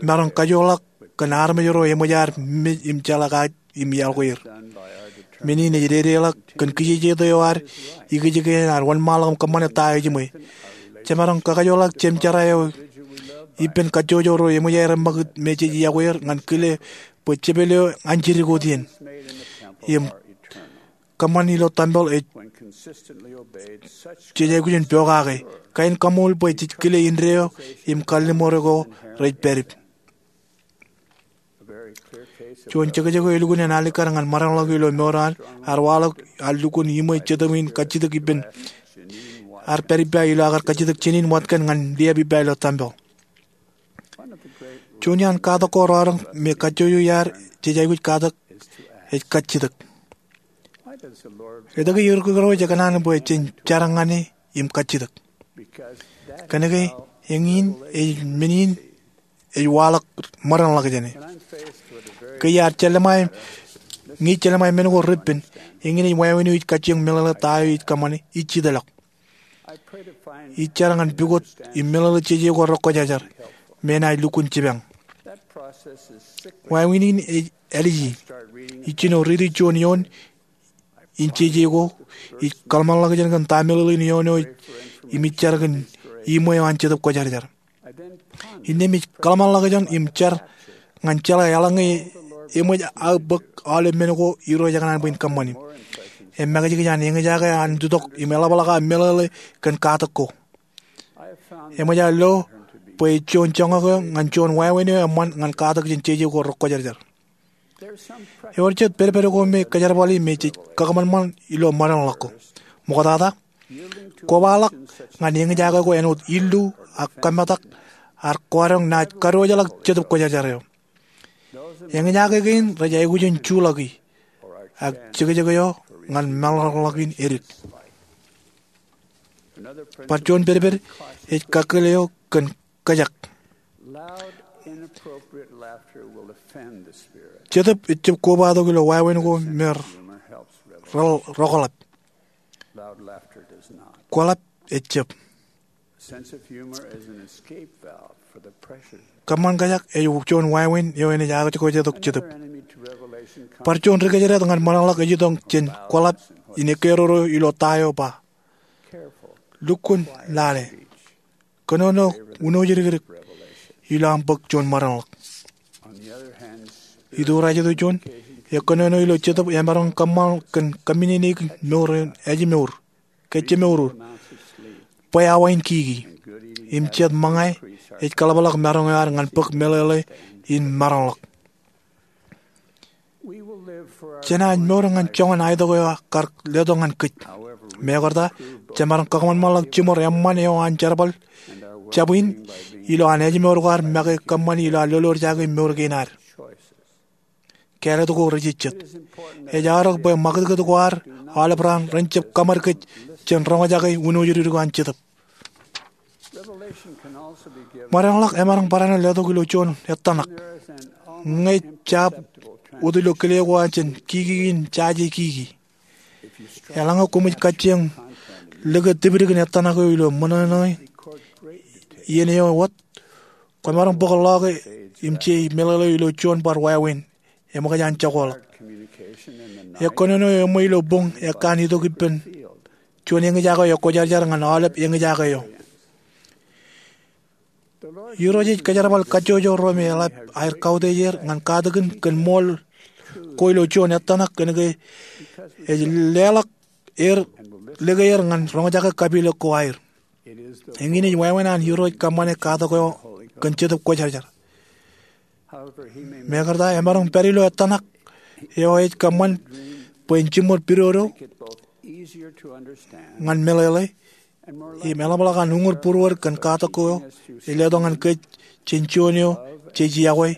maroñ kajoorḷọk kōn armej ro eṃōj ad mej im jeḷā kōj im iọkwe er. Men in ej dedeḷọk kōn kijejeto eo ad ikijjien ad wōnṃaanḷọk im kōṃṃane ta eo ejiṃwe. Jemaroñ kakajoorḷọk jeim jera eo ippān kajjojo ro eṃōj aer eṃṃakūt me jej iọkwe er ñan kile bwe jepel eo an jidik wōt iien im kōṃṃan ilo tempel ej jej aikuj in pokake. Kain kaṃool bwe jej kile indeeo im kalliṃur ko rej pād ippa. Juon jekjek eo elukkuun en alikkar ñan maroñḷọk ilo mour eo an ear waḷọk, ear lukkuun iṃwe Jetōb in kajjitōk ippān, ear pād ippa ilo aō kar kajjitōk Jenin Watkōn ñan liab ippa ilo tempel. Juon iaan katak ko rọọlroñ me kajjojo iaad jej aikuj katak ej kajjitōk. Etke Irooj ekōṇaan bwe jen jar ñan e im kajjitōk? Kōnke eñin ej men in ej waḷọk maroñḷọk jāne. Ke iar jellōṃae, ñe ij jellōṃae men ko repen, eñin ej wāween eo ij kajjioñ meḷeḷe ta eo ij kōṃṃane, ij jitōḷọk. Ij jar ñan pukot im meḷeḷe jeje ko rekwōjarjar me enaaj lukkuun jipañ. Wāween in ej āliji. Ij jino riiti juon eoon in jeje ko, ij kōḷmānḷọkjeṇ kōn ta meḷeḷein eoon eo im ij jar kōn iṃwe eo an Jetōb Kwōjarjar. Innām ij kōḷmānḷọkjeṇ im jar ñan jeḷā eḷaññe eṃōj aō bōk aolep men ko Irooj ekōṇaan bwe in kōṃṃani. Im make jikin an eñjake an jutak im eḷapḷọk aō meḷeḷe kōn katak ko. Eṃōj aō lo bwe ej juon joñak eo ñan juon wāween eo eṃṃan ñan katak jān jeje ko rekwōjarjar. Ewōr jet pedped ko me kōjerbali me jej kōṃanṃan ilo maroñḷọk ko. Ṃoktata, kobaḷọk ñan eñjake ko āinwōt illu ak kōmetak ear kwaroñ naaj kadiwōjḷọk Jetōb Kwōjarjar eo. Eñjake kein rej aikuj in juḷọki, ak jekjek eo ñan maroñḷọk in edik. Bar juon pedped ej kakkōl eo kōn kōjak. Jetōb ejjab kobatok ilo wāween ko me rōkḷap. Kwōḷap ejjab. Kōṃṃan kōjak ej juon wāween eo enaaj aō kōjak tok Jetōb. Bar juon ri-kōjdat ñan maroñḷọk ej itok jān kwōḷap in ekkeroro ilo ta eo ba, lukkuun lale. Kōnono uno jidikdik ilo aṃ bōk juon maroñḷọk. Ituurajto juon, ekkōnono ilo Jetōb emaroñ kōṃṃan kōn kōmminene mour in ājmour, kōjjemour, bwe awa in kiki. Im jet ṃōñā ej kōḷapḷọk maroñ eo ad ñan bōk meḷeḷe in maroñḷọk. Jenaaj mour ñan joñan aitok eo kar letok ñan kōj. Mekarta, jemaroñ kakōṃanṃanḷọk jiṃor eṃṃan eo an jerbal jab in ilo an ājmour ko ad make kōṃṃani ilo ad lolorjake mour kein ad. Kāālōt ko rejejjet. Ej aorōk bwe ṃakūtkūt ko ad aolep raan ren jab kaṃad kōj jān roñjake wūnooj dik ko an Jetōb. Ṃōdeañḷọk emaroñ barāinwōt letok ilo juon ettōṇak. Ñe jab wōt ilo kile ko an jān kiki in jaje kiki, eḷaññe koṃij kajjioñ lōke tipdik in ettōṇak eo ilo ṃōṇōṇō iien eo wōt, kwōmaroñ bōk ḷọke im je meḷeḷe eo ilo juon bar wāween eṃōkaj an jokoḷọk. Ekkōnono eo eṃṃan ilo boñ ekkan itok ippān juon eñjake eo ekwōjarjar ñan aolep eñjake eo. Irooj ej kōjerbal kajjojo ro me eḷap aer kautiej er ñan katakin kōn ṃool ko ilo juon ettōṇak kōnke ej leḷọk er, lōke er ñan roñjake kapilōk ko aer. Eñin ej wāween an Irooj kōṃṃane katak eo kōn Jetōb Kwōjarjar. Mekarta, emaroñ pād ilo ettōṇak eo ej kōṃṃan bwe en jiṃor pidodo ñan meḷeḷe im eḷapḷọk an uñūr būruod kōn katak eo ej letok ñan kōj jān juon eo jej yokwe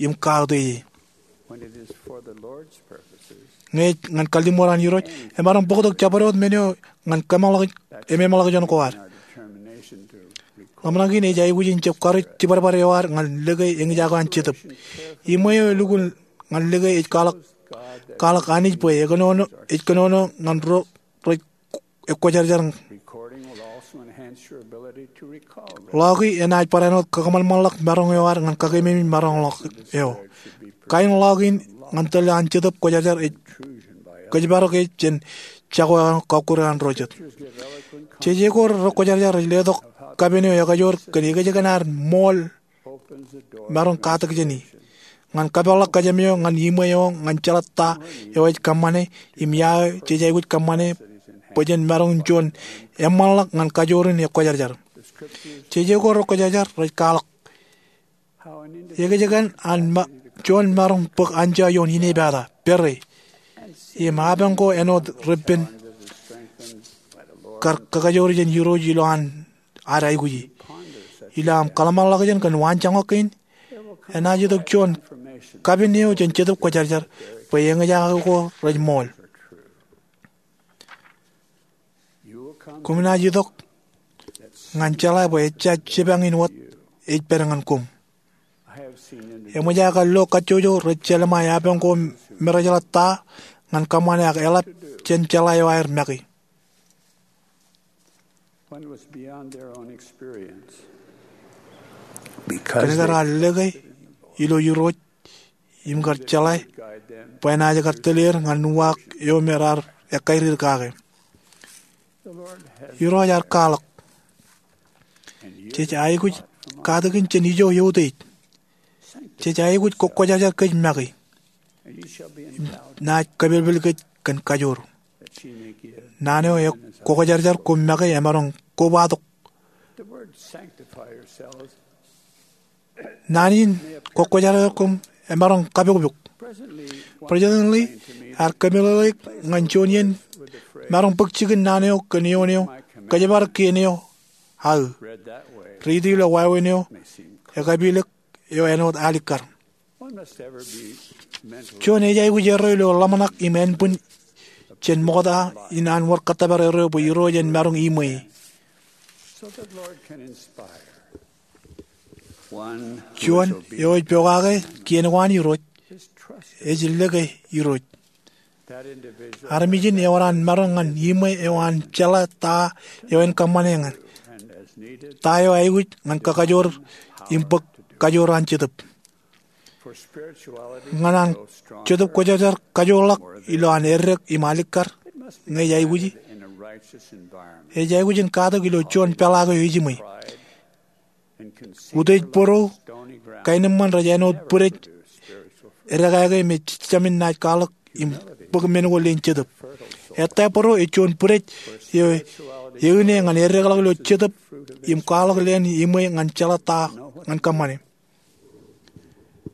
im kautiej e. Ñe ej ñan kalliṃur an Irooj, emaroñ bōktok jabdewōt men eo ñan kōmeḷeḷe, ememeḷeḷe juon ko ad. Ḷōmṇak in ej aikuj in jab karuj jibadbad eo ad ñan lōke eñjake an Jetōb. Iṃwe eo elukkuun ñan lōke ej kwaḷọk, kwaḷọk Anij bwe ekōnono, ej kōnono ñan ro rej ekwōjarjar. Ḷọki enaaj barāinwōt kakōṃanṃanḷọk maroñ eo ad ñan kakeememej maroñ ḷọk eo. Kain ḷọk in ñan tōl an Jetōb Kwōjarjar ej kōjparok e jān jako eo an kọkkure an ro jet. Jeje ko rekwōjarjar rej letok kapen eo ekajoor kōn ekōjkan ad ṃool maroñ katak jāni ñan kapeḷḷọk kōjām eo ñan iṃwe eo ñan jeḷā ta eo ej kōṃṃane im ia eo jej aikuj kōṃṃane bwe jen maroñ juon eṃṃanḷọk ñan kajoor in ekwōjarjar. Jeje ko rekwōjarjar rej kwaḷọk ekōjkan an ma-, juon maroñ bōk anjọ ioon inepata, pere, im apañ ko āinwōt reppen kar kakajoor jān Irooj ilo an ad aikuji. Ilo aṃ kōḷmānḷọkjeṇ kōn waanjoñak kein, enaaj itok juon kapen eo jān Jetōb Kwōjarjar bwe eñjake ko rej ṃool. Koṃ naaj itok ñan jeḷā bwe ejja jipañ in wōt ej pād ñan koṃ. Eṃōj aō kar lo kajjojo rej jelṃae apañ ko me rej jeḷā ta ñan kōṃṃane ak eḷap jān jeḷā eo aer make. Kōnke raar lōke ilo Irooj im kar jeḷā bwe enaaj kar tōl er ñan uwaak eo me raar ekkāālōt kake. Irooj ear kwaḷọk, jej aikuj katakin jān ijo eutiej. Jej aikuj kokwōjarjar kōj make. Im naaj kōpelpel kōj kōn kajoor. Naan eo ekwōjarjar koṃ make emaroñ kobatok. Naan in kokwōjarjar koṃ emaroñ kapokpok. President Lee ear kōmeḷeḷeik ñan juon iien maroñ bōk jikin naan eo kōn eoon eo, kōjparok kien eo aō. Riiti ilo wāween eo ekapilōk eo āinwōt alikkar. Juon ej aikuj erreo ilo ḷōmṇak im ānbwin jān ṃokta in an wōr kōttōpar erreo bwe Irooj en maroñ iṃwe e. Juon eo ej pokake kien ko an Irooj, ej lōke Irooj. Armej in ewōr an maroñ ñan iṃwe eo an jeḷā ta eo en kōṃṃane ñan, ta eo aikuj ñan kakajoor im bōk kajoor an Jetōb. Ñan an Jetōb Kwōjarjar kajoorḷọk ilo an eddek im alikkar ñe ej aikuji, ej aikuj in katak ilo juon peḷaak eo ejiṃwe. Utiej bōro, kaenōṃṃan rej āinwōt bwidej edekāke me jejjamin naaj kwaḷọk im bōk men ko leen Jetōb. Ettā bōro ej juon bwidej eo eine ñan eddekḷọk ilo Jetōb im kwaḷọk leen iṃwe ñan jeḷā ta ñan kōṃṃane.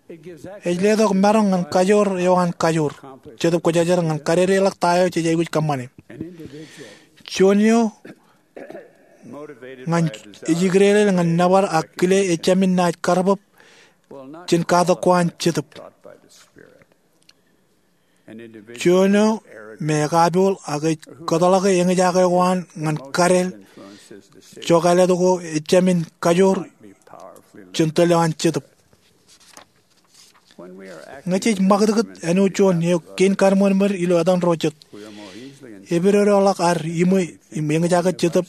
Ej letok maroñ ñan kajoor eo an kajoor Jetōb Kwōjarjar ñan kadedeḷọk ta eo jej aikuj kōṃṃane. Juon eo ñan ej ikdeeḷeḷ ñan nōbar ak kile ejāmin naaj karbōb jān katak ko an Jetōb. Juon eo me ekapooḷ ak ej kōtḷọke eñjake ko an ñan kadeel jokālet ko ejāmin kajoor jān tōl eo an Jetōb. Ñe jej ṃakūtkūt āinwōt juon eo kein kaṃṃoolmōl ilo etan ro jet, epidodoḷọk ad iṃwe im eñjake Jetōb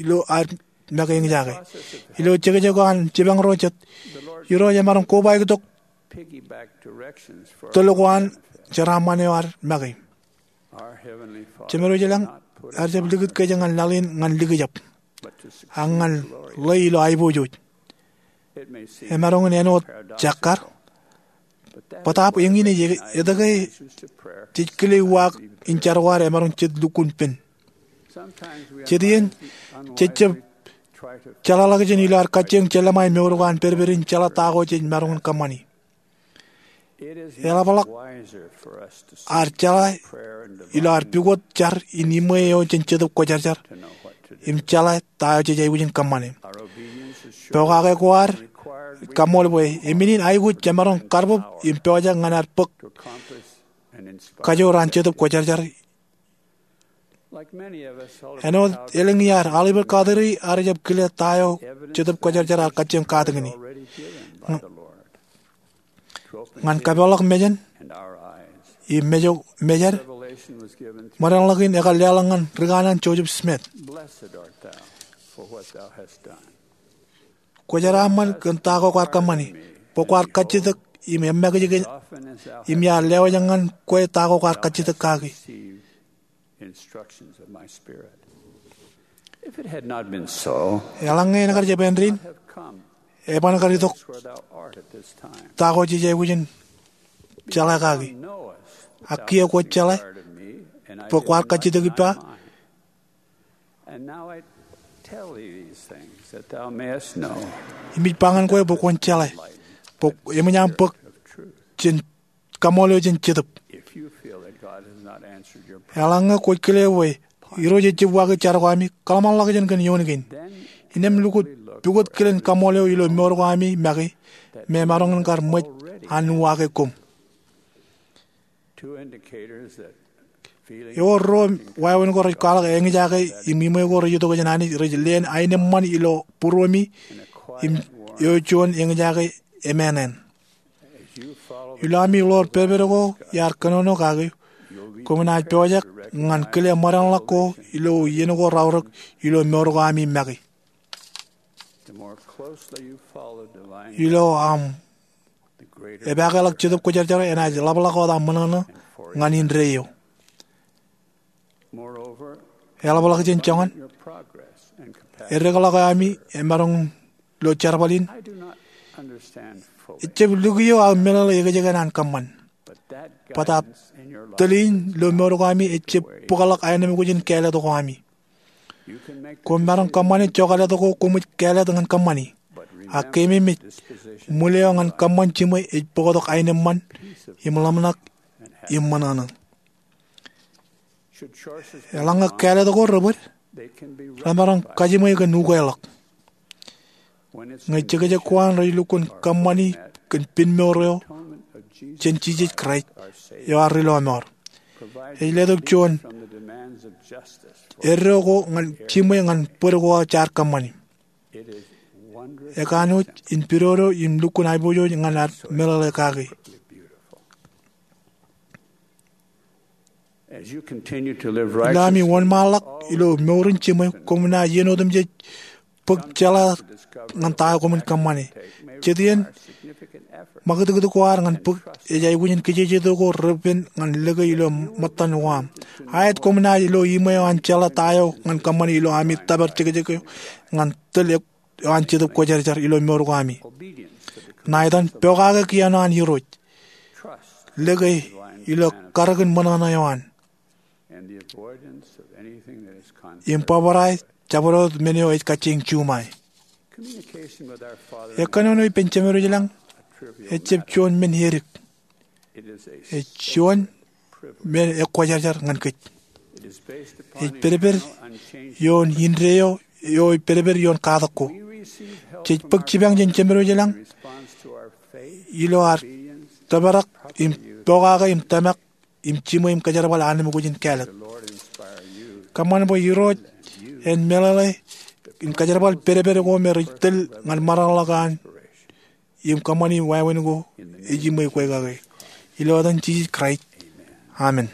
ilo ad make eñjake. Ilo jekjek ko an jipañ ro jet, Irooj emaroñ kobaik tok tōl ko an jeraaṃṃan eo ad make. Jemedwōj ilañ ear jab likūt kōj ñan laḷ in ñan likjab, ak ñan ḷe ilo aiboojoj. Emaroñ in āinwōt jakkar, bōtaab eñin ej etke jej kile uwaak in jar ko ad emaroñ jet lukkuun pen. Jet iien jej jab jeḷāḷọkjeṇ ilo ad kajjioñ jelōṃae mour ko an pedped in jeḷā ta ko jej maroñ in kōṃṃani. Eḷapḷọk ad jeḷā ilo ad pukot jar im iṃwe eo jān Jetōb Kwōjarjar im jeḷā ta eo jej aikuj in kōṃṃane. Pokake ko ad kaṃṃool bwe emenin aikuj jemaroñ karbōb im pojak ñan ad bōk kajoor an Jetōb Kwōjarjar. Āinwōt elōñ iaad, Oliver Cowdery ear jab kile ta eo Jetōb Kwōjarjar ear kajjioñ katakin e ñan kapeḷḷọk mejān im mejād. Ṃōdeṇḷọk in ekar leḷọk ñan ri kanaan Joseph Smith. Kwōjaraaṃṃan kōn ta ko kwaar kōṃṃani, bwe kwaar kajjitōk im eṃṃakijkij im iar lewōj ñan kwe ta ko kwaar kajjitōk kaki. Eḷaññe en kar jab āindein, eban kar itok ta ko jej aikuj in jeḷā kaki. Ak kiiō kwōj jeḷā bwe kwaar kajjitōk ippa. Im ij ba ñan kwe bwe kwōn jeḷā bwe eṃōj aṃ bōk kaṃṃoolol eo jān Jetōb. Eḷaññe kwōj kile bwe Irooj ejjab waaki jar ko ami, kōḷmānḷọkjeṇ kōn eoon kein. Innām lukkuun pukot kilen kaṃṃool eo ilo mour ko ami make me emaroñ in kar ṃōj an uwaake koṃ. Ewōr ruo wāween ko rej kwaḷọk eñjake im iṃwe ko rej itok jān Anij rej leen aenōṃṃan ilo būruemi im eo juon eñjake emānān. Ilo ami ḷoor pedped ko iar kōnono kaki, koṃ naaj pojak ñan kile ṃōdeṇḷọk ko ilo iien ko raorōk ilo mour ko ami make. Ilo aṃ epakeḷọk Jetōb Kwōjarjar enaaj ḷapḷọk wōt aṃ ṃōṇōṇō ñan indeeo. Eḷapḷọk jān joñan, eddekḷọk eo ami emaroñ ilo jerbal in. Ejjab lukkuun aō meḷeḷe ekjeken an kōṃṃan. Bōtaab tōl in ilo mour ko ami ejjab bōkḷọk aenōṃ ko jān kāālōt ko ami. Koṃ maroñ kōṃṃane jokālōt ko koṃij kāālōt ñan kōṃṃani. Ak keememej, ṃwil eo ñan kōṃṃan jiṃwe ej bōktok aenōṃṃan im ḷōmṇak im ṃōṇōṇō. Eḷaññe kāālōt ko rebōd, remaroñ kajiṃwe kōn ukeḷọk. Ñe jekjek ko an rej lukkuun kōṃṃani kōn pen mour eo jān Jisōs Kraist eo ad Rilọmọọr, ej letok juon eddo ko ñan jiṃwe ñan bōd ko jaar kōṃṃani. Ekanooj in pidodo im lukkuun aiboojoj ñan ad meḷeḷe kaki. Ilo ami wōnṃaanḷọk ilo mour in jiṃwe, koṃ naaj iien otemjej bōk jeḷā ñan ta eo koṃwin kōṃṃane. Jet iien, ṃakūtkūt ko ad ñan bōk ej aikuj in kijejeto ko repen ñan lōke ilo ṃōttan ko aṃ. Aet, koṃ naaj ilo iṃwe eo an jeḷā ta eo ñan kōṃṃane ilo ami tōpar jekjek eo ñan tōl eo an Jetōb Kwōjarjar ilo mour ko ami. Ṇa etan, pokake kien eo an Irooj. Lōke ilo karōkin ṃōṇōṇō eo an. Im bōbrae jabdewōt men eo ej kajjioñ juṃae. Ekkōnono ippān Jemedwōj ilañ Ejjab juon men edik. Ej juon men ekwōjarjar ñan kōj. Ej pedped ioon indeeo eo ej pedped ioon katak ko. Jej bōk jipañ jān Jemedwōj ilañ ilo ad tōprak im pokake im tōmak im jiṃwe im kōjerbal anemkwōj in kāālōt. Kōṃṃan bwe Irooj en meḷeḷe im kōjerbal pedped ko me rej tōl ñan ṃōraḷḷọk an im kōṃṃani wāween ko ejiṃwe kwe kake. Ilo etan Jisōs Kraist, amen.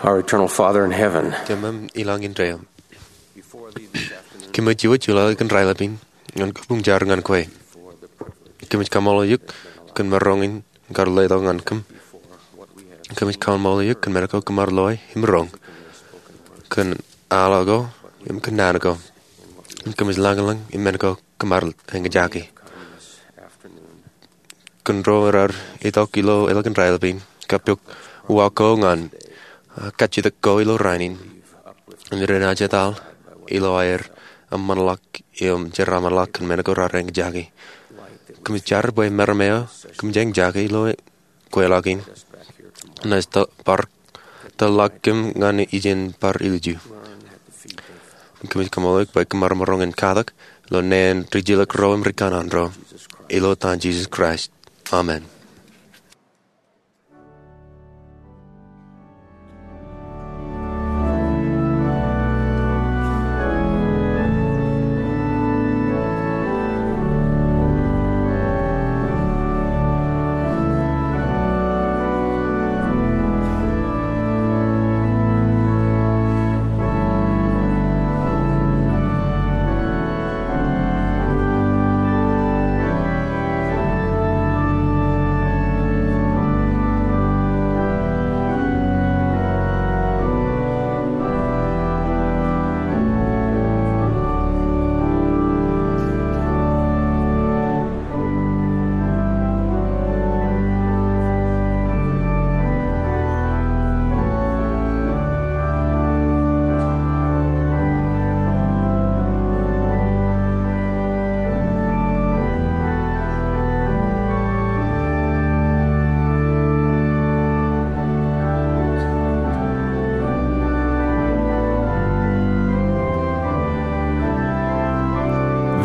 Our eternal Father in heaven. Jemām ilañ indeeo. Kōmij juon juḷọk in raelep in ñan kabuñ jar ñan kwe. Kōmij kaṃṃoolol eok kōn maroñ in kar letok ñan kōm. Kōmij kaṃṃoolol eok kōn men ko kōm ar loe im roñ, kōn al ko im kōn naan ko. Kōmij lañlōñ im men ko kōm ar eñjake. Kōn ro raar itok ilo elōñ in raelep in, kab pok uwaak ko ñan, ah, kajjitōk ko ilo raan in, im ren ajetal ilo aer eṃṃanḷọk im jeraaṃṃanḷọk kōn men ko raar eñjake. Kōmij jar bwe meram eo kōmij eñjake ilo kweilọk in, naaj bar tōlḷọk kōm ñan ijin bar ilju. Kōmij kaṃṃoolol eok bwe kōm ar maroñ in katak ilo naan ri jilkinḷọk ro im ri kanaan ro. Ilo etan Jisōs Kraist, amen.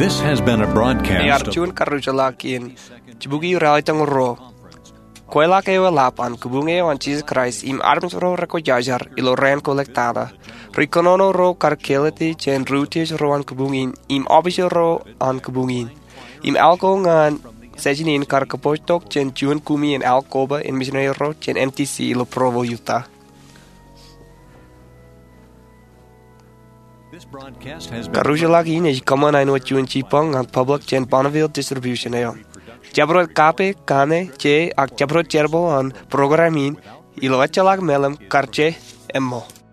This has been a broadcast. Ear juon karujulọk in jibukwi ralitōñoul ruo. Kweilọk eo eḷap an kabuñ eo an Jisōs Kraist im armej ro rekwōjarjar ilo raan ko ḷọk tata. Ri kōnono ro kar kāālōt jān ri utiej ro an kabuñ in im ọfisōr ro an kabuñ in. Im al ko ñan session in kar kōpooj tok jān juon kumi in al koba in misineri ro jān M T C ilo Provo, Utah. Karujulọk in ej kōṃṃan āinwōt juon jibboñ ñan public jān Bonneville Distribution eo. Jabdewōt kape, kaṇe, je, ak jabdewōt jerbal an program in ilo ejjeḷọk mālim kar je, eṃṃool.